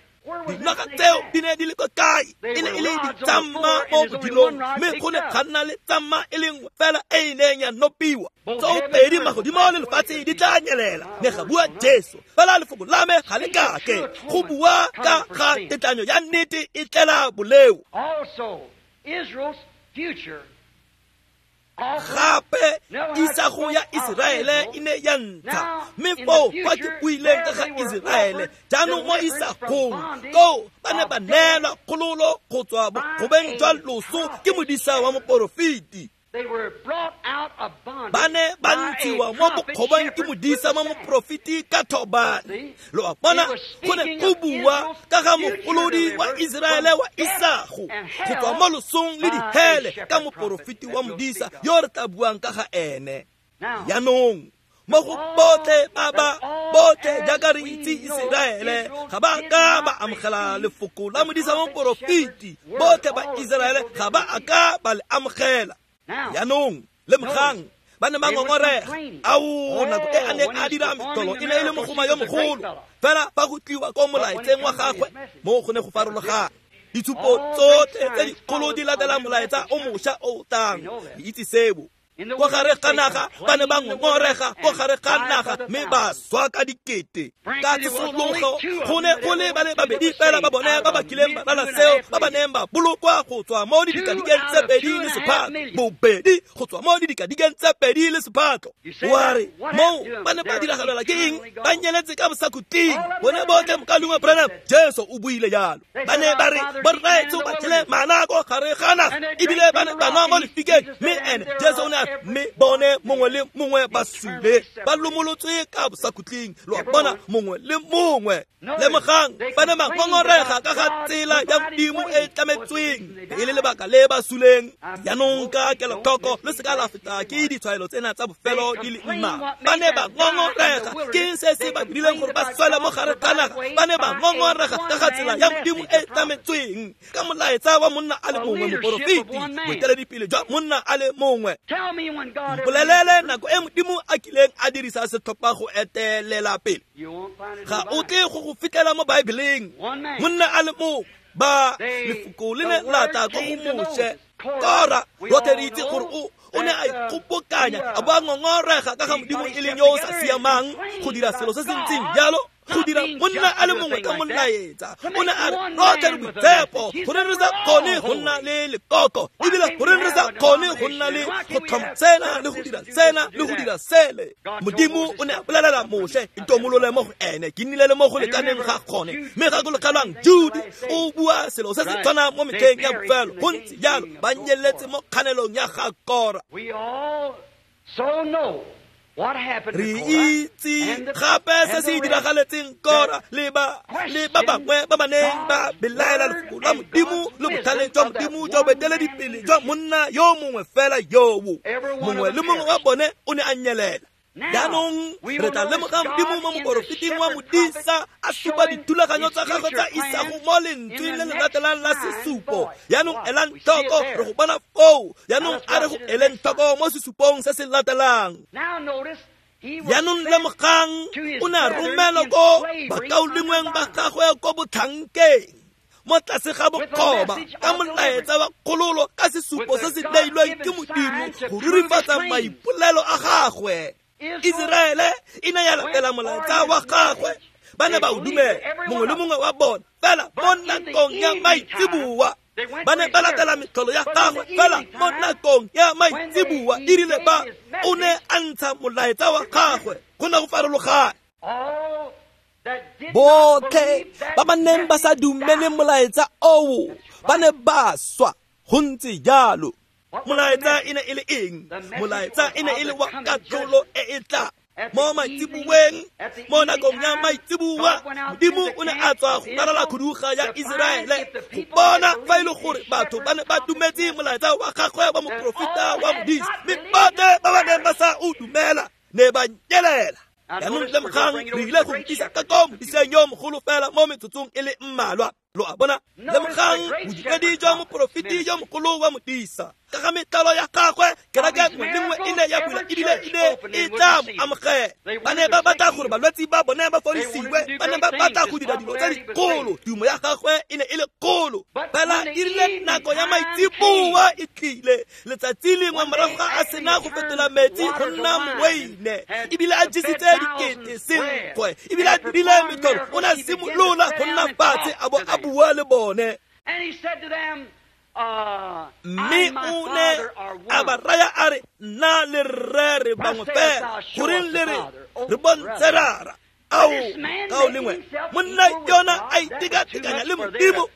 Dinoga tseo di ne di le ko kae? E ne e le ditsamma mo bodilong, mme go ne ga nna le tsamma e le nngwe fela e e neng ya nopiwa. Tsoopedi magodimo le lefatshe di tla nyelela, ne ga bua Jesu, fela lefoko la me ga le kake. Go bua ka ga tetlanyo ya nnete e tlela boleo. Gape isago ya Iseraele e ne ya ntsha, mme foo fa ke buileng ka ga Iseraele jaanong mo isagong koo ba ne ba neelwa kgololo go tswa bokgobeng jwa loso ke modisa wa moporofeti. Ba ne ba ntshiwa mo bokgobang ke modisa mo moprofeti ka thobane. Lo a bona, go ne go bua ka ga mogolodi wa Iseraele wa isago go tswa mo losong le dihele ka moporofeti wa modisa yo re tla buang ka ga ene. Jaanong mo go botlhe ba ba botlhe jaaka re itse Iseraele ga ba ka ba amogela lefoko la modisa wa moporofeti, botlhe ba Iseraele ga ba a ka ba le amogela. Jaanong lemogang, ba ne ba ngongorega. Ao, nako e a neng a dira metlholo e ne e le mogoma yo mogolo, fela fa go tliwa ko molaetseng wa gagwe mo go ne go farologana. Ditshupo tsotlhe tse dikgolo di latela molaetsa o mošwa o o tlang, le itse seo. Ko gare ga naga ba ne ba ngongorega, ko gare ga naga mme ba swa ka dikete. Ka tsosologo go ne go le ba le babedi fela ba bone ba ba kileng ba lala seo, ba ba neng ba bolokwa go tswa mo didikadikeng tse pedi le sephatlo. Bobedi go tswa mo didikadikeng tse pedi le sephatlo. Wa re moo ba ne ba diragalela ke eng? Ba nyeletse ka bosakhutleng. Bone botlhe mokaulengwe Branham, Jesu o buile jalo. Ba ne ba re borraetsho ba jele mana ko gare ga naga, ebile ba ne ba nwa mo lefikeng, mme ene Jesu o ne a mme bone mongwe le mongwe ba sule, ba lomolotswe ka bosakhutleng. Lo a bona, mongwe le mongwe. Lemogang, ba ne ba ngongorega ka ga tsela ya Modimo e e tlametsweng, e le lebaka le ba suleng. Jaanong ka kelotlhoko le seka la feta ke ditshwaelo tsena tsa bofelo di le mmalwa. Ba ne ba ngongorega ke eng se se ba dirileng gore ba swele mo gare ga naga? Ba ne ba ngongorega ka ga tsela ya Modimo e e tlametsweng ka molaetsa wa monna a le mongwe, moporofeti, boeteledipele jwa monna a le mongwe. Mpolelele nako e Modimo a kileng a dirisa setlhopha go etelela pele. Ga o tle go go fitlhela mo Baebeleng. Monna a le mongwe, ba lefoko le ne la tla ko go Moshe. Kora, rotlhe re itse gore o o ne a ikgobokanya a bo a ngongorega ka ga Modimo e leng yo o sa siamang go dira selo se se ntseng jalo, go dira monna a le mongwe ka molaetsa. O ne a re rotlhe re boitshepo, goreng re sa kgone go nna le lekoko, ebile goreng re sa kgone go nna le go tlhoma sena le go dira sena le go dira sele. Modimo o ne a bolelela Moshe, itomolole mo go ene, ke nnile le mo go lekaneng ga gone. Mme gakologelwang, Jude o bua selo se se tshwanang mo metlheng ya bofelo. Go ntse jalo, ba nyeletse mo kganelong ya ga Kora. Re itse gape se se diragaletseng Kora le ba le ba bangwe ba ba neng ba belaela lefoko la Modimo le botlhale jwa Modimo jwa boeteledipele jwa monna yo mongwe fela yoo. Mongwe le mongwe wa bone o ne a nyelela. Jaanong re tla lemoga Modimo mo moporofeting wa modisa a supa dithulaganyo tsa gagwe tsa isago mo lentsweng le le latelang la sesupo. Jaanong elang tlhoko, re go bona foo. Jaanong a re go eleng tlhoko mo sesupong se se latelang. Jaanong lemogang, o ne a romelwa ko bakaulengweng ba gagwe ko botlhankeng, mo tlase ga bokgoba, ka molaetsa wa kgololo, ka sesupo se se neilweng ke Modimo go rurifatsa maipolelo a gagwe. Iseraele e ne ya latela molaetsa wa gagwe, ba ne ba o dumela, mongwe le mongwe wa bona. Fela mo nakong ya maitseboa ba ne ba latela metlholo ya gagwe, fela mo nakong ya maitseboa e rile ba o ne a ntsha molaetsa wa gagwe, go ne go farologana. Botlhe ba ba neng ba sa dumele molaetsa oo ba ne ba swa. Go ntse jalo. Molaetsa e ne e le eng? Molaetsa e ne e le wa katlholo e e tla mo maitseboeng. Mo nakong ya maitseboa, Modimo o ne a tswa go ralala khuduga ya Iseraele go bona fa e le gore batho ba ne ba dumetse molaetsa wa gagwe wa moporofeta wa modisa, mme botlhe ba ba neng ba sa o dumela ne ba nyelela. Jaanong lemogang, re ile go ntisa ka ko modiseng yo mogolo fela mo metsotsong e le mmalwa. Lo a bona, lemogang bodiredi jwa moporofeti yo mogolo wa modisa. Ka ga metlhalo ya gagwe, kereke nngwe le nngwe e ne ya bula ebile e ne e tla mo amogela. Ba ne ba batla gore balwetse ba bone ba fodisiwe, ba ne ba batla go dira dilo tse dikgolo. Tumo ya gagwe e ne e le kgolo. Fela e rile nako ya maitseboa e tlile, letsatsi lengwe morago ga a sena go fetola metsi go nna moweine, ebile a jesitse dikete senkgwe, ebile a dirile metlholo, o ne a simolola go nna fatshe a bo a bua le bone. Mme o ne a ba raya a re, nna le rre re bangwe fela, goreng le re re bontshe rara? Ao, kao lengwe, monna yona a itekatekanya le Modimo.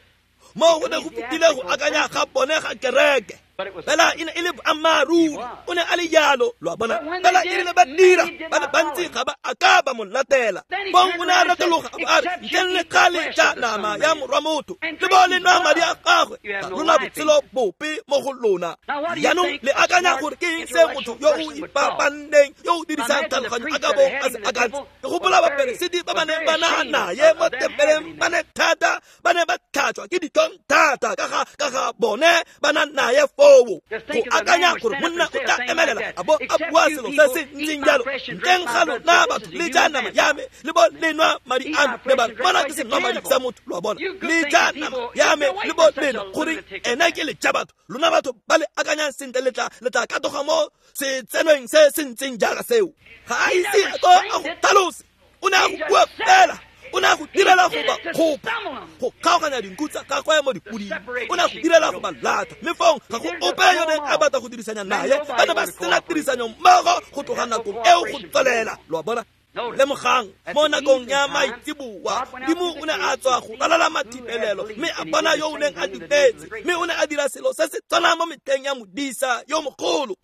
Mo go ne go fetile go akanya ga bone ga kereke. Fela e ne e le boammaaruri, o ne a le jalo, lo a bona. Fela e rile ba dira, ba le bantsi ga ba a ka ba mo latela. Fong o ne a retologa a bo a re, ntleng le kgale ja nama ya morwa motho, le bo le nwa madi a gagwe, ga lona botshelo bope mo go lona. Jaanong le akanya gore ke eng se motho yo o ipapanneng, yo o dirisang tlhaloganyo a ka bong a se akantse? Ke gopola baperesiti ba ba neng ba na naye mo tempeleng ba ne thata, ba ne ba tlhatswa ke ditlhong thata ka ga ka ga bone ba na naye foo. Go akanya gore monna o tla emelela a bo a bua selo se se ntseng jalo, ntleng ga lona batho le ja nama ya me le bo le nwa madi a me, le ba bona ke senwamadi sa motho, lo a bona. Le ja nama ya me le bo le nwa, gore ena ke le ja batho, lona batho ba le akanyang sentle le tla le tla katoga mo setsenweng se se ntseng jaaka seo. Ga a ise a ko a go tlhalose, o ne a go bua fela. O ne a go direla go ba kgopa, go kgaoganya dinku tsa gagwe mo dipoding. O ne a go direla go ba lata, mme fong ga go ope yo neng a batla go dirisanya naye. Ba ne ba sena tirisanyo mmogo go tloga nakong eo go tswelela, lo a bona. Lemogang, mo nakong ya maitseboa, Modimo o ne a tswa go ralala mathibelelo, mme a bona yo o neng a dumetse, mme o ne a dira selo se se tshwanang mo metlheng ya modisa yo mogolo.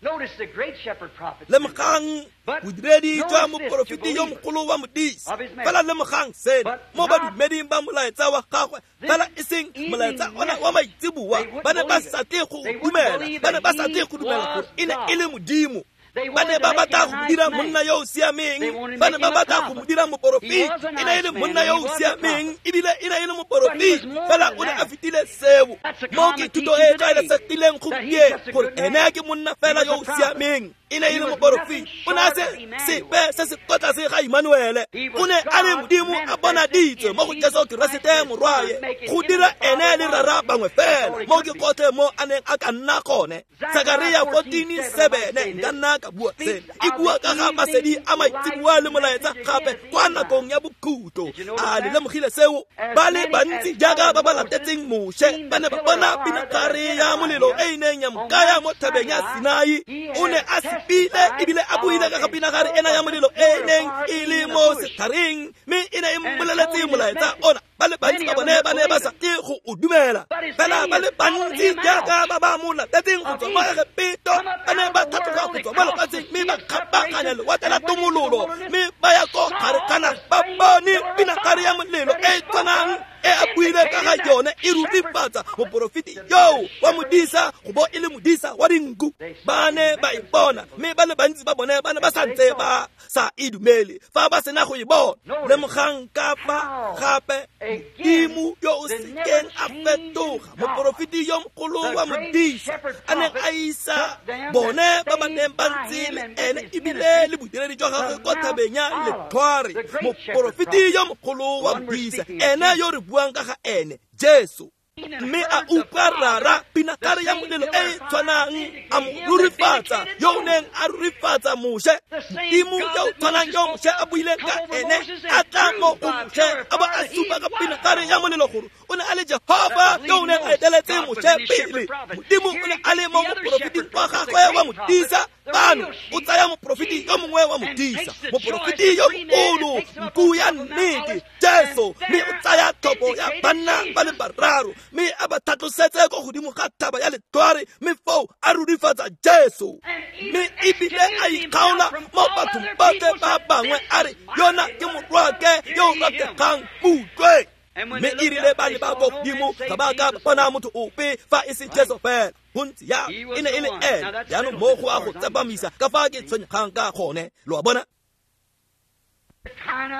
Lemogang bodiredi jwa moporofeti yo mogolo wa modisa. Fela lemogang seno mo badumeding ba molaetsa wa gagwe, fela e seng molaetsa ona wa maitseboa, ba ne ba sa tle go dumela, ba ne ba sa tle go dumela gore e ne e le Modimo. Ba ne ba batla go dira monna yo o siameng, ba ne ba batla go mo dira moporofeti. E ne e le monna yo o siameng, ebile e ne e le moporofeti, fela o ne a fetile seo. Mo ke thuto e e tlwaelesegileng gompieno gore ene ke monna fela yo o siameng, e ne e le moporofeti. O ne a se sepe se se kwa tlase ga Emmanuele. O ne a le Modimo a bonaditswe mo go Jesu Keresete morwaye, go dira ene le rara bangwe fela. Mo ke gotlhe mo a neng a ka nna gone. Sakaria fourteen seven, nka nna ka bua seno, e bua ka ga masedi a maitseboa le molaetsa gape kwa nakong ya bokhutlo. A le lemogile seo? Ba le bantsi jaaka ba ba latetseng Moshe ba ne ba bona pinagare ya molelo e e neng ya mo kaya mo thabeng ya Sinai. O ne a sepile ebile a buile ka ga pinagare ena ya molelo e e neng e le mo setlhareng, mme e ne e mmoleletse molaetsa ona. Ba le bantsi ba bone ba ne ba sa tle go o dumela. Fela ba le bantsi jaaka ba ba mo latetseng go tswa mo Egepeto ba ne ba tlhatloga go tswa mo lefatsheng, mme ba kgabaganya lewatle la tomololo, mme ba ya ko gare ga naga, ba bone pinagare ya molelo e e tshwanang e a buile ka ga yone e rurifatsa moporofeti yoo wa modisa go bo e le modisa wa dinku. Ba ne ba e bona, mme ba le bantsi ba bone ba ne ba sa ntse ba sa e dumele fa ba sena go e bona. Lemogang ka fa gape Modimo yo o sekeng a fetoga, moporofeti yo mogolo wa modisa a neng a isa bone ba ba neng ba ntse le ene ebile le bodiredi jwa gagwe kwa thabeng ya Letlhware. Moporofeti yo mogolo wa modisa, ene yo re buang ka ga ene, Jesu. Mme a utlwa rara pinagare ya molelo e e tshwanang a mo rurifatsa yo o neng a rurifatsa Moshe. Modimo yo o tshwanang yo Moshe a buileng ka ene a tla mo go Moshe a bo a supa ka pinagare ya molelo gore o ne a le Jehova yo o neng a eteletse Moshe pele. Modimo o ne a le mo moporofeting wa gagwe wa modisa. Bano o tsaya moporofeti yo mongwe wa modisa, moporofeti yo mogolo, nku ya nnete, Jesu, mme o tsaya tlhopho ya banna ba le bararo, mme a ba tlhatlosetse ko godimo ga thaba ya Letlhware, mme foo a rurifatsa Jesu. Mme ebile a ikgaola mo bathong botlhe ba bangwe a re, yona ke morwake yo o rategang, mo utlwe. Mme e rile ba ne ba ko godimo ga ba ka bona motho ope fa e se Jesu fela. Gontsi ya e ne e le ene. Jaanong mo go a go tsepamisa ka fa ke tshwenyegang ka gone, lo a bona.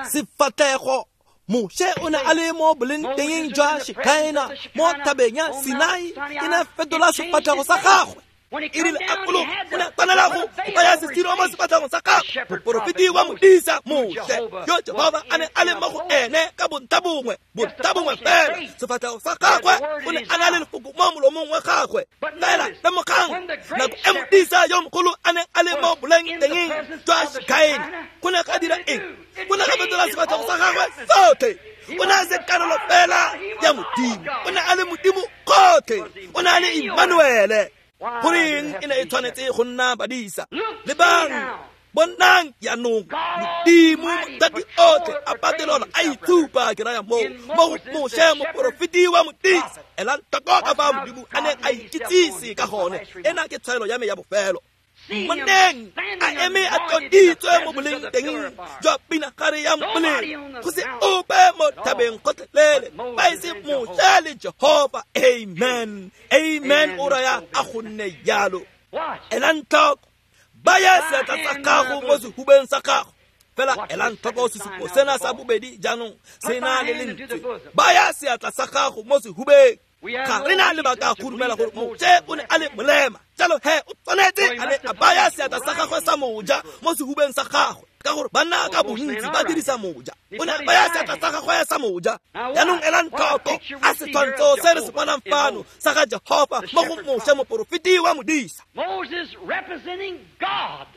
Sefatlhego Moshe o ne a le mo bolengtengeng jwa Shekhaena mo thabeng ya Sinai, e ne fetola sefatlhego sa gagwe. E rile a fologa, o ne a tshwanela go baya sesiro mo sefatlhegong sa gagwe. Moporofeti wa modisa Moshe yo Jehova a ne a le mo go ene ka bontlha bongwe, bontlha bongwe fela. Sefatlhego sa gagwe o ne a na le lefoko mo molomong wa gagwe. Fela lemogang nako e modisa yo mogolo a neng a le mo bolengtengeng jwa Shekhaena, go ne ga dira eng? Go ne ga fetola sefatlhego sa gagwe sotlhe. O ne a se karolo fela ya Modimo, o ne a le Modimo gotlhe, o ne a le Emmanuele. Goreng e ne e tshwanetse go nna badisa? Lebang Bonang jaanong Modimo Mothati otlhe a patelola a itshupa ke raya moo mo go Moshe moporofeti wa modisa. Elang tlhoko ka fa Modimo a neng a ikitsise ka gone. Ena ke tshwaelo ya me ya bofelo. Moneng a eme a tloditswe mo boleng teng jwa pinagare ya molelo, go se ope mo thabeng gotlhelele ba e se Moshe le Jehofa. Amen, amen. O raya a go nne jalo. Elang tlhoko, baya seatla sa gago mo sehubeng sa gago. Fela elang tlhoko sesupo sena sa bobedi jaanong se na le lentswe. Baya seatla sa gago mo sehubeng. Ga re na lebaka go dumela gore Moshe o ne a le molema, jalo he o tshwanetse a ne a baya seatla sa gagwe sa moja mo sehubeng sa gagwe, ka gore banna ka bontsi ba dirisa moja. O ne a baya seatla sa gagwe sa moja. Jaanong elang tlhoko a setshwantsho se re se bonang fano sa ga Jehofa mo go Moshe moporofeti wa modisa.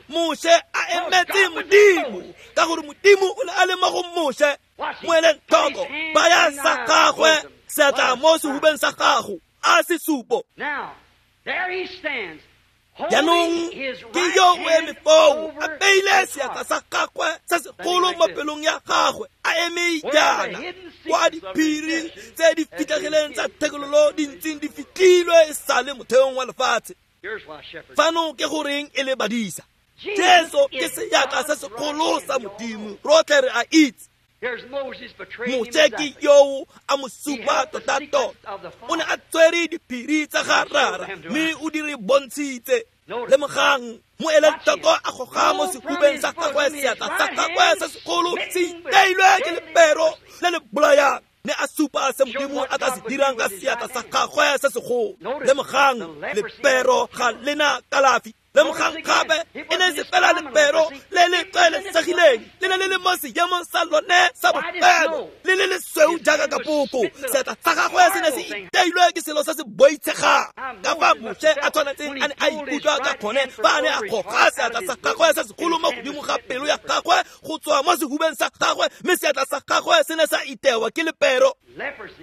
Moshe a emetse Modimo, ka gore Modimo o ne a le mo go Moshe. Mo eleng tlhoko, baya sa gagwe seatla mo sehubeng sa gago a sesupo. Jaanong ke yo o eme foo a beile seatla sa gagwe se segolo mo pelong ya gagwe, a eme jaana kwa diphiri tse di fitlhegileng tsa thekololo di ntseng di fitlhilwe e sale motheong wa lefatshe. Fano ke goreng e le badisa. Jesu ke seatla se segolo sa Modimo, rotlhe re a itse. Moshe ke yoo a mo supa tota-tota. O ne a tshwere diphiri tsa ga Rara mme o di re bontshitse. Lemogang, mo eleng tlhoko a goga mo sehubeng sa gagwe seatla sa gagwe se segolo se iteilwe ke lepero le le bolayang, ne a supa se Modimo a tla se dirang ka seatla sa gagwe se segolo. Lemogang, lepero ga lena kalafi. Lemogang gape e ne se fela lepero le le tlwaelesegileng, le ne le le mo seemong sa lone sa bofelo, le le lesweu jaaka kapoko. Seatla sa gagwe se ne se iteilwe ke selo se se boitshegang. Ka fa Moshe a tshwanetseng a ne a ikutlwa ka gone fa a ne a goga seatla sa gagwe se segolo mo godimo ga pelo ya gagwe go tswa mo sehubeng sa gagwe, mme seatla sa gagwe se ne sa itewa ke lepero.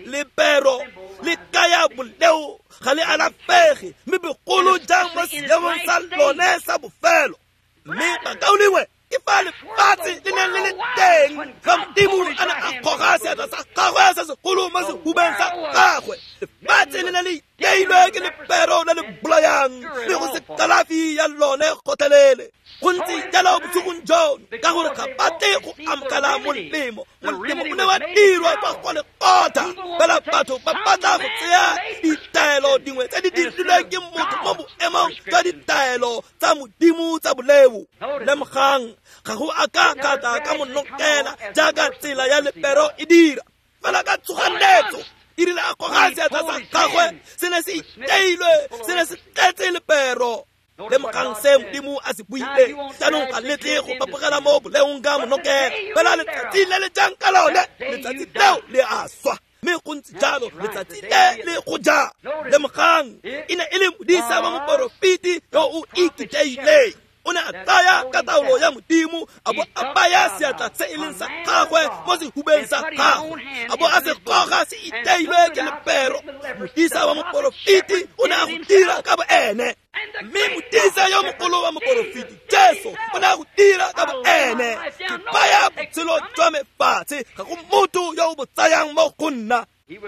Lepero le kaya boleo ga le alafege, mme bogolo jang mo seemong sa lone sa bofelo. Mme bakaulengwe, ke fa lefatshe le neng le le teng fa Modimo a ne a goga seatla sa gagwe se segolo mo sehubeng sa gagwe. Lefatshe le ne le iteilwe ke lepero le le bolayang, mme go se kalafi ya lone gotlhelele. Go ntse jalo bosigong jono, ka gore ga batle go amogela molemo. Molemo o ne wa dirwa kwa go lekgotla, fela batho ba batla go tseya ditaelo dingwe tse di dirilweng ke motho mo boemong jwa ditaelo tsa Modimo tsa boleo. Lemogang, ga go a ka ka tla ka monokela jaaka tsela ya lepero e dira, fela ka tshoganetso e rile a goga seatla sa gagwe se ne se iteilwe, se ne se tletse lepero. Lemogang se Modimo a se buile. Jaanong ga letle go fapogela mo boleong ka monokela, fela letsatsi le le jang ka lone, letsatsi leo le a swa. Mme go ntse jalo letsatsi le le go ja. Lemogang, e ne e le modisa wa moporofeti yo o ikiteileng. O ne a tsaya ka taolo ya Modimo, a bo a baya seatla se e leng sa gagwe mo sehubeng sa gagwe, a bo a se goga se iteilwe ke lepero. Modisa wa moporofeti o ne a go dira ka bo ene, mme modisa yo mogolo wa moporofeti Jesu o ne a go dira ka bo ene. Ke baya botshelo jwa me fatshe, ga go motho yo o bo tsayang mo go nna.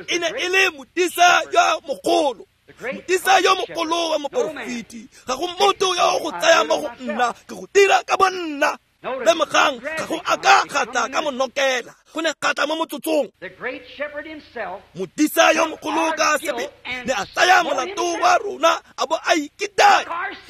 E ne e le modisa yo mogolo, modisa yo mogolo wa moporofeti, ga go motho yo go tsaya mo go nna, ke go dira ka bo nna. Lemogang, ga go a ka ga tla ka monokela, go ne ga tla mo motsotsong. Modisa yo mogolo ka sebele ne a tsaya molato wa rona a bo a ikitaya,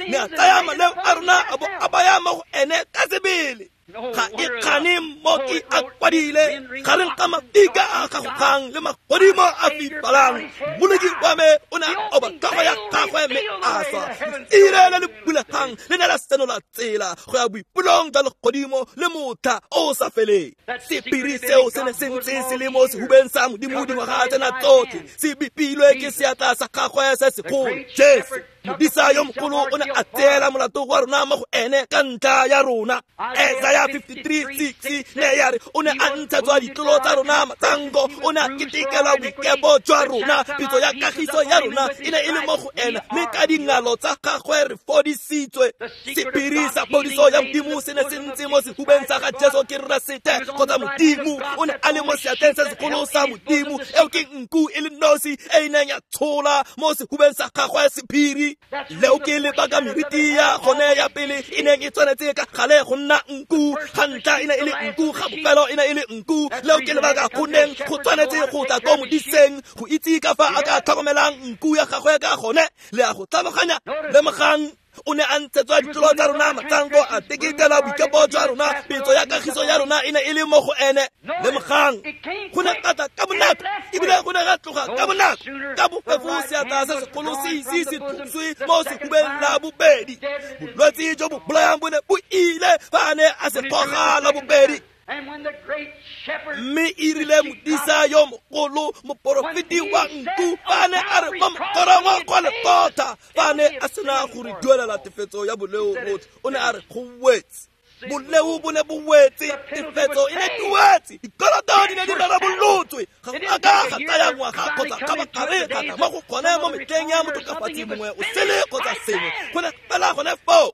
ne a tsaya maleo a rona a bo a baya mo go ene ka sebele. Ga e kgane mmoki a kwadile gareng ga mafika a gagogang le magodimo a fifalang, Mmoloki wa me o ne a oba tlhogo ya gagwe mme a swa. Leire le le bulegang le ne la senola tsela go ya boipelong jwa legodimo le motlha o sa feleng. Sephiri seo se ne se ntse se le mo sehubeng sa Modimo dingwaga tsena tsotlhe, se bipilwe ke seatla sa gagwe se segolo, Jesu. Modisa yo mogolo o ne a tseela molato wa rona mo go ene ka ntlha ya rona. Isaiah fifty-three six ne ya re o ne a ntshetswa ditlolo tsa rona matsango, o ne a ketekela boikepo jwa rona, pitso ya kagiso ya rona e ne e le mo go ena, mme ka dingalo tsa gagwe re fodisitswe. Sephiri sa phodiso ya Modimo se ne se ntse mo sehubeng sa ga Jesu Keresete kgotsa Modimo. O ne a le mo seatleng se segolo sa Modimo, eo ke nku e le nosi e e neng ya tshola mo sehubeng sa gagwe sephiri. Leo ke lebaka meriti ya gone ya pele e neng e tshwanetse ka gale go nna nku, ga ntlha e ne e le nku, ga bofelo e ne e le nku. Leo ke lebaka go neng go tshwanetse go tla ko modiseng go itse ka fa a ka tlhokomelang nku ya gagwe ka gone. Le a go tlhaloganya. Lemogang, o ne a ntshetswa ditlolo tsa rona matsango, a teketela boikepo jwa rona, petso ya kagiso ya rona e ne e le mo go ene. Lemogang, go ne ga tla ka bonako, ebile go ne ga tloga ka bonako, ka bofefo seatla se segolo se ise se thuswe mo sehubeng la bobedi. Bolwetse jo bo bolayang bo ne bo ile fa a ne a se goga la bobedi. Mme e rile modisa yo mogolo, moporofeti wa nku, fa ne a re mo mokorong wa kwa Golgotha, fa ne a sena go re duelela tefetso ya boleo botlhe, o ne a re go wetse. Boleo bo ne bo wetse, tefetso e ne duetse, dikoloto di ne di rarabolotswe. Ga go a ka ga tsaya ngwaga kgotsa kgabagare ga tla mo go gone mo metlheng ya motokafatsi mongwe o sele kgotsa sengwe, go ne fela gone foo.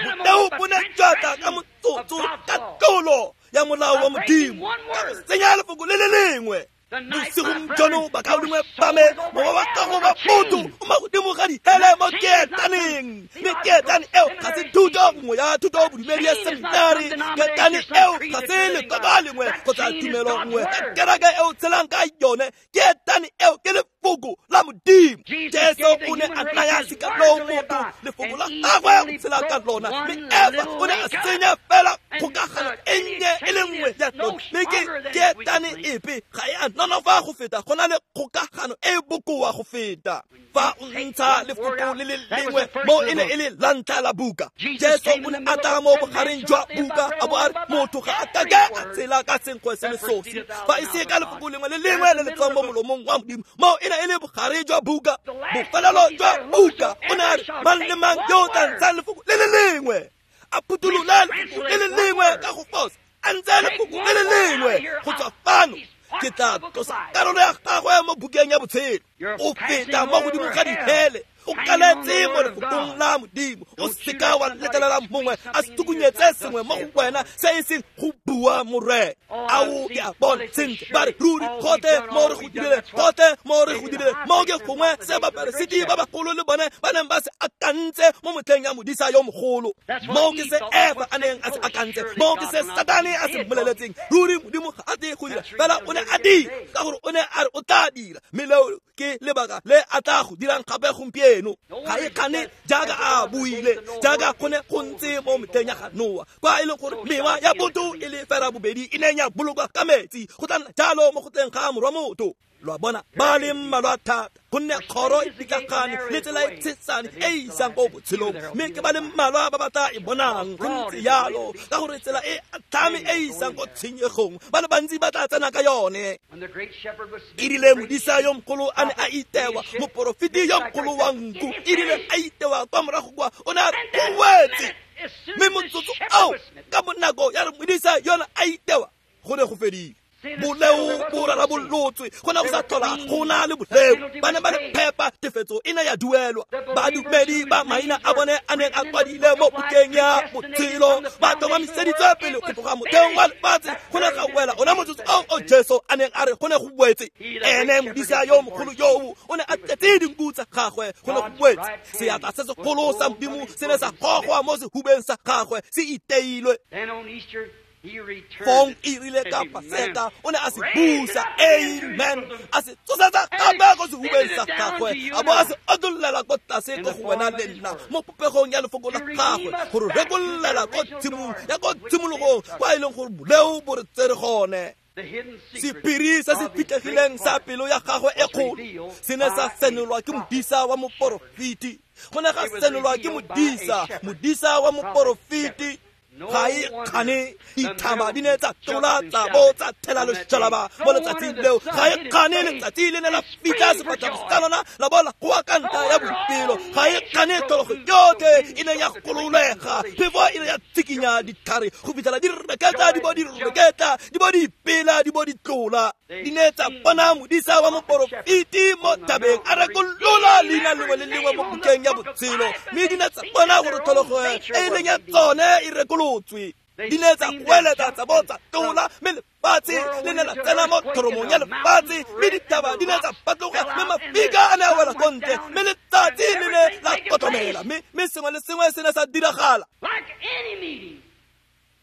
Boleo bo ne jwa tla ka motsotso ka tlolo ya molao wa Modimo, ka go senya lefoko le le lengwe. Bosigong jono bakaulengwe ba me, mowa wa gago wa botho o mo godimo ga dihele mo keetaneng, mme keetane eo ga se thuto nngwe ya thuto bodumedi ya seminari. Keetane eo ga se lekoko lengwe kgotsa tumelo nngwe ka kereke eo tshelang ka yone. Keetane eo ke lefoko la Modimo. Jesu o ne a naya sekalo motho lefoko la gagwe go tshela ka lona, mme Eva o ne a senya fela kgokagano e nnye e le nngwe ya lona. Mme ke keetane epe ga e a nonofa go feta, go na le kgokagano e e bokoa go feta. Fa o ntsha lefoko le le lengwe mo e ne e le la ntlha la buka, Jesu o ne a tla mo bogareng jwa buka a bo a re motho ga a kake a tshela ka senkgwe se le sosi fa e se ka lefoko lengwe le lengwe le le tswang mo molomong wa Modimo. Mo e ne e le bogare jwa buka, bofelelo jwa buka. O ne a re mang le mang yo o tla ntshang lefoko le le lengwe, a phuthulola lefoko le le lengwe ka go fosa, a ntshe lefoko le le lengwe go tswa fano, ke tla tlosa karolo ya gagwe mo bukeng ya botshelo. O feta mo godimo ga dihele, o kaletse mo lefokong la Modimo. O seka wa letlelela mongwe a se tukunyetse sengwe mo go wena se e seng go bua Morena. Ao ke a bona sentle, ba re ruri gotlhe mo re go dirile, gotlhe mo re go dirile. Mo ke gongwe se baperesiti ba bagolo le bone ba neng ba se akantse mo motlheng ya modisa yo mogolo. Mo ke se Eva a neng a se akantse, mo ke se Satane a se mmoleletseng. Ruri Modimo ga a tle go dira, fela o ne a dira ka gore o ne a re o tla dira, mme leo ke lebaka le a tla go dirang gape gompieno. Ga e kgane jaaka a buile, jaaka go ne go ntse mo metlheng ya ga Noa, kwa e leng gore mewa ya botho e le fera bobedi e neng ya bolokwa ka metsi, go tla nna jalo mo go tleng ga morwa motho. Lo a bona, ba le mmalwa thata, gonne kgoro e pitlagane le tsela e tshesane e e isang ko botshelong, mme ke ba le mmalwa ba ba tla e bonang. Go ntse jalo ka gore tsela e atlhame e isang ko tshenyegong, ba le bantsi ba tla tsena ka yone. E rile modisa yo mogolo a ne a itewa, moporofeti yo mogolo wa nku e rile a itewa kwa morago kwa, o ne a re go wetse. Mme motsotso ao ka bonako ya re modisa yona a itewa, go ne go fedile. Boleo bo rarabolotswe, go ne go sa tlhola go na le boleo. Ba ne ba le phepa, tefetso e ne ya duelwa. Badumedi ba maina a bone a neng a kwadile mo bukeng ya botshelo ba tlhomamiseditswe pele go tloga motheong wa lefatshe. Go ne ga wela ona motsotso ao o Jesu a neng a re go ne go wetse. Ene modisa yo mogolo yoo o ne a tletse dinku tsa gagwe, go ne go wetse. Seatla se segolo sa Modimo se ne sa gogwa mo sehubeng sa gagwe, se iteilwe. Fong e rile ka Paseka o ne a se busa, amen, a se tsosetsa gape ko sehubeng sa gagwe, a bo a se otollela ko tlase ko go wena le nna mo popegong ya lefoko la gagwe, gore rekollela ko tshimong ya ko tshimologong kwa e leng gore boleo bo re tsere gone. Sephiri se se fitlhegileng sa pelo ya gagwe e kgolo se ne sa senolwa ke modisa wa moporofeti. Go ne ga senolwa ke modisa, modisa wa moporofeti. Ga e kgane dithaba di ne tsa tlola tsa bo tsa thela loshalaba mo letsatsing leo. Ga e kgane letsatsi le ne la fitlha sefatlhego sa lona la bo la goa ka ntlha ya boipelo ga e kgane tlhologo yotlhe e ne ya gololega. Phefo e ne ya tsikinya ditlhare go fitlhela di reketla di bo di reketla di bo di ipela di bo di tlola. Di ne tsa bona modisa wa moporofeti mo thabeng a rekolola leina lengwe le lengwe mo bukeng ya botshelo, mme di ne tsa bona gore tlhologo e e leng ya tsone e rekolotswe. Di ne tsa goeletsa tsa bo tsa tlola, mme lefatshe le ne la tsena mo thoromong ya lefatshe, mme dithaba di ne tsa patloga, mme mafika a ne a wela ko ntle, mme letsatsi le ne la kotlomela, mme mme sengwe le sengwe se ne sa diragala.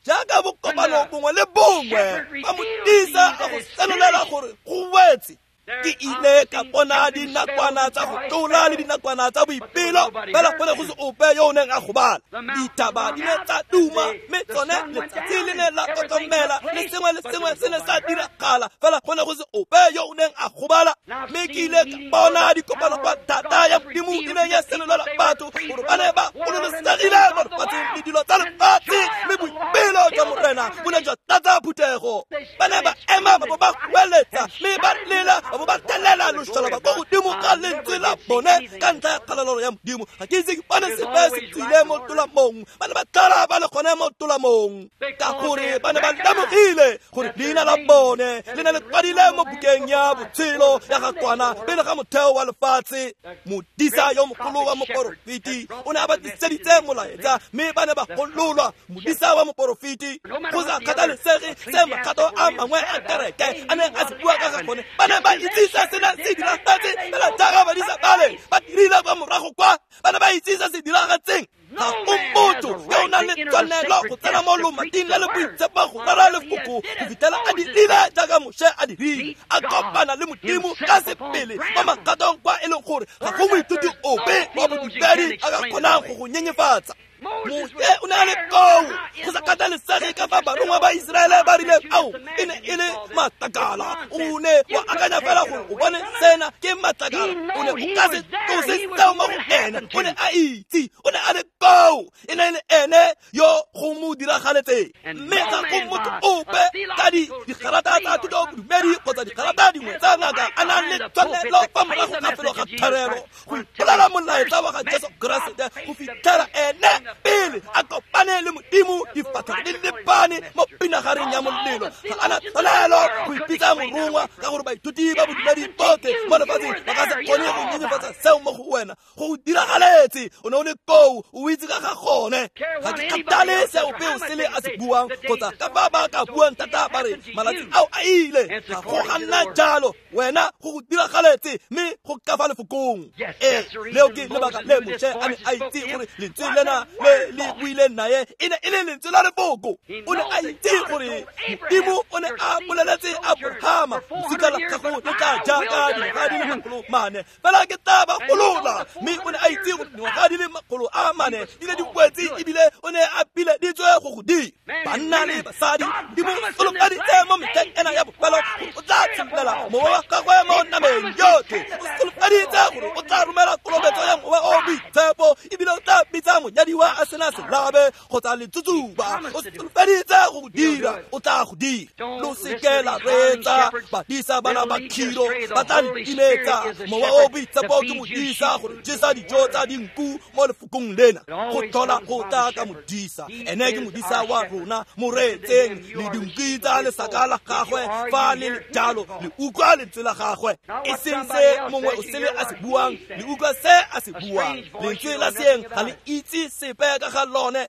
Jaaka bokopano bongwe le bongwe ba modisa a go senolela gore go wetse. Ke ile ka bona dinakwana tsa go tlola le dinakwana tsa boipelo, fela go ne go se ope yo o neng a gobala. Dithaba di ne tsa duma, mme tsone letsatsi le ne la kotlomela, le sengwe le sengwe se ne sa diragala, fela go ne go se ope yo o neng a gobala. Mme ke ile ka bona dikopano kwa thata ya Modimo e neng ya senolela batho gore ba ne ba gololosegile mo lefatsheng le dilo tsa lefatshe, mme boipelo jwa Morena bo ne jwa tlatsa phuthego. Ba ne ba ema ba bo ba goeletsa, mme ba lela ba bo ba telela loshalaba ko godimo ga lentswe la bone ka ntlha ya kgalalelo ya Modimo. Ga ke itse ke bone sepe se tswile mo tolamong. Ba ne ba tlala ba le gone mo tolamong, ka gore ba ne ba lemogile gore leina la bone le ne le kwadile mo bukeng ya botshelo ya ga Kwana pele ga motheo wa lefatshe. Modisa yo mogolo wa moporofeti o ne a ba tliseditse molaetsa, mme ba ne ba gololwa. Modisa wa moporofeti, go sa kgathalesege se makgato a mangwe a kereke a neng a se bua ka ga gone, ba ne ba itse se se neng se diragetse fela jaaka badisa bale ba dirile kwa morago kwa. Ba ne ba itse se se diragetseng. Ga go motho yo o nang le tshwanelo go tsena mo lomating le le boitshepo go rera lefoko go fitlhela a dirile jaaka Moshe a dirile, a kopana le Modimo ka sebele mo makgatong kwa e leng gore ga go moithuti ope wa bodumedi a ka kgonang go go nyenyefatsa. Moshe o ne a le koo, go sa kgathalesege ka fa barongwa ba Iseraele ba rileng ao e ne e le matlakala. O ne wa akanya fela gore o bone sena ke matlakala, o ne o ka se tlose seo mo go ene. O ne a itse, o ne a le koo, e ne e le ene yo go mo diragaletseng. Mme ga go motho ope ka digarata tsa thuto bodumedi kgotsa digarata dingwe tsa ngaka a nang le tshwanelo fa morago ga felo ga tharelo go ipolela molaetsa wa ga Jesu Keresete go fitlhela ene pele a kopane le Modimo difatlhego di lebane mo pinagareng ya molelo. Ga a na tshwanelo go ipitsa morongwa, ka gore baithuti ba bodumedi botlhe mo lefatsheng ba ka se kgone go nyenyefatsa seo mo go wena. Go go diragaletse, o ne o le koo, o itse ka ga gone. Ga ke kgathale se ope o sele a se buang kgotsa ka ba ba ka buang thata ba re malatsi ao a ile. Ga go ga nna jalo, wena go go diragaletse, mme go ka fa lefokong. Ee, leo ke lebaka le Moshe a ne a itse gore lentswe lena le le buileng naye e ne e le lentswe la lefoko. O ne a itse gore Modimo o ne a boleletse Abrahama, losika la gago le tla jaaka dingwaga di le makgolo mane, fela ke tla ba golola. Mme o ne a itse gore dingwaga di le makgolo a mane di ne di kwetse, ebile o ne a pileditswe go go dira. Banna le basadi, Modimo o solofeditse mo metlheng ena ya bofelo gore o tla tshololela mowa wa gagwe mo nameng yotlhe. O solofeditse gore o tla romela kolobetso ya Mowa o o Boitshepo, ebile o tla bitsa monyadiwa a sena selabe kgotsa letsutsuba. O solofeditse go go dira, o tla go dira. Lo seke la reetsa badisa bana ba khiro, ba tla le timetsa. Mowa o Boitshepo ke modisa gore jesa dijo tsa dinku mo lefokong lena. Go tlhola go tla ka modisa, ene ke modisa wa rona. Mo reetseng le dinku tsa lesaka la gagwe fa le le jalo, le utlwa lentswe la gagwe, e seng se mongwe o sele a se buang, le utlwa se a se buang. Lentswe la seeng ga le itse sepe ka ga lone.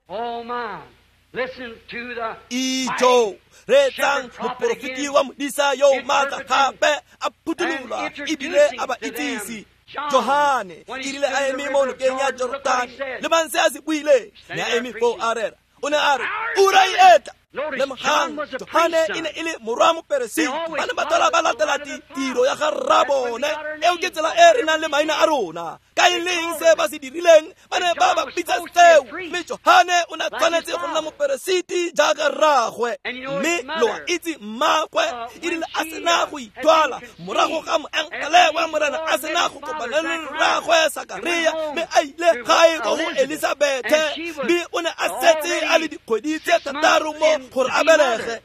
Ijo, reetsang moporofeti wa modisa yo o maatla gape a phuthulola ebile a ba itsise. Johane e rile a eme mo nokeng ya Jorotane, lebang se a se buileng, ne a eme foo a rera. O ne a re, ura e etla. Lemogang, Johane e ne e le morwa moperesiti. Ba ne ba tlhola ba latela tiro ya ga rrabone. Eo ke tsela e re nang le maina a rona. Ka e leng se ba se dirileng, ba ne ba ba bitsa seo. Mme Johane o ne a tshwanetse go nna moperesiti jaaka rraagwe. Mme lo a itse mmaagwe e rile a sena go ithwala morago ga moengele wa Morena a sena go kopana le rraagwe Sakaria, mme a ile gae ko go Elisabethe, mme o ne a setse a le dikgwedi tse thataro mo gore a belege.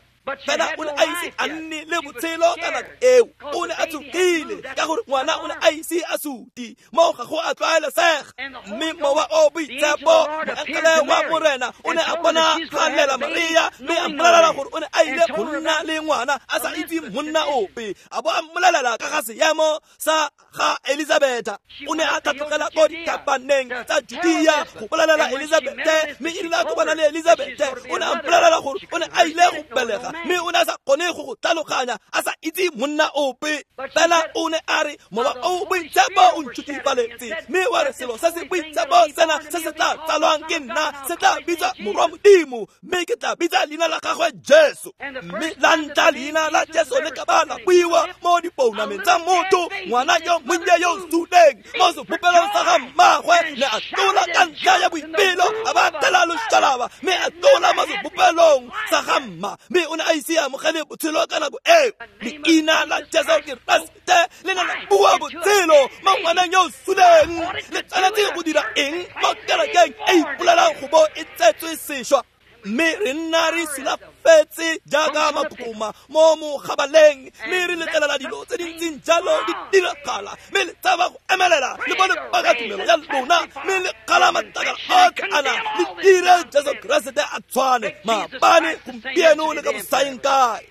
Fela o ne a ise a nne le botshelo ka nako eo. O ne a tsogile ka gore ngwana o ne a ise a suti mo ga go a tlwaelesega. Mme Mowa o Boitshepo, moengele wa Morena, o ne a bonagalela Maria mme a mmolelela gore o ne a ile go nna le ngwana a sa itse monna ope. A bo a mmolelela ka ga seemo sa ga Elizabetha. O ne a tlhatlogela ko dithabaneng tsa Judea go bolelela Elizabethe, mme e rile a kopana le Elizabethe o ne a mmolelela gore o ne a ile go belega, mme o ne a sa kgone go go tlhaloganya a sa itse monna ope. Fela o ne a re Mowa o Boitshepo o ntšhutifaletse, mme wa re selo se se boitshepo sena se se tla tsalwang ke nna se tla bitswa Morwa Modimo, mme ke tla bitsa leina la gagwe Jesu. Mme la ntlha leina la Jesu le ka ba la buiwa mo dipounameng tsa motho, ngwana yo monnye yo o suleng mo sebopelong sa ga mmagwe ne a tlola ka ntlha ya boipelo, a ba tela loshalaba, mme a tlola mo sebopelong sa ga mma, mme o ne a ise a amogele botshelo ka nako eo. Leina la Jesu Keresete le ne la bua botshelo mo ngwaneng yo o suleng. Le tshwanetse go dira eng mo kerekeng e ipolelang go bo e tsetswe sešwa? Mme re nna re sulafetse jaaka makokoma mo mogabaleng, mme re letlelela dilo tse di ntseng jalo di diragala, mme le tshaba go emelela le bone paka tumelo ya lona, mme le kgala matlakala otlhe ana, le dire Jesu Keresete a tshwane maabane, gompieno le ka bosaeng kae.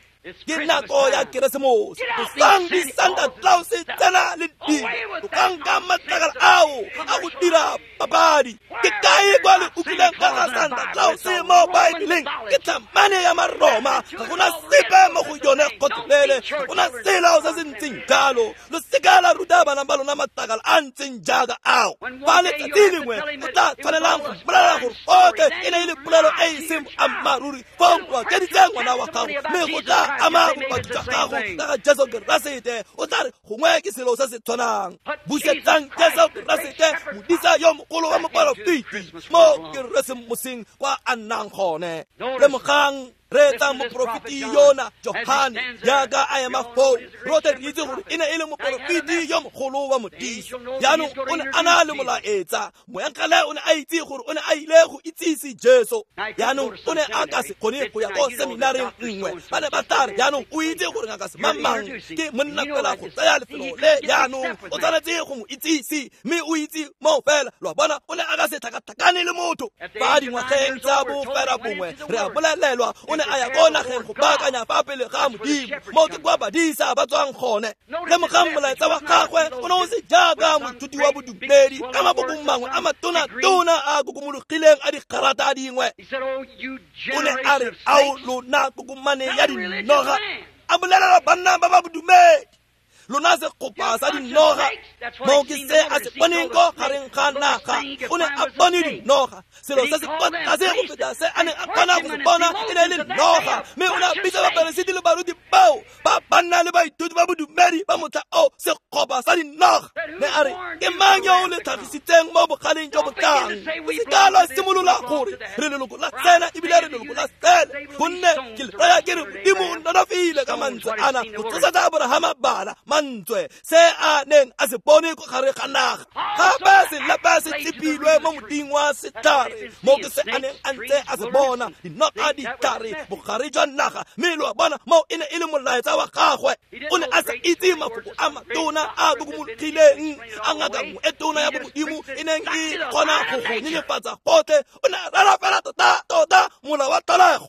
Ke nako ya Keresemose. Tlosang di-Santa Claus tsena le dilo, tlokang ka matlakala ao a go dira papadi. Ke kae kwa le utlwileng ka ga Santa Claus mo Baebeleng? Ke tlhamane ya Maroma, ga gona sepe mo go yone gotlhelele, ga gona selo se se ntseng jalo. Lo seka la ruta bana ba lona matlakala a ntseng jaaka ao. Fa letsatsi lengwe o tla tshwanelang go mmolelela gore otlhe e ne e le polelo e e seng boammaaruri, fong o akeditse ngwana wa gago, mme go tla ama bopaki jwa gago ka ga Jesu Keresete. O tla re gongwe ke selo se se tshwanang. Busetsang Jesu Keresete, modisa yo mogolo wa moporofeti, mo Keresemoseng kwa a nnang gone. Lemogang reetsa moporofeti yona Johane jaaka a ema foo. Rotlhe re itse gore e ne e le moporofeti yo mogolo wa modisa. Jaanong o ne a na le molaetsa. Moengele o ne a itse gore o ne a ile go itsise Jesu. Jaanong o ne a ka se kgone go ya ko seminareng nngwe. Ba ne ba tla re jaanong o itse gore ngaka semang ke monna fela go tsaya lefelo le, jaanong o tshwanetse go mo itsise, mme o itse moo fela. Lo a bona, o ne a ka se tlhakatlhakane le motho. Fa dingwageng tsa bofera bongwe re a bolelelwa o ne a ya ko nageng go baakanya fa pele ga Modimo, mo ke kwa badisa ba tswang gone. Lemogang molaetsa wa gagwe o ne o se jaaka moithuti wa bodumedi ka mabokong mangwe a matona-tona a kokomologileng a digarata dingwe. O ne a re, ao lona kokomane ya dinoga, a bolelela banna ba ba bodumedi, lona segopa sa dinoga. Mo ke se a se boneng ko gareng ga naga. O ne a bone dinoga. Selo se se kwa tlase go feta se a neng a kgona go se bona e ne e le noga. Mme o ne a bitsa baperesiti le baruti bao ba banna le baithuti ba bodumedi ba motlha o segopa sa dinoga. Ne a re, ke mang yo o le tlhagisitseng mo bogaleng jo bo tlang? O se ka lwa simolola gore re leloko la tsena ebile re leloko la sele, gonne ke le raya ke re Modimo o nonofile ka mantswe ana go tsosetsa Aborahama bana. Mantswe se a neng a se bone ko gare ga naga. Gape selepe se tsepilwe mo moding wa setlhare, mo ke se a neng a ntse a se bona, dinoga ditlhare bogare jwa naga. Mme lo a bona mo e ne e le molaetsa wa gagwe. O ne a sa itse mafoko a matona a kokomologileng a ngaka nngwe e tona ya bomodimo e neng e kgona go go nyenyefatsa gotlhe. O ne a rera fela tota-tota mola wa tlholego.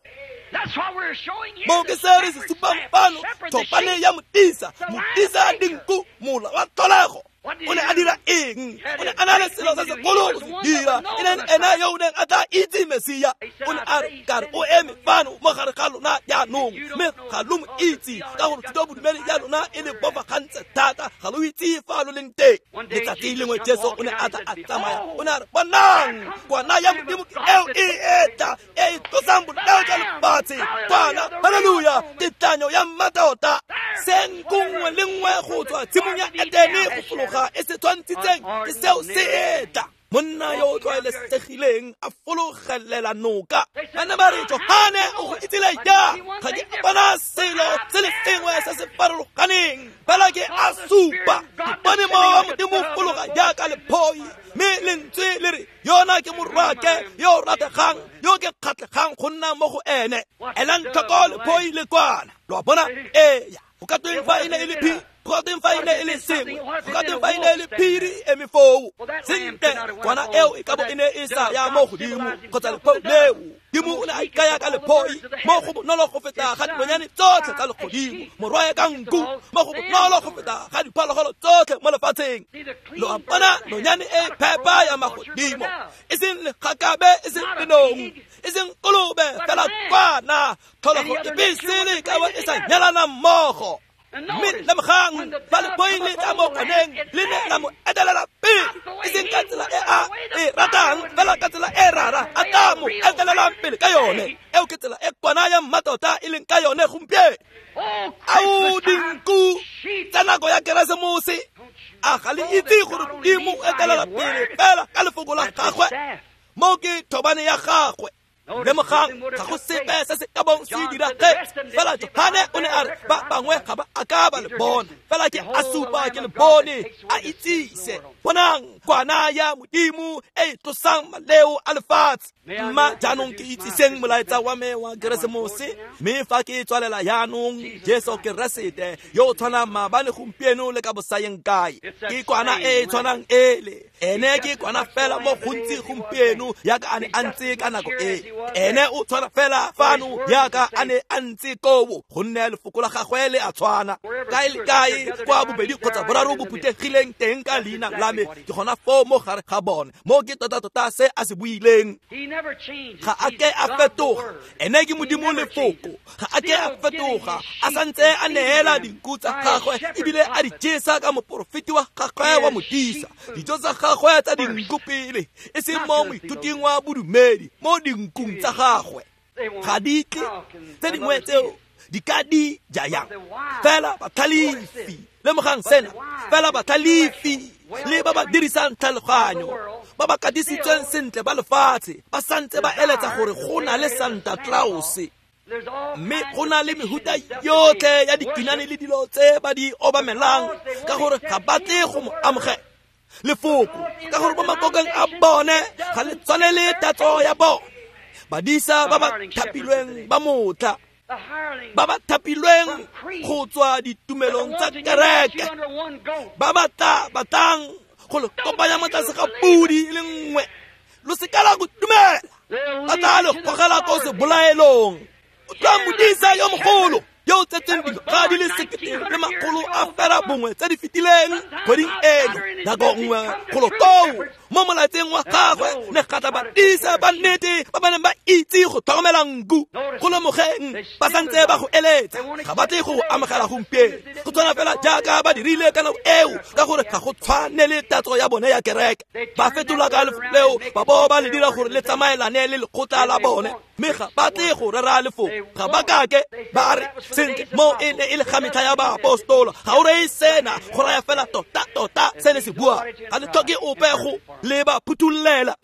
Mo ke se re se supang fano, thopane ya modisa, modisa dinku, mola wa tlholego. O ne a dira eng? O ne a na le selo se segolo go se dira. E ne ena yo o neng a tla itse Mesia. O ne a re, ka re o eme fano mo gare ga lona jaanong, mme ga lo mo itse, ka gore thuto bodumedi ya lona e le bofagantse thata, ga lo itse fa lo leng teng. Letsatsi lengwe Jesu o ne a tla a tsamaya, o ne a re, bonang, kwana ya Modimo ke eo e etla, e e tlosang boleo jwa lefatshe. Kwana, haleluya, tetlanyo ya mmatota. Senko nngwe le nngwe go tswa tshimong ya Edene go fologa e se tshwantshitseng ke seo se etla. Monna yo o tlwaelesegileng a fologelela noka. Ba ne ba re, Johane o go itsile jang? Ga ke a bona selo se le sengwe se se farologaneng, fela ke a supa. Ke bone mowa wa Modimo fologa jaaka lephoi, mme lentswe le re, Yona ke morwake yo rategang yo ke kgatlhegang go nna mo go ene. Elang tlhoko lephoi le kwana. Lo a bona? Ee, go ka tweng fa e ne e le phi, go ka tweng fa e ne e le sengwe, go ka tweng fa e ne e le phiri e eme foo. Sentle, kwana eo e ka bo e ne e sa ya mo godimo kgotsa lephoi leo. Modimo o ne a ikaya ka lephoi mo go bonolo go feta ga dinonyane tsotlhe tsa legodimo, morwae ka nku mo go bonolo go feta ga diphologolo tsotlhe mo lefatsheng. Lo a bona nonyane e phepa ya magodimo, e seng legakabe, e seng lenong, e seng kolobe, fela kwana tlholego epe sele ka bo e sa nyalana mmogo. Mme lemogang fa lephoi le tla mo kwaneng le ne la mo etelela pele, e seng ka tsela e a e ratang, fela ka tsela e rara a tla mo etelelang pele ka yone. Eo ke tsela e kwana ya mmatota e leng ka yone gompieno. Ao dinku tsa nako ya Keresemose, a ga le itse gore Modimo o etelela pele fela ka lefoko la gagwe? Mo ke thobane ya gagwe. Lemogang ga go sepe se se ka bong se diragetse. Fela Johane o ne a re ba bangwe ga ba a ka ba le bona, fela ke a supa ke le bone, a itsise. Bonang kwana ya Modimo e e tlosang maleo a lefatshe. Mma jaanong ke itsiseng molaetsa wa me wa Keresemose, mme fa ke tswalela jaanong, Jesu Keresete yo o tshwanang maabane, gompieno le ka bosayeng kae. Ke kwana e e tshwanang ele. Ene ke kwana fela mo gontsi gompieno yaka a ne a ntse ka nako e. Ene o tshwana fela fano yaka a ne a ntse koo, gonne lefoko la gagwe le a tshwana. Kae le kae kwa bobedi kgotsa boraro bo phuthegileng teng ka leina la me, ke gona foo mo gare ga bone. Mo ke tota-tota se a se buileng. Ga a ke a fetoga. Ene ke Modimo lefoko. Ga a ke a fetoga. A santse a neela dinku tsa gagwe ebile a di jesa ka moporofeti wa gagwe wa modisa. Dijo tsa gagwe tsa dinku pele, e seng mo moithuting wa bodumedi, mo dinkung tsa gagwe. Ga di tle tse dingwe tseo di ka di ja yang. Fela batlhalefi, lemogang sena, fela batlhalefi le ba ba dirisang tlhaloganyo, ba ba katisitsweng sentle ba lefatshe, ba santse ba eletsa gore go na le Santa Claus. Mme go na le mehuta yotlhe ya dikinane le dilo tse ba di obamelang, ka gore ga ba tle go mo amogela lefoko, ka gore mo makokeng a bone ga le tshwanele tatso ya bone. Badisa ba ba thapilweng ba motla, ba ba thapilweng go tswa ditumelong tsa kereke, ba ba tla batlang go le kopanya mo tlase ga pudi e le nngwe, lo se ka la go dumela, ba tla le gogela ko sebolaelong. Utlwa modisa yo mogolo yo o tsetseng dingwaga di le sekete le makgolo a fela bongwe tse di fetileng kgweding eno, nako nngwe golo koo mo molaetseng wa gagwe ne ga tla badisa ba nnete ba ba neng ba itse go tlhokomela nku. Go lemogeng ba santse ba go eletsa, ga ba tle go go amogela gompieno, go tshwana fela jaaka ba dirile ka nako eo, ka gore ga go tshwane le tatso ya bone ya kereke. Ba fetola ka lefoko leo, ba bo ba le dira gore le tsamaelane le lekgotla la bone, mme ga ba tle go rera lefoko. Ga ba kake ba re sentle mo e ne e le ga metlha ya baapostola. Ga o reye sena, go raya fela tota-tota se le se buang. Ga le tlhoke ope go le ba phuthollela.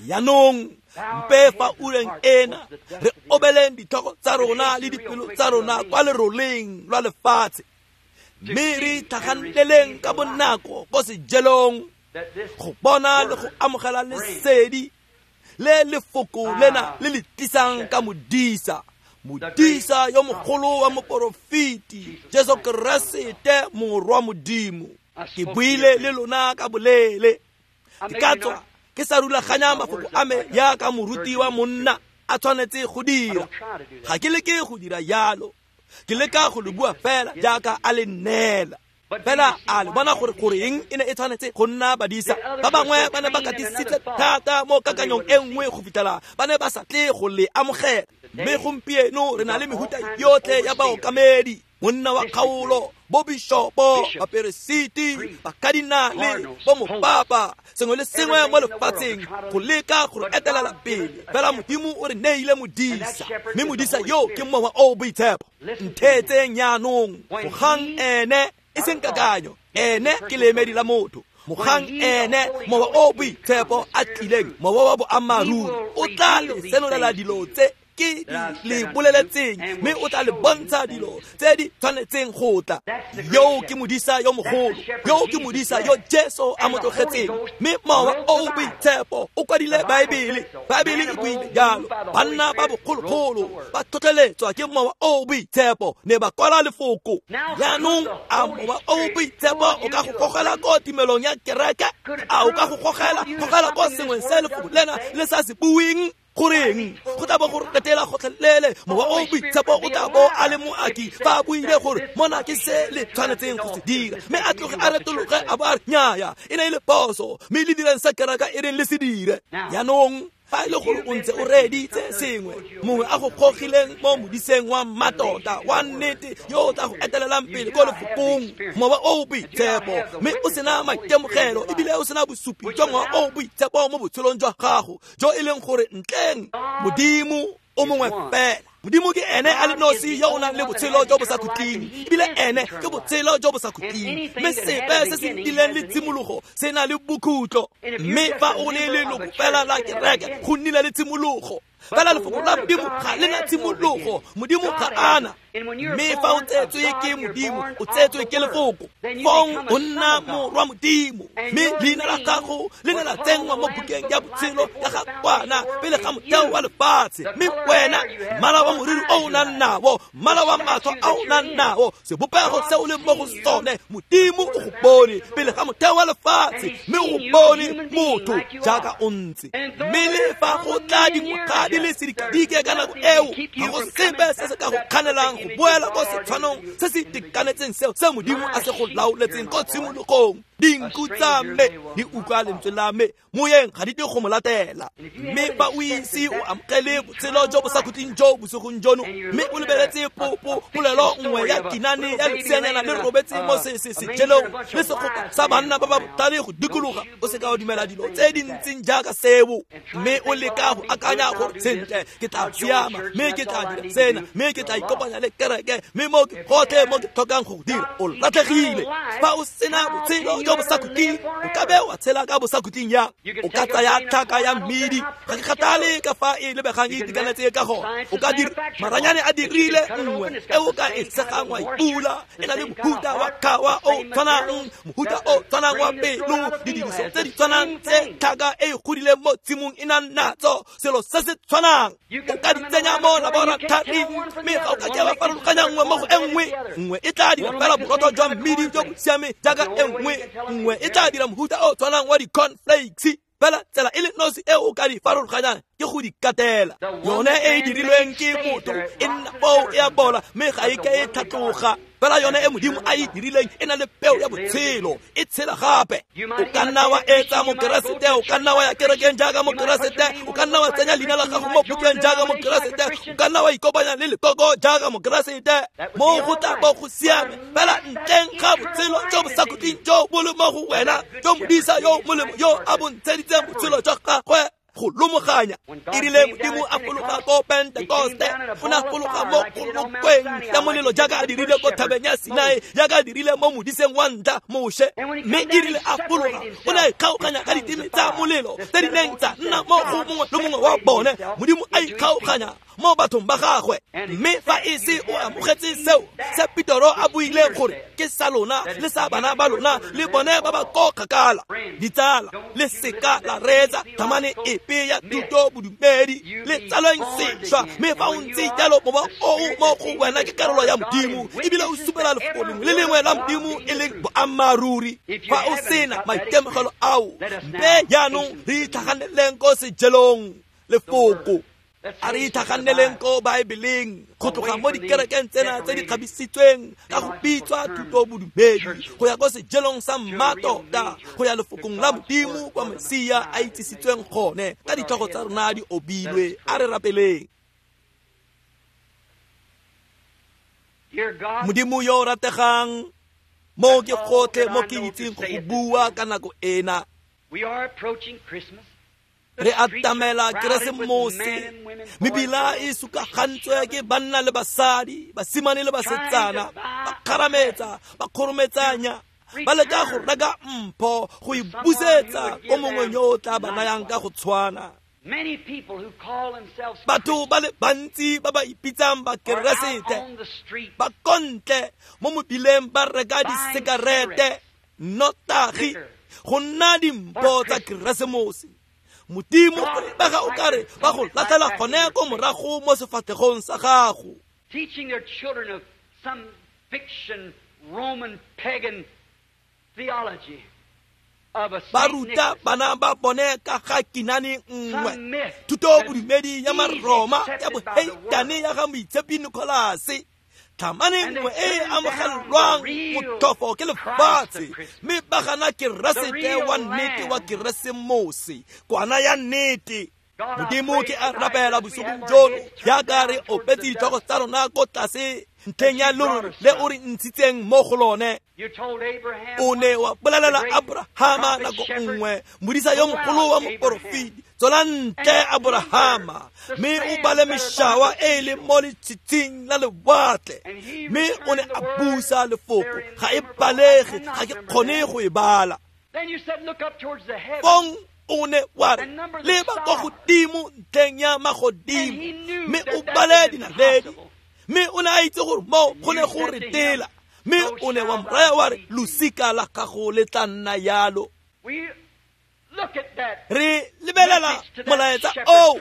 Jaanong mpe fa ureng ena re obeleng ditlhoko tsa rona le dipelo tsa rona kwa leroleng lwa lefatshe, mme re itlhaganeleng ka bonako ko sejelong go bona le go amogela lesedi le lefoko lena le le tlisang ka modisa, modisa yo mogolo wa moporofeti Jesu Keresete morwa Modimo. Ke buile le lona ka boleele, ke ka tswa ke sa rulaganya mafoko a me yaka moruti wa monna a tshwanetse go dira. Ga ke leke go dira yalo, ke leka go le bua fela jaaka a le nneela. Fela a le bona gore goreng e ne e tshwanetse go nna badisa. Ba bangwe ba ne ba katisitse thata mo kakanyong e nngwe go fitlhela ba ne ba sa tle go le amogela. Mme gompieno re na le mehuta yotlhe ya baokamedi, monna wa kgaolo, bo bishopo, baperesiti, bakadinale, bo mopapa, sengwe le sengwe mo lefatsheng go leka go re etelela pele. Fela Modimo o re neile modisa, mme modisa yo ke Mowa o o Boitshepo. Ntheetseng jaanong, mogang ene e seng kakanyo, ene ke leemedi la motho. Mogang ene Mowa o o Boitshepo a tlileng, Mowa wa boammaaruri, o tla le senolela dilo tse ke di le boleletseng, mme o tla le bontsha dilo tse di tshwanetseng go tla. Yo ke modisa yo mogolo, yo ke modisa yo Jesu a mo tlogetseng, mme Mowa o o Boitshepo o kwadile Baebele. Baebele e buile jalo. Banna ba bogologolo ba tlhotlheletswa ke Mowa o o Boitshepo, ne ba kwala lefoko. Jaanong a Mowa o o Boitshepo o ka go gogela ko timelong ya kereke? A o ka go gogela gogela ko sengweng se lefoko lena le sa se bueng? Goreng go tla bo go retela gotlhelele? Mowa o Boitshepo o tla bo a le moaki fa a buile gore mona ke se le tshwanetseng go se dira, mme a tloge a retologe a bo a re nnyaya, e ne e le phoso, mme le dirang sa kereka e reng le se dire. Jaanong fa e le gore o ntse o reeditse sengwe, mongwe a go gogileng mo modiseng wa mmatota wa nnete yo o tla go etelelang pele ko lefokong, Mowa o o Boitshepo, mme o sena maitemogelo ebile o sena bosupi jwa Mowa o o Boitshepo mo botshelong jwa gago, jo e leng gore ntleng Modimo o mongwe fela. Modimo ke ene a le nosi yo o nang le botshelo jo bo sa khutleng, ebile ene ke botshelo jo bo sa khutleng, mme sepe se se nnileng le tshimologo se na le bokhutlo. Mme fa o le leloko fela la kereke, go nnile le tshimologo. Fela lefoko la Modimo ga le na tshimologo, Modimo ga ana. Mme fa o tsetswe ke Modimo, o tsetswe ke lefoko, fong o nna morwa Modimo, mme leina la gago le ne la tsenngwa mo bukeng ya botshelo ya ga Kwana pele ga motheo wa lefatshe. Mme wena, mmala wa moriri o o nang nao, mmala wa matlho a o nang nao, sebopego se o leng mo go sone, Modimo o go bone pele ga motheo wa lefatshe, mme o go bone motho jaaka o ntse. Mme le fa go tla dingwaga di le sedikadike ka nako eo, ga go sepe se se ka go kganelang go boela ko setshwanong se se itekanetseng seo se Modimo a se go laoletseng ko tshimologong. Dinku tsa me di utlwa lentswe la me, moyeng ga di tle go mo latela. Mme fa o ise o amogele botshelo jo bo sa khutleng jo bosigong jono, mme o lebeletse popo polelo nngwe ya kinane ya leseanyana le robetse mo sejelong le segopa sa banna ba ba botlhale go dikologa, o seka wa dumela dilo tse di ntseng jaaka seo, mme o leka go akanya gore sentle ke tla siama, mme ke tla dira sena, mme ke tla ikopanya le kereke, mme mo ke gotlhe mo ke tlhokang go dira, o latlhegile. Fa o sena botshelo jo bo sa khutleng, o ka be wa tshela ka bo sa khutleng yang? O ka tsaya tlhaka ya mmidi, ga ke kgathale ka fa e lebegang e itekanetse ka gona, o ka dira maranyane a dirile nngwe e o ka e segang wa ipula, e na le mohuta wa khawa o tshwanang, mohuta o tshwanang wa pelo, didiriso tse di tshwanang tse tlhaka e e godileng mo tshimong e nang natso, selo se se tshwanang. O ka di tsenya mo laboratoring, mme ga o ka ke wa farologanya nngwe mo go e nngwe. Nngwe e tla dira fela borotho jwa mmidi jo bo siameng jaaka e nngwe, nngwe e tla dira mohuta o tshwanang wa di-cornflakes. Fela tsela e le nosi e o ka di farologanyang ke go di katela. Yone e e dirilweng ke motho e nna foo e a bola, mme ga e ke e tlhatloga. Fela yone e Modimo a e dirileng e na le peo ya botshelo, e tshela gape. O ka nna wa etsa mokeresete, o ka nna wa ya kerekeng jaaka mokeresete, o ka nna wa tsenya leina la gago mo bukeng jaaka mokeresete, o ka nna wa ikopanya le lekoko jaaka mokeresete, mo go tla bo go siame. Fela ntleng ga botshelo jo bo sa khutleng jo bo le mo go wena, jo modisa yo molemo yo a bo ntsheditseng botshelo jwa gagwe go lomoganya. E rile Modimo a fologa ko Pentekoste, o ne a fologa mo kgolokweng ya molelo jaaka a dirile ko thabeng ya Sinai, jaaka a dirile mo modiseng wa ntlha Moshe. Mme e rile a fologa, o ne a ikgaoganya ka diteme tsa molelo tse di neng tsa nna mo go mongwe le mongwe wa bone. Modimo a ikgaoganya mo bathong ba gagwe. Mme fa e se o amogetse seo se Petero a buileng gore ke sa lona le sa bana ba lona le bone ba ba ko kgakala, ditsala, le seka la reetsa thamane epe ya thuto bodumedi, le tsalweng sešwa. Mme fa o ntse jalo, mowa o mo go wena ke karolo ya Modimo, ebile o supela lefoko lengwe le lengwe la Modimo e leng boammaaruri. Fa o sena maitemogelo ao, mpe jaanong re itlhaganeleng ko sejelong lefoko. A re itlhaganeleng ko Baebeleng, go tloga mo dikerekeng tsena tse di kgabisitsweng ka go bitswa thuto bodumedi, go ya ko sejelong sa mmatota, go ya lefokong la Modimo kwa Mesia a itsisitsweng gone, ka ditlhogo tsa rona di obilwe. A re rapeleng. Modimo yo o rategang, mo ke gotlhe mo ke itseng go go bua ka nako ena. Re atamela Keresemose, mebila e sukagantswe ke banna le basadi, basimane le basetsana, ba kgarametsa, ba kgorometsanya, ba leka go reka mpho go e busetsa ko mongwe yo o tla ba nayang ka go tshwana. Batho ba le bantsi ba ba ipitsang ba Keresete ba kontle mo mobileng ba reka disekarete, nnotagi go nna dimpho tsa Keresemose. Modimo o lebega o kare ba go latlhela gone ko morago mo sefatlhegong sa gago. Teaching their children of some fiction Roman pagan theology of a ba ruta bana ba bone ka ga kinane nngwe, thuto bodumedi ya Maroma ya boheitane ya ga Moitshepi Nikolase, tlhamane nngwe e e amogelwang motlhofo ke lefatshe, mme ba gana Keresete wa nnete wa Keresemose, kwana ya nnete. Modimo ke a rapela bosigong jono jaaka re opetse ditlhogo tsa rona ko tlase ntlheng ya lorole le o re ntshitseng mo go lone. O ne wa bolelela Abrahama nako nngwe, modisa yo mogolo wa moporofeti, tswela ntle Abrahama, mme o bale mešawa e e leng mo letshitshing la lewatle. Mme o ne a busa lefoko, ga e balege, ga ke kgone go e bala. Fong o ne wa re leba ko godimo ntlheng ya magodimo, mme o bale dinaledi. Mme o ne a itse gore mo go ne go re tela, mme o ne wa mo raya wa re losika la gago le tla nna yalo. Re lebelela molaetsa oo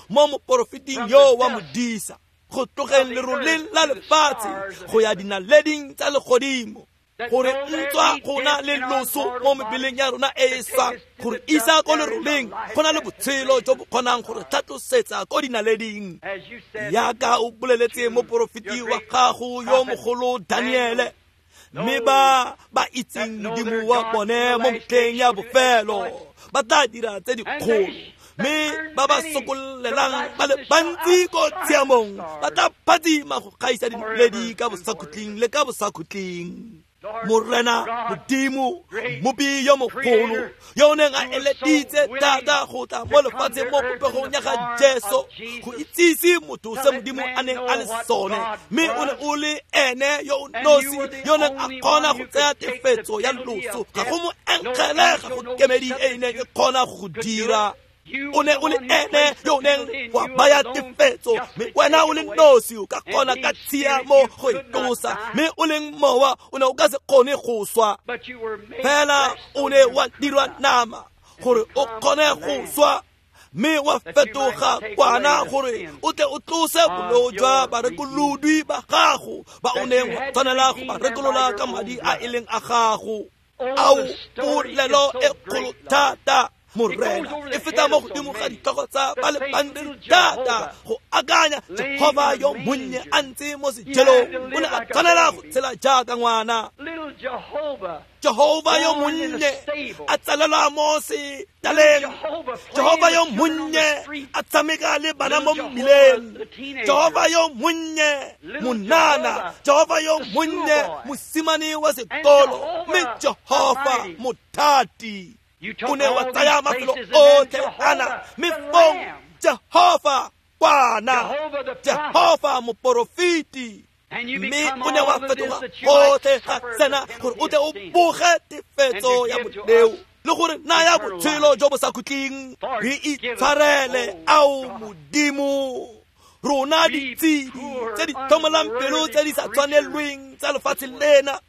mo moporofeting yo wa modisa, go tlogeng leroleng la lefatshe go ya dinaleding tsa legodimo, gore ntswa go na le loso mo mebeleng ya rona e e swang, gore isa ko leroleng go na le botshelo jo bo kgonang gore tlhatlosetsa ko dinaleding. Yaka o boleletse moporofeti wa gago yo mogolo Daniele, mme ba ba itseng Modimo wa bone mo metlheng ya bofelo ba tla dira tse dikgolo, mme ba ba sokollelang ba le bantsi ko tshiamong ba tla phatsima go gaisa dinaledi ka bosakhutleng le ka bosakhutleng. Morena Modimo, Mmopi yo mogolo, yo o neng a eleditse thata go tla mo lefatsheng mo popegong ya ga Jesu, go itsise motho se Modimo a neng a le sone, mme o ne o le ene yo o nosi yo neng a kgona go tsaya tefetso ya loso, ga go mo enkgele, ga go kemedi e e neng e kgona go dira. O ne o le ene yo o neng wa baya tefetso, mme wena o le nosi o ka kgona ka tshiamo go e tlosa, mme o leng mowa o ne o ka se kgone go swa. Fela o ne wa dirwa nama gore o kgone go swa, mme wa fetoga kwana gore o tle o tlose boleo jwa barekolodwi ba gago ba o neng wa tshwanela go ba rekolola ka madi a e leng a gago. Ao polelo e kgolo thata, Morena, e feta mo godimo ga ditlhogo tsa ba le bantsi thata go akanya Jehova yo monnye a ntse mo sejelong, o ne a tshwanela go tshela jaaka ngwana. Jehova yo monnye a tsalelwa mo setaleng, Jehova yo monnye a tshameka le bana mo mmileng, Jehova yo monnye monana, Jehova yo monnye mosimane wa sekolo, mme Jehova mothati o ne wa tsaya mafelo otlhe ana, mme fong Jehova kwana, Jehova moporofeti, mme o ne wa fetoga gotlhe ga sena gore o tle o boge tefetso ya boleo le gore naya botshelo jo bo sa khutleng. Re itshwarele, ao Modimo, rona ditshedi tse di tlhomolang pelo tse di sa tshwanelweng tsa lefatshe lena.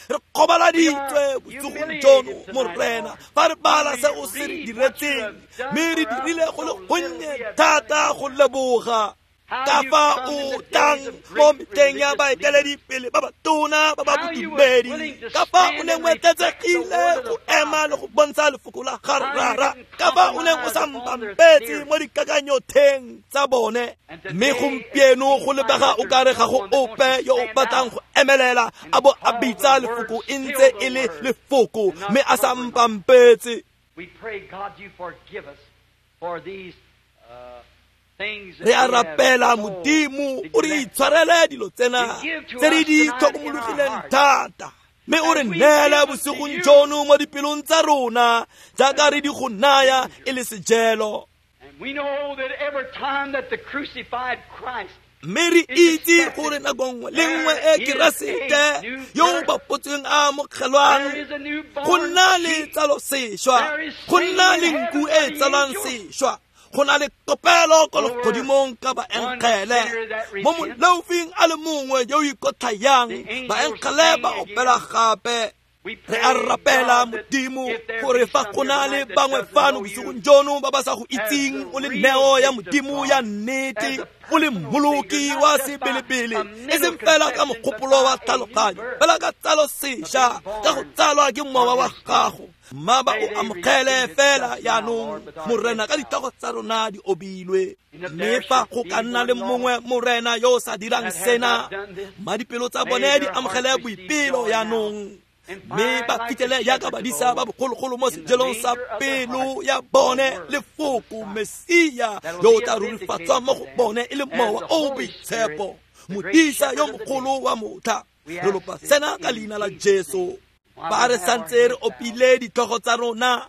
Re kgobaladitswe bosigong jono, Morena, fa re bala se o se re diretseng, mme re dirile go le gonnye thata go leboga. Ka fa o tlang mo metlheng ya baeteledipele ba batona ba ba bodumedi, ka fa o neng o etletsegile go ema le go bontsha lefoko la ga Rara, ka fa o neng o sa mpampetse mo dikakanyotheng tsa bone. Mme gompieno go lebega o kare ga go ope yo o batlang go emelela a bo a bitsa lefoko e ntse e le lefoko, mme a sa mpampetse. We pray, God, you forgive us for these uh Re a rapela Modimo o re itshwarele dilo tsena tse re di tlhokomologileng thata, mme o re neele bosigong jono mo dipelong tsa rona jaaka re di go naya e le sejelo. Mme re itse gore nako nngwe le nngwe e Keresete yo o bapotsweng a amogelwang, go nna le tsalo sešwa, go nna le nku e tsalwang sešwa, Go na le kopelo ko legodimong ka baengele mo moleofing a le mongwe yo o ikotlhayang, baengele ba opela gape. Re a rapela Modimo gore fa go na le bangwe fano bosigong jono ba ba sa go itseng o le neo ya Modimo ya nnete, o le mmoloki wa sebelebele, e seng fela ka mogopolo wa tlhaloganyo, fela ka tsalo sešwa, ka go tsalwa ke mowa wa gago. Mma ba o amogele fela jaanong, Morena, ka ditlhogo tsa rona di obilwe. Mme fa go ka nna le mongwe, Morena, yo o sa dirang sena, mma dipelo tsa bone di amogele boipelo jaanong, mme ba fitlhele jaaka badisa ba bogologolo mo sejelong sa pelo ya bone lefoko Mesia yo o tla rurifatswang mo go bone e le mowa o o boitshepo, modisa yo mogolo wa motlha. Re lopa sena ka leina la Jesu. Ba re santse re opile ditlhogo tsa rona,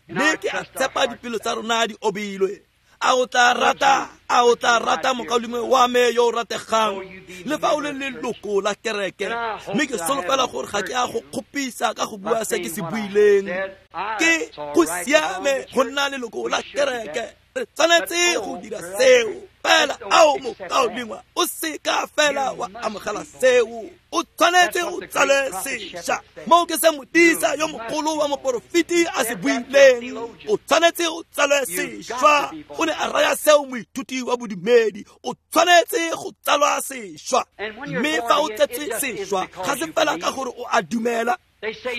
mme ke a tshepa dipelo tsa rona di obilwe. A o tla rata, a o tla rata mokaulengwe wa me yo o rategang, le fa o le leloko la kereke, mme ke solofela gore ga ke a go kgopisa ka go bua se ke se buileng. Ke go siame go nna leloko la kereke, re tshwanetse go dira seo. Fela ao mokaulengwe, o seka fela wa amogela seo, o tshwanetse o tsale sešwa. Moo ke se modisa yo mogolo wa moporofeti a se buileng, o tshwanetse o tsale sešwa. O ne a raya seo moithuti wa bodumedi, o tshwanetse go tsalwa sešwa. Mme fa o tsetswe sešwa, ga se fela ka gore o a dumela.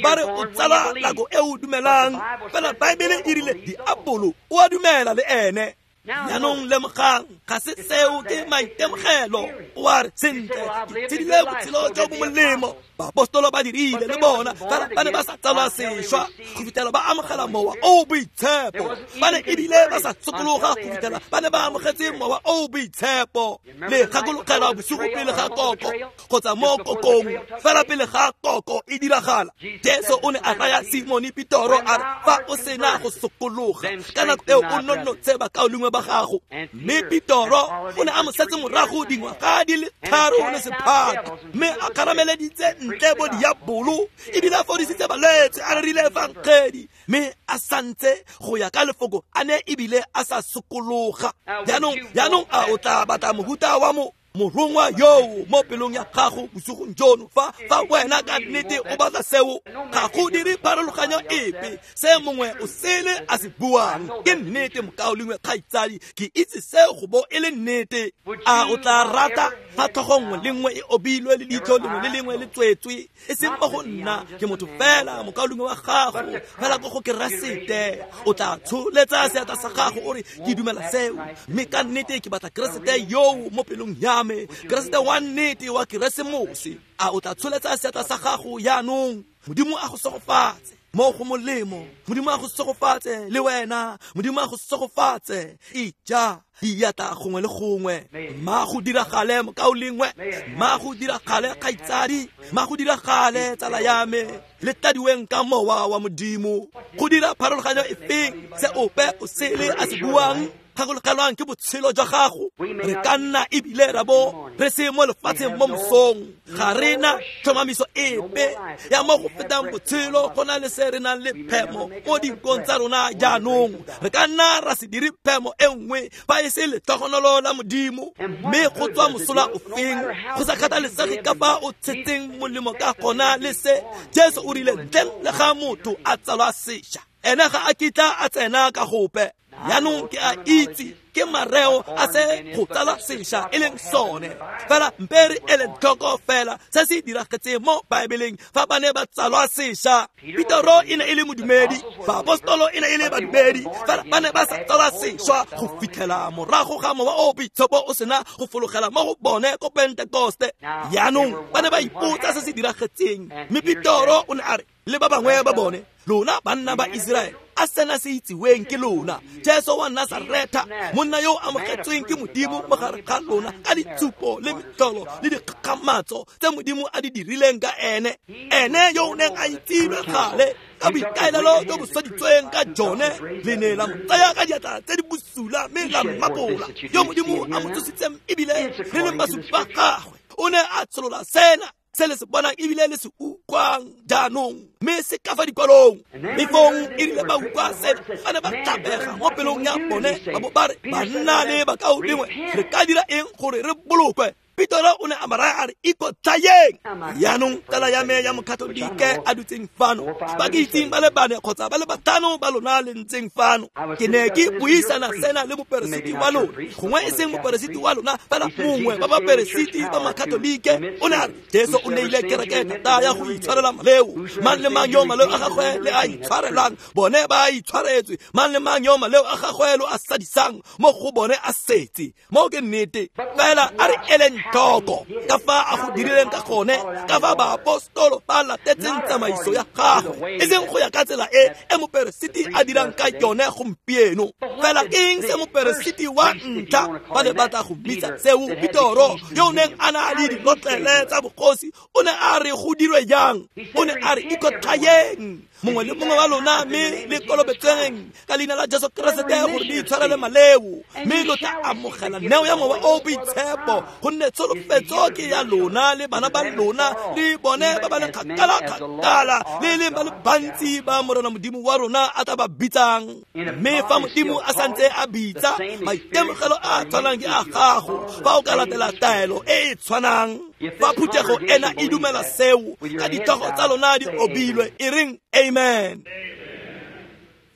Ba re o tsala nako e o dumelang, fela Baebele e rile diabolo o a dumela le ene. Jaanong lemogang, ga se seo ke maitemogelo. O a re, sentle, ke tshedile botshelo jo bo molemo, baapostolo ba dirile le bona, fela ba ne ba sa tsalwa sešwa go fitlhela ba amogela mowa o o boitshepo. Ba ne ebile ba sa sokologa go fitlhela ba ne ba amogetse mowa o o boitshepo. Le gakologelwa bosigo pele ga koko kgotsa mo kokong, fela pele ga koko e diragala, Jesu o ne a raya Simone Petoro a re, fa o sena go sokologa ka nako eo o nonotshe bakaulengwe ba gago. Mme Petoro o ne a mo setse morago dingwaga di le tharo le sephato, mme a kgarameleditse ntle bo diabolo, ebile a fodisitse balwetse, a rerile efangedi, mme a santse go ya ka lefoko a ne ebile a sa sokologa. Jaanong, jaanong a o tla batla mohuta wa mo morongwa yoo mo pelong ya gago bosigong jono? Fa fa wena ka nnete o batla seo, ga go dire pharologanyo epe se mongwe o sele a se buang. Ke nnete, mokaulengwe kgaitsadi, ke itse seo go bo e le nnete. A o tla rata fa tlhogo nngwe le nngwe e obilwe le leitlho lengwe le lengwe le tswetswe, e seng mo go nna, ke motho fela mokaulengwe wa gago, fela ko go Keresete. O tla tsholetsa seatla sa gago o re, ke dumela seo, mme ka nnete ke batla Keresete yoo mo pelong ya me, Keresete wa nnete wa Keresemose. A o tla tsholetsa seatla sa gago jaanong? Modimo a go segofatse mo go molemo, Modimo a go segofatse le wena, Modimo a go segofatse. Ija diatla gongwe le gongwe. Mma go diragale mokaulengwe, mma go diragale kgaitsadi, mma go diragale tsala ya me, le tladiweng ka mowa wa Modimo. Go dira pharologanyo efeng se ope o sele a se buang? Gakologelwang ke botshelo jwa gago. Re ka nna ebile ra bo re se mo lefatsheng mo mosong, ga re na tlhomamiso epe ya mo go fetang botshelo go na le se re nang le phemo mo dinkong tsa rona jaanong. Re ka nna ra se dire phemo e nngwe fa e se letlhogonolo la Modimo. Mme go tswa mosola ofeng, go sa kgathalesege ka fa o tshetseng molemo ka gona le se Jesu o rile, ntleng le ga motho a tsalwa sešwa, ene ga a kitla a tsena ka gope. Jaanong ke a itse ke mareo a se go tsala sešwa e leng sone, fela mpe re ele tlhoko fela se se diragetseng mo Baebeleng fa ba ne ba tsalwa sešwa. Petoro e ne e le modumedi, baapostolo e ne e le badumedi, fela ba ne ba sa tsalwa sešwa go fitlhela morago ga mowa o boitshepo o sena go fologela mo go bone ko Pentekoste. Jaanong ba ne ba ipotsa se se diragetseng, mme Petoro o ne a re le ba bangwe ba bone, lona banna ba Iseraele, a sena se itsiweng ke lona, Jesu wa Nasaretha, monna yo o amogetsweng ke Modimo mo gare ga lona ka ditshupo le metlholo le dikgakgamatso tse Modimo a di dirileng ka ene, ene yo o neng a itsilwe gale ka boikaelelo jo bo swaditsweng ka jone, le ne la mo tsaya ka diatla tse di bosula mme la mmapola, yo Modimo a mo tsositseng ebile re leng basupi ba gagwe. O ne a tsholola sena Se le se bonang ebile le se utlwang jaanong, mme se ka fa dikwalong. Mme fong e rile ba utlwa sena, ba ne ba tlabega mo pelong ya bone, ba bo ba re, banna le bakaulengwe, re ka dira eng gore re bolokwe? Petoro o ne a ba raya a re, ikotlhayeng. Jaanong tsala ya me ya Mokatolike a dutseng fano, ba ke itseng ba le bane kgotsa ba le batlhano ba lona le ntseng fano, ke ne ke buisana sena le moperesiti wa lona, gongwe e seng moperesiti wa lona, fela mongwe ba baperesiti ba Makatolike. O ne a re, Jesu o neile kereke thata ya go itshwarela maleo. Mang le mang yo maleo a gagwe le a itshwarelang, bone ba a itshwaretswe. Mang le mang yo maleo a gagwe lo a sadisang, mo go bone a setse. Mo ke nnete. Fela a re eleng tlhoko ka fa a go dirileng ka gone, ka fa baapostolo ba latetseng tsamaiso ya gagwe, e seng go ya ka tsela e e moperesiti a dirang ka yone gompieno. Fela ke eng se moperesiti wa ntlha ba ne ba tla go mmitsa seo? Petoro yo o neng a na le dilotlele tsa bogosi o ne a re go dirwe jang? O ne a re ikotlhayeng mongwe le mongwe wa lona, mme le kolobetseng ka leina la Jesu Keresete gore le itshwarele maleo, mme lo tla amogela neo ya Mowa o o Boitshepo, gonne tsholofetso ke ya lona le bana ba lona le bone ba ba leng kgakala-kgakala, le leng ba le bantsi ba Morena Modimo wa rona a tla ba bitsang. Mme fa Modimo a santse a bitsa, maitemogelo a a tshwanang ke a gago fa o ka latela taelo e e tshwanang. Fa phuthego ena e dumela seo, ka ditlhogo tsa lona di obilwe, e reng amen.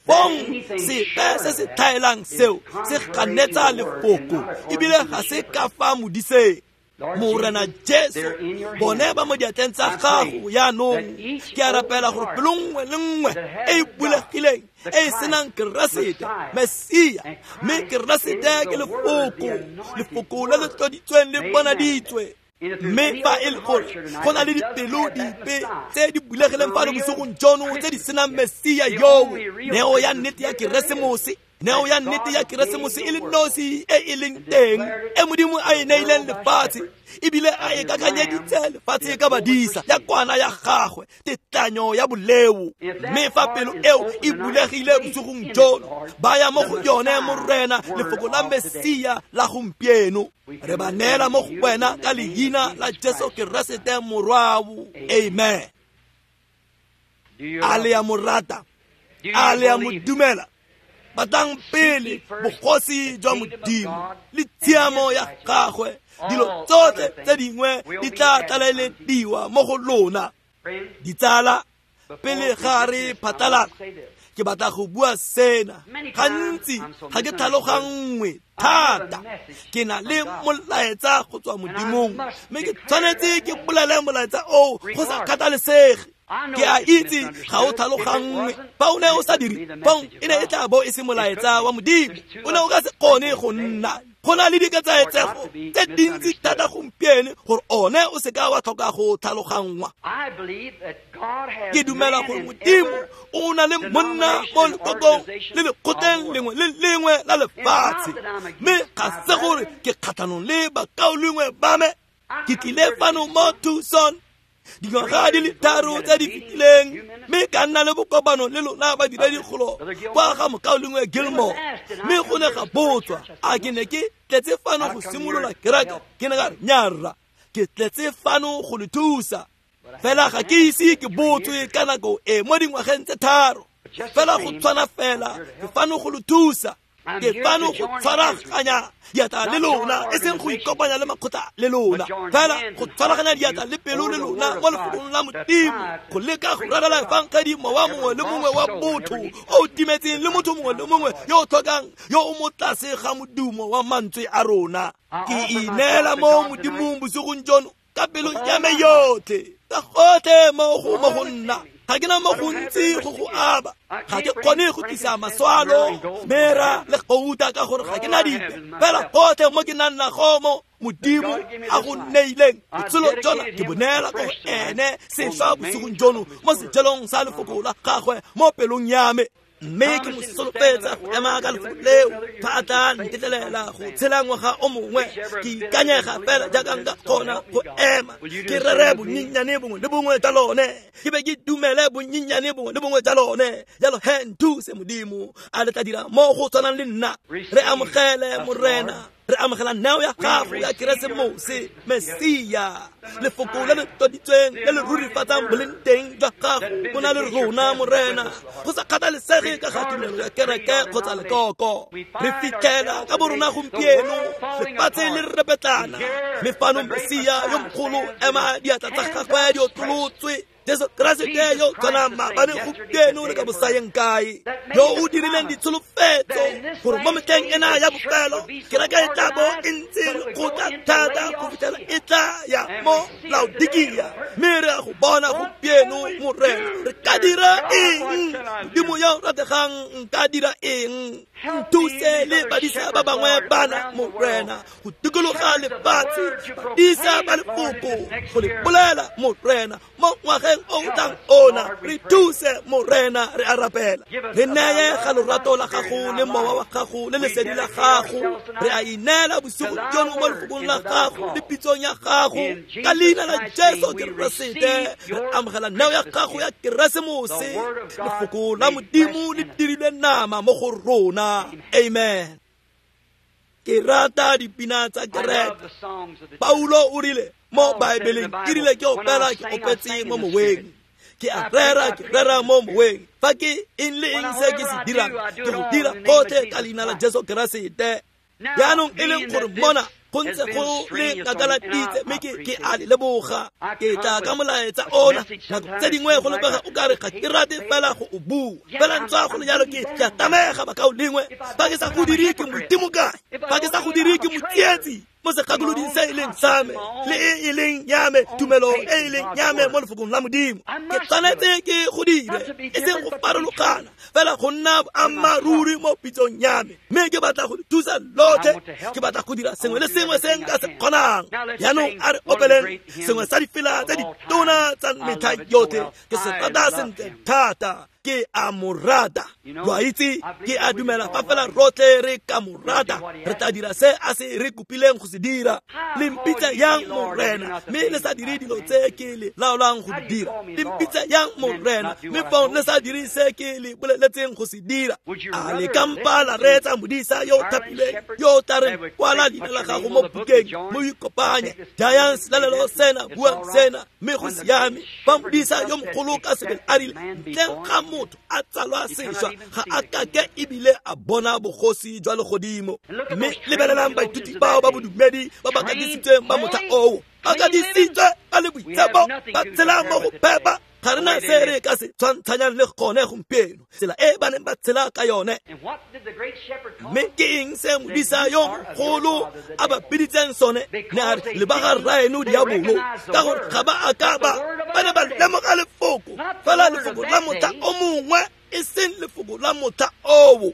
Fong sepe se se tlhaelang seo se ganetsa lefoko, ebile ga se ka fa modiseng. Morena Jesu, bone ba mo diatleng tsa gago jaanong. Ke a rapela gore pelo nngwe le nngwe e e bulegileng, e e senang Keresete, Mesia, mme Keresete ke lefoko, lefoko le le tloditsweng le bonaditswe. Mme fa e le gore go na le dipelo dipe tse di bulegileng fano bosigong jono tse di senang Mesia yoo, neo ya nnete ya Keresemose, neo ya nnete ya Keresemose e le nosi e e leng teng, e Modimo a e neileng lefatshe, ebile a e kakanyeditse lefatshe ka badisa ya kwana ya gagwe, tetlanyo ya boleo. Mme fa pelo eo e bulegile bosigong jono, ba ya mo go yone, Morena, lefoko la Mesia la gompieno. Re ba neela mo go wena ka leina la Jesu Keresete Morwao. Amen. A le a mo rata? A le a mo dumela? Batlang pele bogosi jwa Modimo le tshiamo ya gagwe, dilo tsotlhe tse dingwe di tla tlalelediwa mo go lona. Ditsala, pele ga re phatlalala, ke batla go bua sena. Gantsi ga ke tlhaloganngwe thata. Ke na le molaetsa go tswa Modimong, mme ke tshwanetse ke bolele molaetsa oo go sa kgathalesege. Ke a itse ga o tlhaloganngwe. Fa o ne o sa dire, fong e ne e tla bo e se molaetsa wa Modimo. O ne o ka se kgone go nna. Go na le diketsaetsego tse dintsi thata gompieno gore one o se ka wa tlhoka go tlhaloganngwa. Ke dumela gore Modimo o na le monna mo lekokong le lekgotleng lengwe le lengwe la lefatshe, mme ga se gore ke kgatlhanong le bakaulengwe ba me. Ke tlile fano mo Tucson dingwaga di le tharo tse di fetileng, mme ka nna le bokopano le lona badiredigolo kwa ga mokaulengwe Gilmore, mme go ne ga botswa a ke ne ke tletse fano go simolola kereke. Ke ne ka re, nyarra, ke tletse fano go le thusa. Fela ga ke ise ke botswe ka nako e mo dingwageng tse tharo. Fela go tshwana fela, ke fano go le thusa. Ke fano go tshwaraganya diatla le lona, e seng go ikopanya le makgotla le lona, fela go tshwaraganya diatla le pelo le lona mo lefokong la Modimo, go leka go rarela efangedi mowa mongwe le mongwe wa botho o o timetseng le motho mongwe le mongwe yo o tlhokang, yo o mo tlase ga modumo wa mantswe a rona. Ke ineela mo Modimong bosigong jono ka pelo ya me yotlhe, ka gotlhe mo go mo go nna. Ga ke na mo gontsi go go aba, ga ke kgone go tlisa maswalo, mera le gouta ka gore ga ke na dipe. Fela gotlhe mo ke nang nago mo Modimo a go neileng botshelo jona, ke bo neela ko go ene sešwa bosigong jono mo sejelong sa lefoko la gagwe mo pelong ya me. Mme ke mo solofetsa go ema ka lefoko leo fa a tla ntetlelela go tshela ngwaga o mongwe. Ke ikanyega fela jaaka nka kgona go ema, ke rere bonyenyane bongwe le bongwe jwa lone, ke be ke dumele bonyenyane bongwe le bongwe jwa lone. Jalo he, nthuse Modimo, a le tla dira mo go tshwanang le nna. Re amogele Morena. Re amogela neo ya gago ya Keresemose, Mesia, lefoko le le tloditsweng le le rurifatsang boleng teng jwa gago bo na le rona, Morena, go sa kgathalesege ka ga tumelo ya kereke kgotsa lekoko. Re fitlhela ka borona gompieno lefatshe le repetlana, mme fano Mesia yo mogolo ema diatla tsa gagwe di otlolotswe, Jesu Keresete yo tshwanang maabane gompieno le ka bosayeng kae, yo o dirileng ditsholofetso gore mo metlheng ena ya bofelo kereke e tla bo e ntse lekgotla thata go fitlhela e tla ya mo Laodikia. Mme re a go bona gompieno, Morena. Re ka dira eng? Modimo yo o rategang, nka dira eng? Nthuse le badisa ba bangwe bana, Morena, go dikologa lefatshe, badisa ba lefoko go le bolela, Morena, mo ngwageng o tlang ona. Re thuse, Morena, re a rapela. Re neye ga lorato la gago le mowa wa gago le lesedi la gago. Re a ineela bosigo jono mo lefokong la gago le pitsong ya gago. Ka leina la Jesu Keresete re amogela neo ya gago ya Keresemose, lefoko la Modimo le dirilwe nama mo go rona. Amen. Ke rata dipina tsa kereke. Paulo o rile mo Baebeleng, ke rile ke opela ke opetse mo moweng, ke a rera ke rera mo moweng. Fa ke eng le eng se ke se dirang, ke go dira gotlhe ka leina la Jesu Keresete. Jaanong e leng gore mona go ntse go le ngakaladitse, mme ke ke a le leboga. Ke tla ka molaetsa ona. Nako tse dingwe go lebega o kare ga ke rate fela go o bua, fela ntswa go le jalo ke ke a tamega bakao lengwe. Fa ke sa go dire ke modimo kae? Fa ke sa go dire ke motsietsi mo segakoloding se e leng sa me le e e leng ya me, tumelo e e leng ya me mo lefokong la Modimo. Ke tshwanetse ke go dire, e seng go farologana, fela go nna boammaaruri mo pitsong ya me. Mme ke batla go thusa lotlhe, ke batla go dira sengwe le sengwe se nka se kgonang. Jaanong a re opeleng sengwe sa difela tse ditona tsa metlha yotlhe. Ke se rata sentle thata, ke a mo rata. Lo a itse, ke a dumela fa fela rotlhe re ka mo rata, re tla dira se a se re kopileng go se dira. Le mpitsa yang Morena, mme le sa dire dilo tse ke le laolang go di dira? Le mpitsa yang Morena, mme fong le sa dire se ke le boleletseng go se dira? A le ka mpa la reetsa modisa yo o thapilweng, yo o tla reng kwala leina la gago mo bukeng, mo ikopanye, jayang selalelo sena, buang sena, mme go siame. Fa modisa yo mogolo ka sebele a rile, ntleng ga motho a tsalwa sešwa ga a kake ebile a bona bogosi jwa legodimo. Mme lebelelang baithuti bao ba bodumedi ba ba katisitsweng ba motlha oo, ba katisitswe ba le boitshepo, ba tshela mo go phepa. Ga re na se re ka se tshwantshanyang le gone gompieno, tsela e ba neng ba tshela ka yone. Mme ke eng se modisa yo mogolo a ba biditseng sone? Ne a re le ba ga rraeno diabolo, ka gore ga ba a ka ba ba ne ba lemoga lefoko, fela lefoko la motlha o mongwe, e seng lefoko la motlha oo.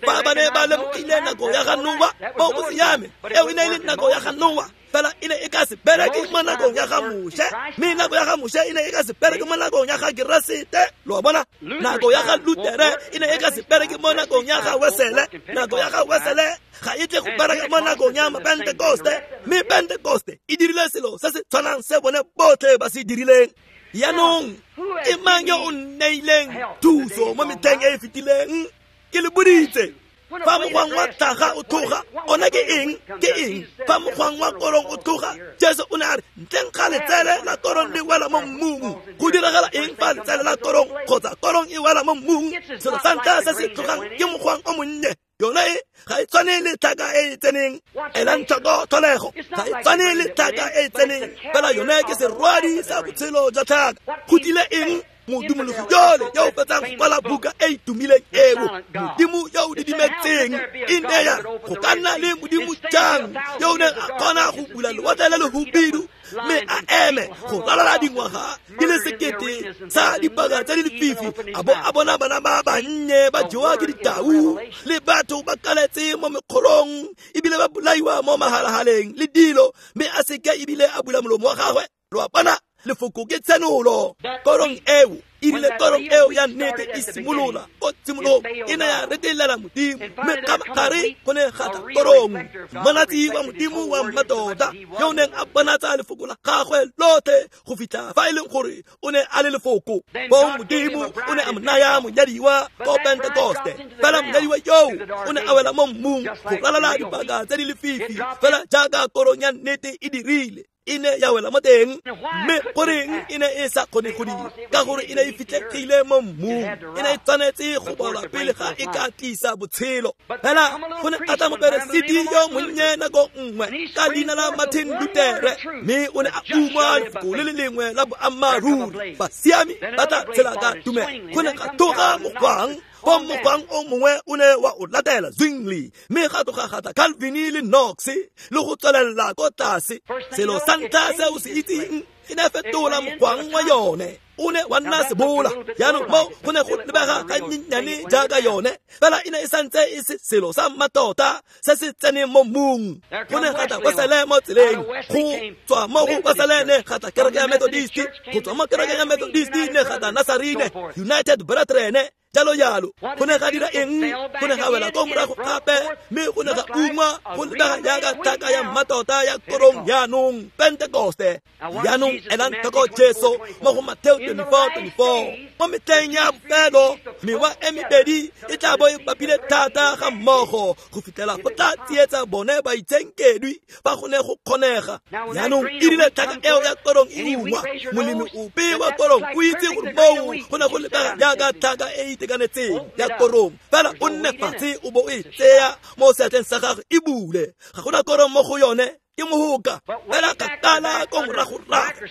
Fa ba ne ba lemogile nako ya ga Noa, mo go siame, eo e ne e le nako ya ga Noa, fela e ne e ka se bereke mo nakong ya ga Moshe, mme nako ya ga Moshe e ne e ka se bereke mo nakong ya ga Keresete. Lo a bona? Nako ya ga Lutere e ne e ka se bereke mo nakong ya ga Wesele, nako ya ga Wesele ga e tle go bereka mo nakong ya Pentekoste, mme Pentekoste e dirile selo se se tshwanang se bone botlhe ba se dirileng. Jaanong ke mang yo o nneileng thuso mo metlheng e e fetileng? Ke le boditse, fa mogwang wa tlhaga o tloga, ona ke eng? Ke eng? Fa mogwang wa korong o tloga, Jesu o ne a re, ntleng ga letsele la korong le wela mo mmung. Go diragala eng fa letsele la korong kgotsa korong e wela mo mmung? Selo sa ntlha se se tlogang ke mogwang o monnye. Yone e ga e tshwane le tlhaka e e tseneng. Elang tlhoko tlholego, ga e tshwane le tlhaka e e tseneng, fela yone ke serwadi sa botshelo jwa tlhaka. Go tlile eng? Modumologi jole yo o fetsang go kwala buka e e tumileng eo, Modimo yo o didimetseng, e ne ya go ka nna le Modimo jang yo o neng a kgona go bula lewatle le lehubidu mme a eme go ralala dingwaga di le sekete sa dipaka tse di lefifi, a bo a bona bana ba bannye ba jewa ke ditau le batho ba kaletse mo mekgolong ebile ba bolaiwa mo mahalahaleng le dilo, mme a seke ebile a bula molomo wa gagwe. Lo a bona? Lefoko ke tshenolo. Korong eo e rile korong eo ya nnete e simolola ko tshimologong e ne ya retelela Modimo, mme kgabagare go ne ga tla korong, monatsi wa Modimo wa mmatota yo o neng a bonatsa lefoko la gagwe lotlhe go fitlha fa e leng gore o ne a le lefoko. Foo Modimo o ne a mo naya monyadiwa ko Pentekoste, fela monyadiwa yoo o ne a wela mo mmung go ralala dipaka tse di lefifi, fela jaaka korong ya nnete e dirile. E ne ya wela mo teng, mme goreng e ne e sa kgone go dira? Ka gore e ne e fitlhegile mo mmung, e ne e tshwanetse go bolwa pele ga e ka tlisa botshelo. Fela go ne ga tla moperesiti yo monnye nako nngwe ka leina la Martin Lutere, mme o ne a ungwa lefoko le le lengwe la boammaaruri, basiami ba tla tshela ka tumelo. Go ne ga tloga mogwang, foo mogwang o mongwe o ne wa o latela Zwingli, mme ga tloga ga tla Calvin le Knox le go tswelela ko tlase. Selo sa ntlha se o se itseng e ne fetola mogwang wa yone, o ne wa nna sebola. Jaanong mo go ne go lebega gannyenyane jaaka yone, fela e ne e santse e se selo sa mmatota se se tseneng mo mmung. Go ne ga tla Wesele mo tseleng, go tswa mo go Wesele ne ga tla kereke ya Methodist, go tswa mo kerekeng ya Methodist ne ga tla Nazarene, United Brethren, jalo jalo. Go ne ga dira eng? Go ne ga wela ko morago gape, mme go ne ga ungwa go lebega jaaka tlhaka ya mmatota ya korong jaanong, Pentekoste. Jaanong elang tlhoko Jesu mo go Mateo twenty-four twenty-four. Mo metlheng ya bofelo mewa e mebedi e tla bo e bapile thata ga mmogo go fitlhela go tla tsietsa bone baitshenkedwi fa go ne go kgonega. Jaanong e rile tlhaka eo ya korong e ungwa, molemi ope wa korong o itse gore moo go ne go lebega jaaka tlhaka e itekanetseng ya korong, fela o nne fatshe o bo o e tseya mo seatleng sa gagwe e bule, ga gona korong mo go yone, ke mohoka. Fela kgakala ko moragorago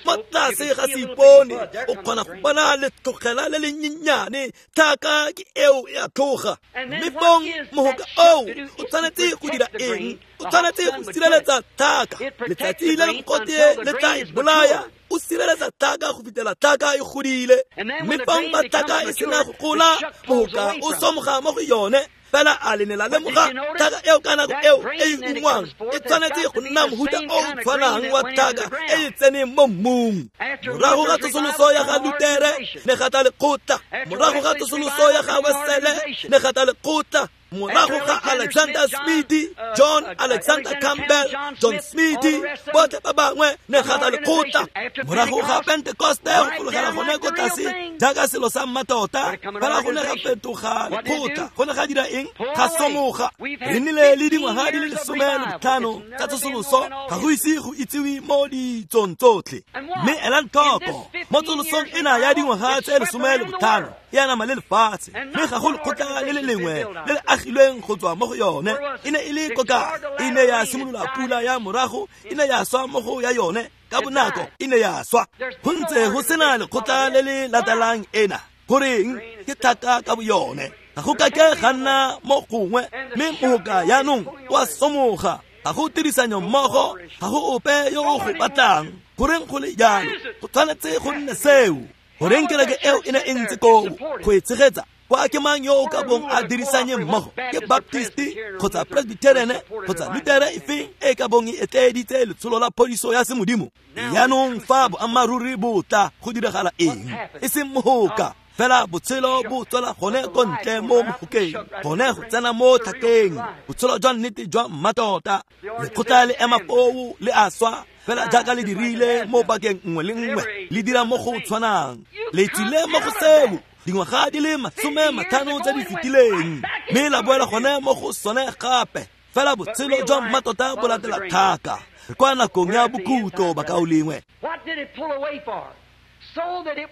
mo tlase ga seipone o kgona go bona letlogela le le nnyenyane, tlhaka ke eo e a tloga. Mme fong mohoka oo o tshwanetse go dira eng? O tshwanetse go sireletsa tlhaka. Letsatsi le le mogote le tla e bolaya. O sireletsa tlhaka go fitlhela tlhaka e godile, mme fong fa tlhaka e sena go gola, mohoka o somoga mo go yone. Fela a le ne la lemoga tlhaka eo ka nako eo e e ungwang e tshwanetse go nna mohuta o o tshwanang wa tlhaka e e tseneng mo mmung. Morago ga tsosoloso ya ga Lutere ne ga tla lekgotla, morago ga tsosoloso ya ga Wesele ne ga tla lekgotla, morago ga Alexander Smith, John Alexander Campbell, John Smith, botlhe ba bangwe ne ga tla lekgotla. Morago ga Pentekoste go fologela gone ko tlase jaaka selo sa mmatota, fela go ne ga fetoga lekgotla. Go ne ga dira eng? Ga somoga. Re nnile le dingwaga di le lesome le botlhano tsa tsosoloso, ga go ise go itsiwe mo ditsong tsotlhe. Mme elang tlhoko, mo tsosolosong ena ya dingwaga tse lesome le botlhano e anama le lefatshe, mme ga go lekgotla le le lengwe le le agilweng go tswa mo go yone. E ne e le koka, e ne ya simolola pula ya morago, e ne ya swa mo go ya yone ka bonako, e ne ya swa. Go ntse go sena lekgotla le le latelang ena. Goreng? Ke tlhaka ka boyone, ga go kake ga nna mo gongwe, mme mohoka jaanong o a somoga. Ga go tirisanyo mmogo, ga go ope yo o go batlang. Goreng go le jalo? Go tshwanetse go nne seo. Goreng kereke eo e ne e ntse koo go e tshegetsa? Kwa ke mang yo o ka bong a dirisanye mmogo? Ke Baptist kgotsa Presbyterian kgotsa Lutere efeng e ka bong e etleeditse letsholo la phodiso ya semodimo? Jaanong fa boammaaruri bo tla, go diragala eng? E seng mohoka, fela botshelo bo tswela gone ko ntle mo mohokeng, gone go tsena mo tlhakeng, botshelo jwa nnete jwa mmatota. Lekgotla le ema foo le a swa, fela jaaka le dirile mo pakeng nngwe le nngwe, le dira mo go tshwanang. Le tswile mo go seo dingwaga di le masome matlhano tse di fetileng, mme la boela gone mo go sone gape. Fela botshelo jwa mmatota bo latela tlhaka. Re kwa nakong ya bokhutlo, bakaulengwe.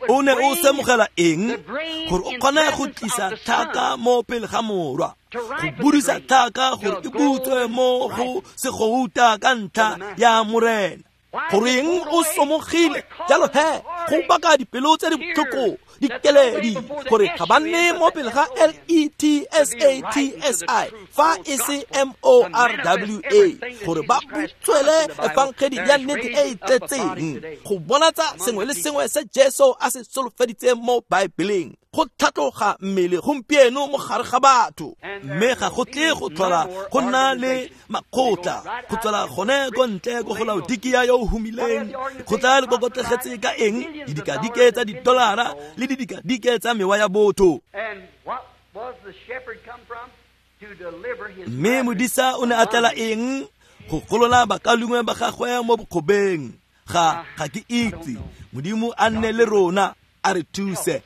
O ne o semogela eng? Gore o kgone go tlisa tlhaka mo pele ga morwa, go budisa tlhaka gore e butswe mo go segouta ka ntlha ya Morena. Goreng o somogile? Jalo he, go baka dipelo tse di botlhoko dikeledi gore ga ba nne mo pele ga L E T S A T S I fa e se M O R W A gore ba butswele efangedi ya nnete e e tletseng go bonatsa sengwe le sengwe se Jesu a se solofeditseng mo Baebeleng go tlhatloga mmele gompieno mo gare ga batho mme ga go tle go tlhola go nna le makgotla go tswela gone ko ntle ko go Laodikia yo o humileng go tla le kokotlegetse ka eng didikadike tsa didolara le didikadike tsa mewa ya botho. Mme modisa o ne a tlela eng go golola bakalungwe ba gagwe mo bokgobeng ga ga ke itse Modimo a nne le rona a re thuse.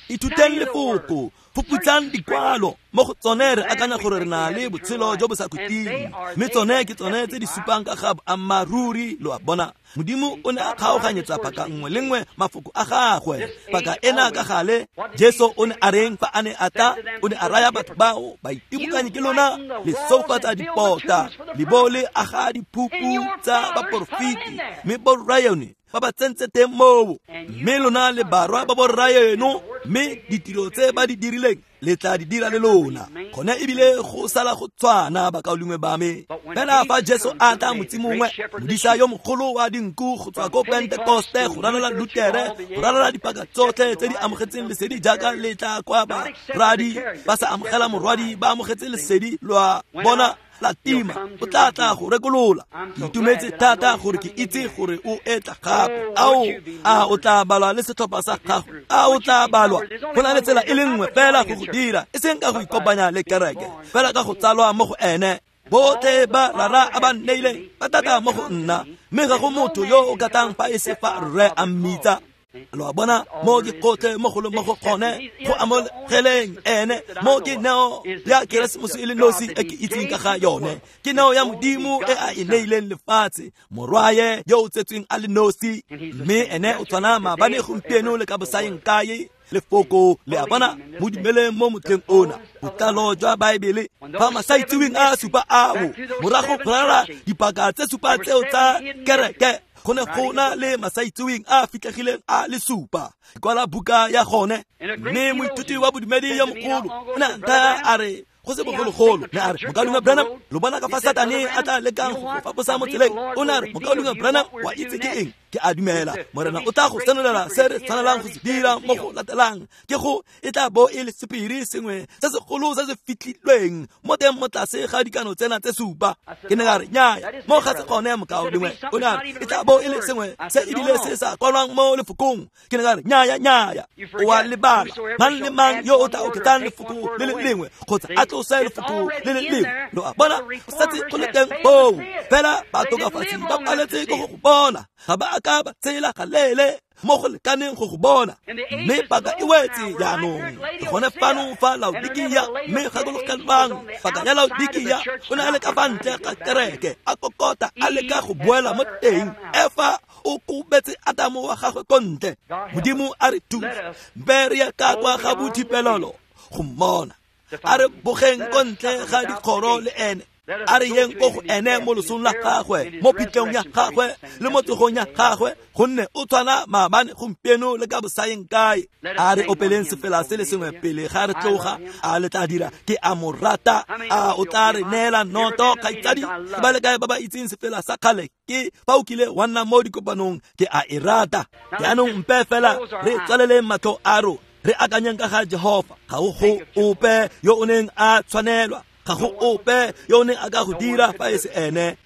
Ithuteng lefoko fuputsang dikwalo mo go tsone re akanya gore re na le botshelo jo bo sa khutleng mme tsone ke tsone tse di supang ka ga boammaaruri lo a bona. Modimo o ne a kgaoganyetsa paka nngwe le nngwe mafoko a gagwe paka ena ka gale. Jesu o ne a reng fa a ne a tla o ne a raya batho bao baitimokanyi ke lona le soufatsa dipota le bo le aga diphupu tsa baporofeti mme borraeno ba ba tsentse teng moo mme lona le barwa ba borraeno mme ditiro tse ba di dirileng le tla di dira le lona gone ebile go sala go tshwana bakaulengwe ba me. Fela fa Jesu a tla motsi mongwe modisa yo mogolo wa dinku go tswa ko Pentekoste go ranola Lutere go ranola dipaka tsotlhe tse di amogetseng lesedi jaaka le tla kwa baradi ba sa amogela morwadi ba amogetse lesedi lwa bona la tima o tla tla go rekolola. Ke itumetse thata gore ke itse gore o etla gape. Ao a o tla balwa le setlhopha sa gago a o tla balwa go na le tsela e le nngwe fela go go dira e seng ka go ikopanya le kereke fela ka go tsalwa mo go ene. Botlhe ba rara a ba nneileng ba tata mo go nna mme ga go motho yo o katang fa e se fa rre a mmitsa. Lo a bona mo ke gotlhe mo go le mo go gone go amogeleng ene mo ke neo ya Keresemose e le nosi e ke itseng ka ga yone ke neo ya Modimo e a e neileng lefatshe morwaye yo o tsetsweng a le nosi mme ene o tshwana maabane gompieno le ka bosaeng kae. Lefoko le a bona mo dumeleng mo motlheng ona botlalo jwa Baebele fa masaitseweng a supa ao morago go rara dipaka tse supa tseo tsa kereke go ne go na le masaitseweng a fitlhegileng a le supa kwala buka ya gone mme moithuti wa bodumedi yo mogolo o ne a nthaya a re go se bogologolo ne a re mokaulengwe Branham lo bona ka fa Satane a tla lekang go faposa mo tseleng o ne a re mokaulengwe Branham wa itse ke eng ke a dumela morena o tla go senolela se re tshwanelang go se dira mo go latelang ke go e tla bo e le sephiri sengwe se segolo se se fitlhilweng mo teng mo tlase ga dikano tsena tse supa. Ke ne ka re nnyaya mo ga se gone mokaulengwe o ne a re e tla bo e le sengwe se ebile se sa kwalwang mo lefokong. Ke ne ka re nnyaya nnyaya o a lebala mang le mang yo o tla oketsang lefoko le le lengwe kgotsa a tlose lefoko le le lengwe lo a bona go setse go le teng foo fela batokafatsi ba paletse ke go go bona ga ba a ka ba tsela galele mo go lekaneng go go bona mme paka e wetse jaanong ke gone fano fa Laodikia mme gakologelwang paka ya Laodikia o ne a le ka fa ntle ga kereke a kokota a leka go boela mo teng Efa o kobetse Adamo wa gagwe ko ntle. Modimo a re thuse mpe re ye ka kwa ga bothipelelo go mmona a re bogeng ko ntle ga dikgoro le ene a re yeng ko go ene mo losong la gagwe mo phitlhong ya gagwe le mo tsogong ya gagwe gonne o tshwana maabane gompieno le ka bosaeng kae. A re opeleng sefela se le sengwe pele ga re tloga a le tla dira ke a mo rata a o tla re neela noto kgaitsadi ke ba le kae ba ba itseng sefela sa kgale ke fa o kile wa nna mo dikopanong ke a e rata. Jaanong mpe fela re tswaleleng matlho a rona re akanyeng ka ga Jehova ga o go ope yo o neng a tshwanelwa ga go ope yo o neng a ka go dira fa e se ene.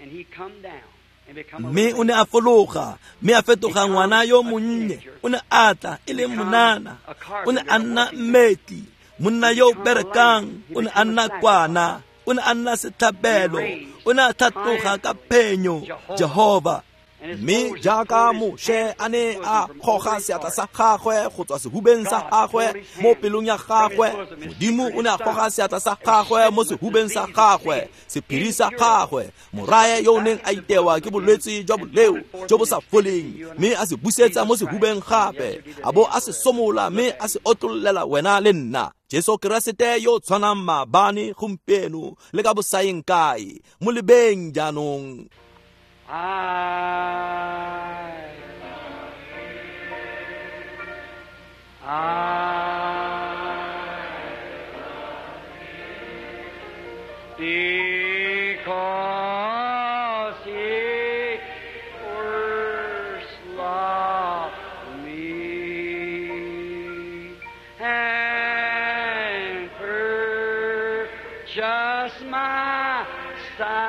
Mme o ne a fologa mme a fetoga ngwana yo monnye o ne a tla e le monana o ne a nna mmetli monna yo o berekang o ne a nna kwana o ne a nna setlhabelo o ne a tlhatloga ka phenyo Jehova. Mme jaaka Moshe a ne a goga seatla sa gagwe go tswa sehubeng sa gagwe mo pelong ya gagwe Modimo o ne a goga seatla sa gagwe mo sehubeng sa gagwe sephiri sa gagwe morae yo o neng a itewa ke bolwetse jwa boleo jo bo sa foleng mme a se busetsa mo sehubeng gape a bo a se somola mme a se otlollela wena le nna. Jesu Keresete yo tshwanang maabane gompieno le ka bosaeng kae mo lebeng jaanong. I, I Because he first loved me and purchased my salvation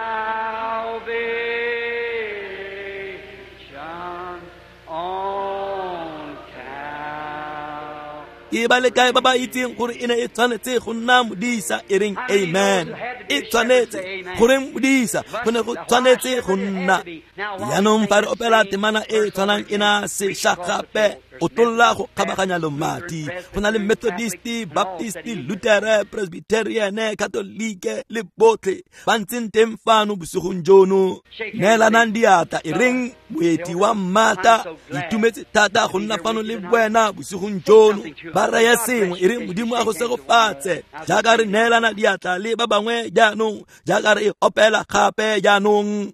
on Calvary. Ke ba le kae ba ba itseng gore e ne e tshwanetse go nna modisa e reng amen. E tshwanetse gore modisa go ne go tshwanetse go nna. Jaanong fa re opela temana e tshwanang e na sešwa gape o tlolla go kgabaganya lomati. Go na le Methodist, Baptist, Lutere, Presbyterian, Katolike le botlhe ba ntseng teng fano bosigong jono. Neelanang diatla e reng moeti wa mmata, itumetse thata go nna fano le wena bosigong jono. Ba reye sengwe e reng Modimo a go segofatse jaaka re neelana diatla le ba bangwe jaanong, jaaka re e opela gape jaanong.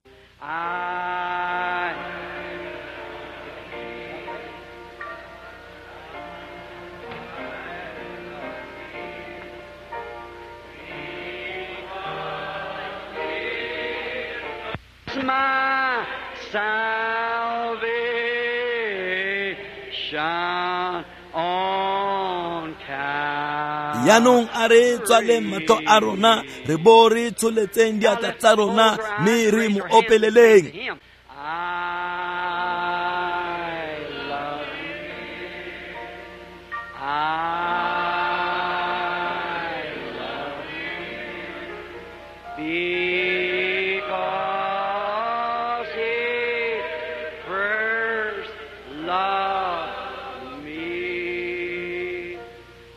My salvation on Calvary. Jaanong a re tswaleng matlho a rona re bo re tsholetseng diatla tsa rona mme re mo opeleleng. I love you. I love you. Because he first loved me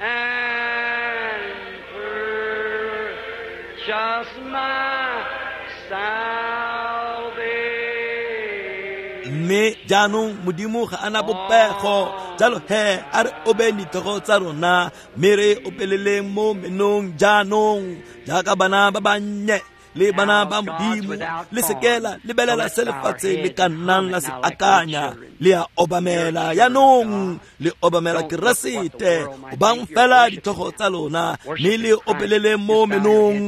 and purchased my salvation. Mme jaanong Modimo ga ana bopego, jalo he a re obeng ditlhogo tsa rona mme re opeleleng mo menong jaanong jaaka bana ba bannye le bana ba Modimo. Le seke la lebelela se lefatshe le ka nnang la se akanya, le a obamela jaanong, le obamela Keresete. Obang fela ditlhogo tsa lona mme le opeleleng mo menong.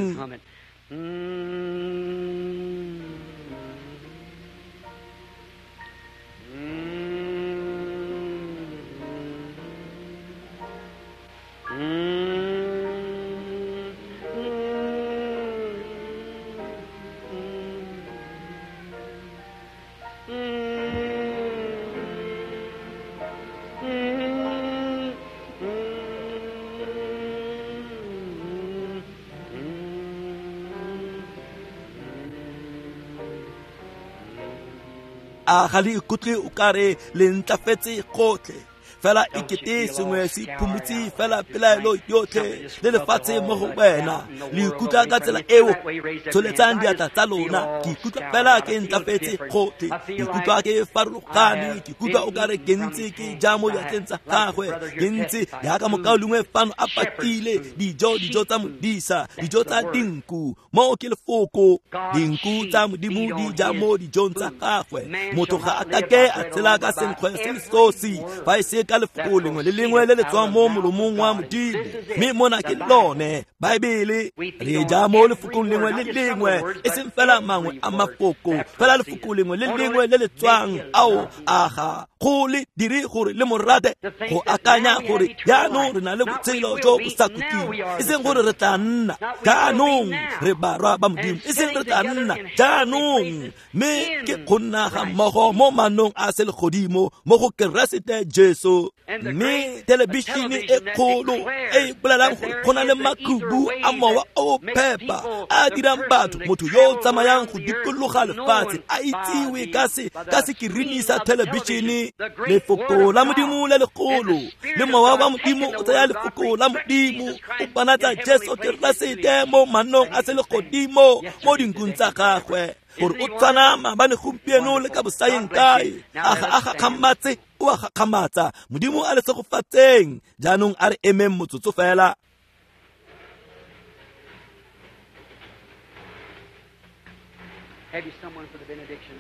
A ga le ikutlwe o kare le ntlafetse gotlhe fela e kete sengwe se phumutse fela pelaelo yotlhe le lefatshe mo go wena. Le ikutlwa ka tsela eo, tsholetsang diatla tsa lona. Ke ikutlwa fela ke ntlafetse gotlhe, ke ikutlwa ke farologane, ke ikutlwa o kare ke ntse ke ja mo diatleng tsa gagwe, ke ntse jaaka mokaulengwe fano a pakile dijo, dijo tsa modisa, dijo tsa dinku. Mo ke lefoko, dinku tsa Modimo di ja mo dijong tsa gagwe. Motho ga a kake a tshela ka senkgwe se le sosi fa e se ka lefoko lengwe le lengwe le le tswang mo molomong wa Modimo. Mme mona ke lone Baebele, re ja mo lefokong lengwe le lengwe, e seng fela mangwe a mafoko, fela lefoko lengwe le lengwe le le tswang. Ao aga go le dire gore le morate, go akanya gore jaanong re na le botshelo jo bo sa khutleng, e seng gore re tla nna jaanong re barwa ba Modimo, e seng re tla nna jaanong, mme ke go nna ga mmogo mo manong a selegodimo mo go Keresete Jesu. Mme thelebišene e kgolo e e bolelang gore go na le makhubu a mowa o phepa a dirang batho, motho yo o tsamayang go dikologa lefatshe a itsiwe ka se ka sekirini sa thelebišene. Lefoko la Modimo le legolo le mowa wa Modimo o tsaya lefoko la Modimo o bonatsa Jesu Keresete mo manong a selegodimo mo dinkung tsa gagwe, gore o tshwana maabane gompieno le ka bosaeng kae. A ga a gakgamatse, o a gakgamatsa. Modimo a le segofatseng. Jaanong a re emeng motsotso fela. Have you someone for the benediction?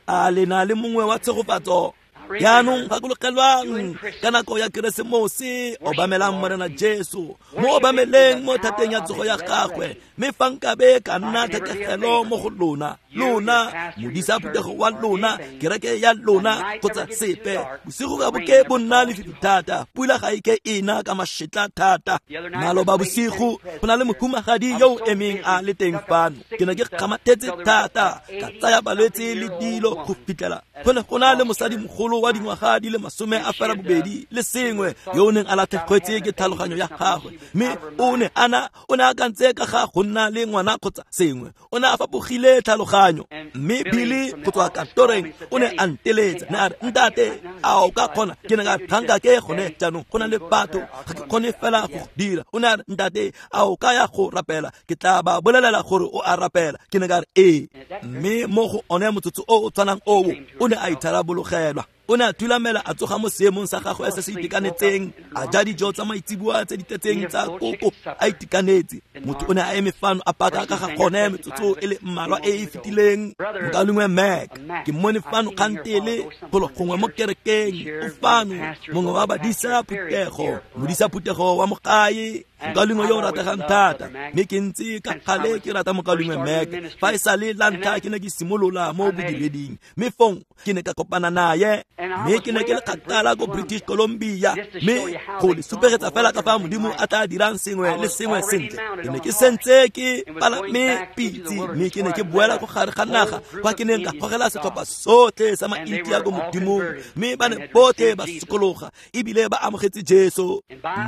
A le na le mongwe wa tshegofatso? Jaanong gakologelwang ka nako ya Keresemose, obamelang Morena Jesu, mo obameleng mo thateng ya tsogo ya gagwe. Mme fa nkabe ka nna thekegelo mo go lona, lona modisa phuthego wa lona, kereke ya lona kgotsa sepe, bosigo ga bo ke bo nna lefifi thata, pula ga e ke e na ka mašetla thata. Maloba bosigo go na le mohumagadi yo o emeng a le teng fano. Ke ne ke kgamathetse thata, ka tsaya balwetse le dilo go fitlhela go ne go na le mosadimogolo wa dingwaga di le masome a fela bobedi le sengwe yo o neng a latlhegetswe ke tlhaloganyo ya gagwe, mme o ne a na o ne a akantse ka ga go nna le ngwana kgotsa sengwe. O ne a fapogile tlhaloganyo. Mme Billy go tswa kantoreng o ne a nteletsa, ne a re, ntate, a o ka kgona? Ke ne ka re, ga nkake gone jaanong, go na le batho, ga ke kgone fela go dira. O ne a re, ntate, a o ka ya go rapela? Ke tla ba bolelela gore o a rapela. Ke ne ka re, ee. Mme mo go one motsotso o o tshwanang oo, o ne a itharabologelwa. O ne a thulamela a tsoga mo seemong sa gagwe se se itekanetseng, a ja dijo tsa maitseboa tse di tletseng tsa koko a itekanetse. Motho o ne a eme fano a paka ka ga gone metsotso e le mmalwa e e fetileng. Mokaulengwe Mac, ke mmone fano kgantele golo gongwe mo kerekeng, o fano, mongwe wa badisa phuthego, modisa phuthego wa mogae, mokaulengwe yo o rategang thata. Mme ke ntse ka gale ke rata mokaulengwe Mac fa e sale la ntlha ke ne ke simolola mo bodireding, mme fong ke ne ka kopana naye. Mme ke ne ke le kgakala ko British Columbia, mme go le supegetsa fela ka fa Modimo a tla dirang sengwe le sengwe sentle. Ke ne ke sentse ke palame pitse, mme ke ne ke boela ko gare ga naga kwa ke neng ka gogela setlhopha sotlhe sa Maintia ko Modimong, mme ba ne botlhe ba sokologa ebile ba amogetse Jesu.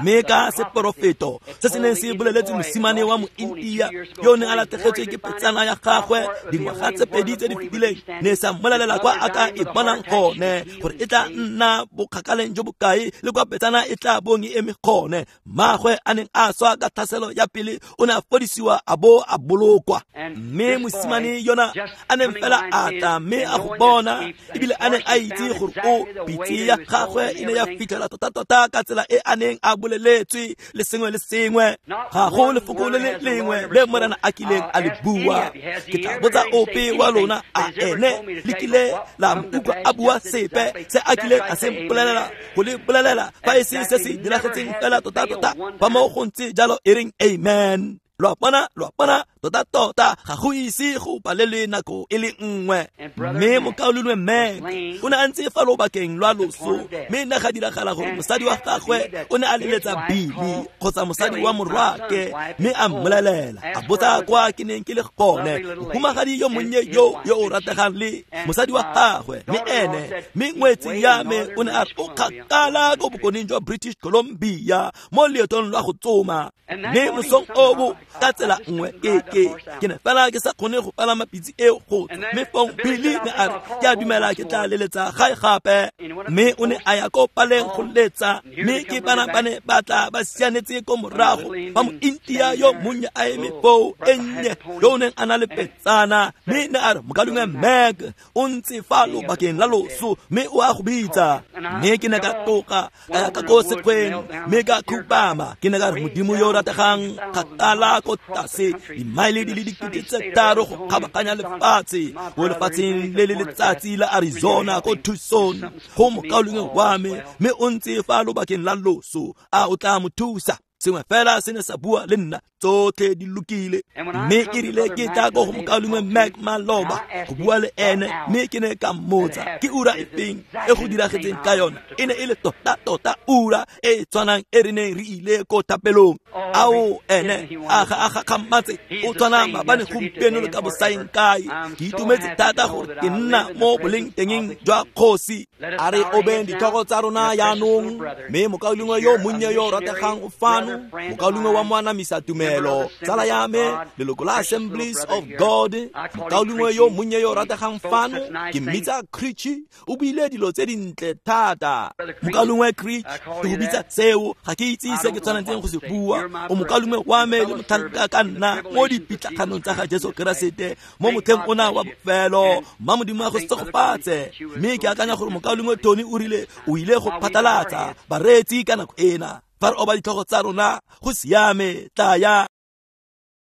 Mme ka seporofeto se se neng se boleletse mosimane wa Mointia yo o neng a latlhegetswe ke petsana ya gagwe dingwaga tse pedi tse di fetileng, ne sa mmolelela kwa a ka e bonang gone gore e tla nna bokgakaleng jo bokae le kwa petsana e tla bong e eme gone. Mmagwe a neng a swa ka tlhaselo ya pele o ne a fodisiwa a bo a bolokwa. Mme mosimane yona a neng fela a tla mme a go bona, ebile a neng a itse gore o pitse ya gagwe e ne ya fitlhela tota-tota ka tsela e a neng a boleletswe le sengwe le sengwe. Ga go lefoko le le lengwe le Morena a kileng a le bua. Ke tla botsa ope wa lona, a ene le kile la mo utlwa a bua sepe se a kileng a se mpolelela go le bolelela fa e se se se diragetseng fela tota-tota? Fa mo go ntse jalo e reng amen. Lo a bona, lo a bona, tota-tota ga go ise go palelwe nako e le nngwe. Mme mokaulengwe Mac o ne a ntse fa lobakeng lwa loso, mme ne ga diragala gore mosadi wa gagwe o ne a leletsa Billy kgotsa mosadi wa morwake, mme a mmolelela, a botsa kwa ke neng ke le gone, mohumagadi yo monnye yo yo o rategang le mosadi wa gagwe, mme ene mme ngwetsi ya me o ne a re o kgakala ko bokoneng jwa British Columbia mo leetong lwa go tsoma. Mme mosong oo ka tsela nngwe ke ke ke ne fela ke sa kgone go palama pitse eo go tswa. Mme fong Billy ne a re, ke a dumela ke tla leletsa gae gape. Mme o ne a ya ko paleng go letsa, mme ke bana ba ne ba tla ba sianetse ko morago fa Mointia yo monnye a eme foo e nnye yo o neng a na le petsana. Mme ne a re, mokaulengwe Mac o ntse fa lobakeng la loso mme o a go bitsa. Mme ke ne ka tloga ka ya ka ko sekgweng mme ka khupama. Ke ne ka re, Modimo yo o rategang, kgakala ko tlase dimaele di le dikete tse tharo go kgabaganya lefatshe ko lefatsheng le le letsatsi la Arizona ko Tucson go mokaulengwe wa me, mme o ntse fa lobakeng la loso, a o tla mo thusa? Sengwe fela se ne sa bua le nna, tsotlhe di lokile. Mme e rile ke tla ko go mokaulengwe Mac maloba go bua le ene, mme ke ne ka mmotsa ke ura e feng e go diragetseng ka yona. E ne e le tota-tota ura e e tshwanang e re neng re ile ko thapelong. Ao ene a ga a gakgamatse, o tshwana maabane gompieno le ka bosaeng kae. Ke itumetse thata gore ke nna mo boleng tengeng jwa kgosi. A re obeng ditlhogo tsa rona jaanong, mme mokaulengwe yo monnye yo o rategang o fano, mokaulengwe wa moanamisa tumelo, tsala ya me, leloko la Assemblies of God, mokaulengwe yo monnye yo o rategang fano, ke mmitsa Creech, o buile dilo tse dintle thata. Mokaulengwe Creech, ke go bitsa seo, ga ke itse se ke tshwanetseng go se bua. O mokaulengwe wa me le motlhanka ka nna mo dipitlaganong tsa ga Jesu Keresete mo motlheng ona wa bofelo. Mma Modimo a go segofatse. Mme ke akanya gore mokaulengwe Tony o rile o ile go phatlalatsa bareetsi ka nako ena. Fa re oba ditlhogo tsa rona, go siame, tlaya.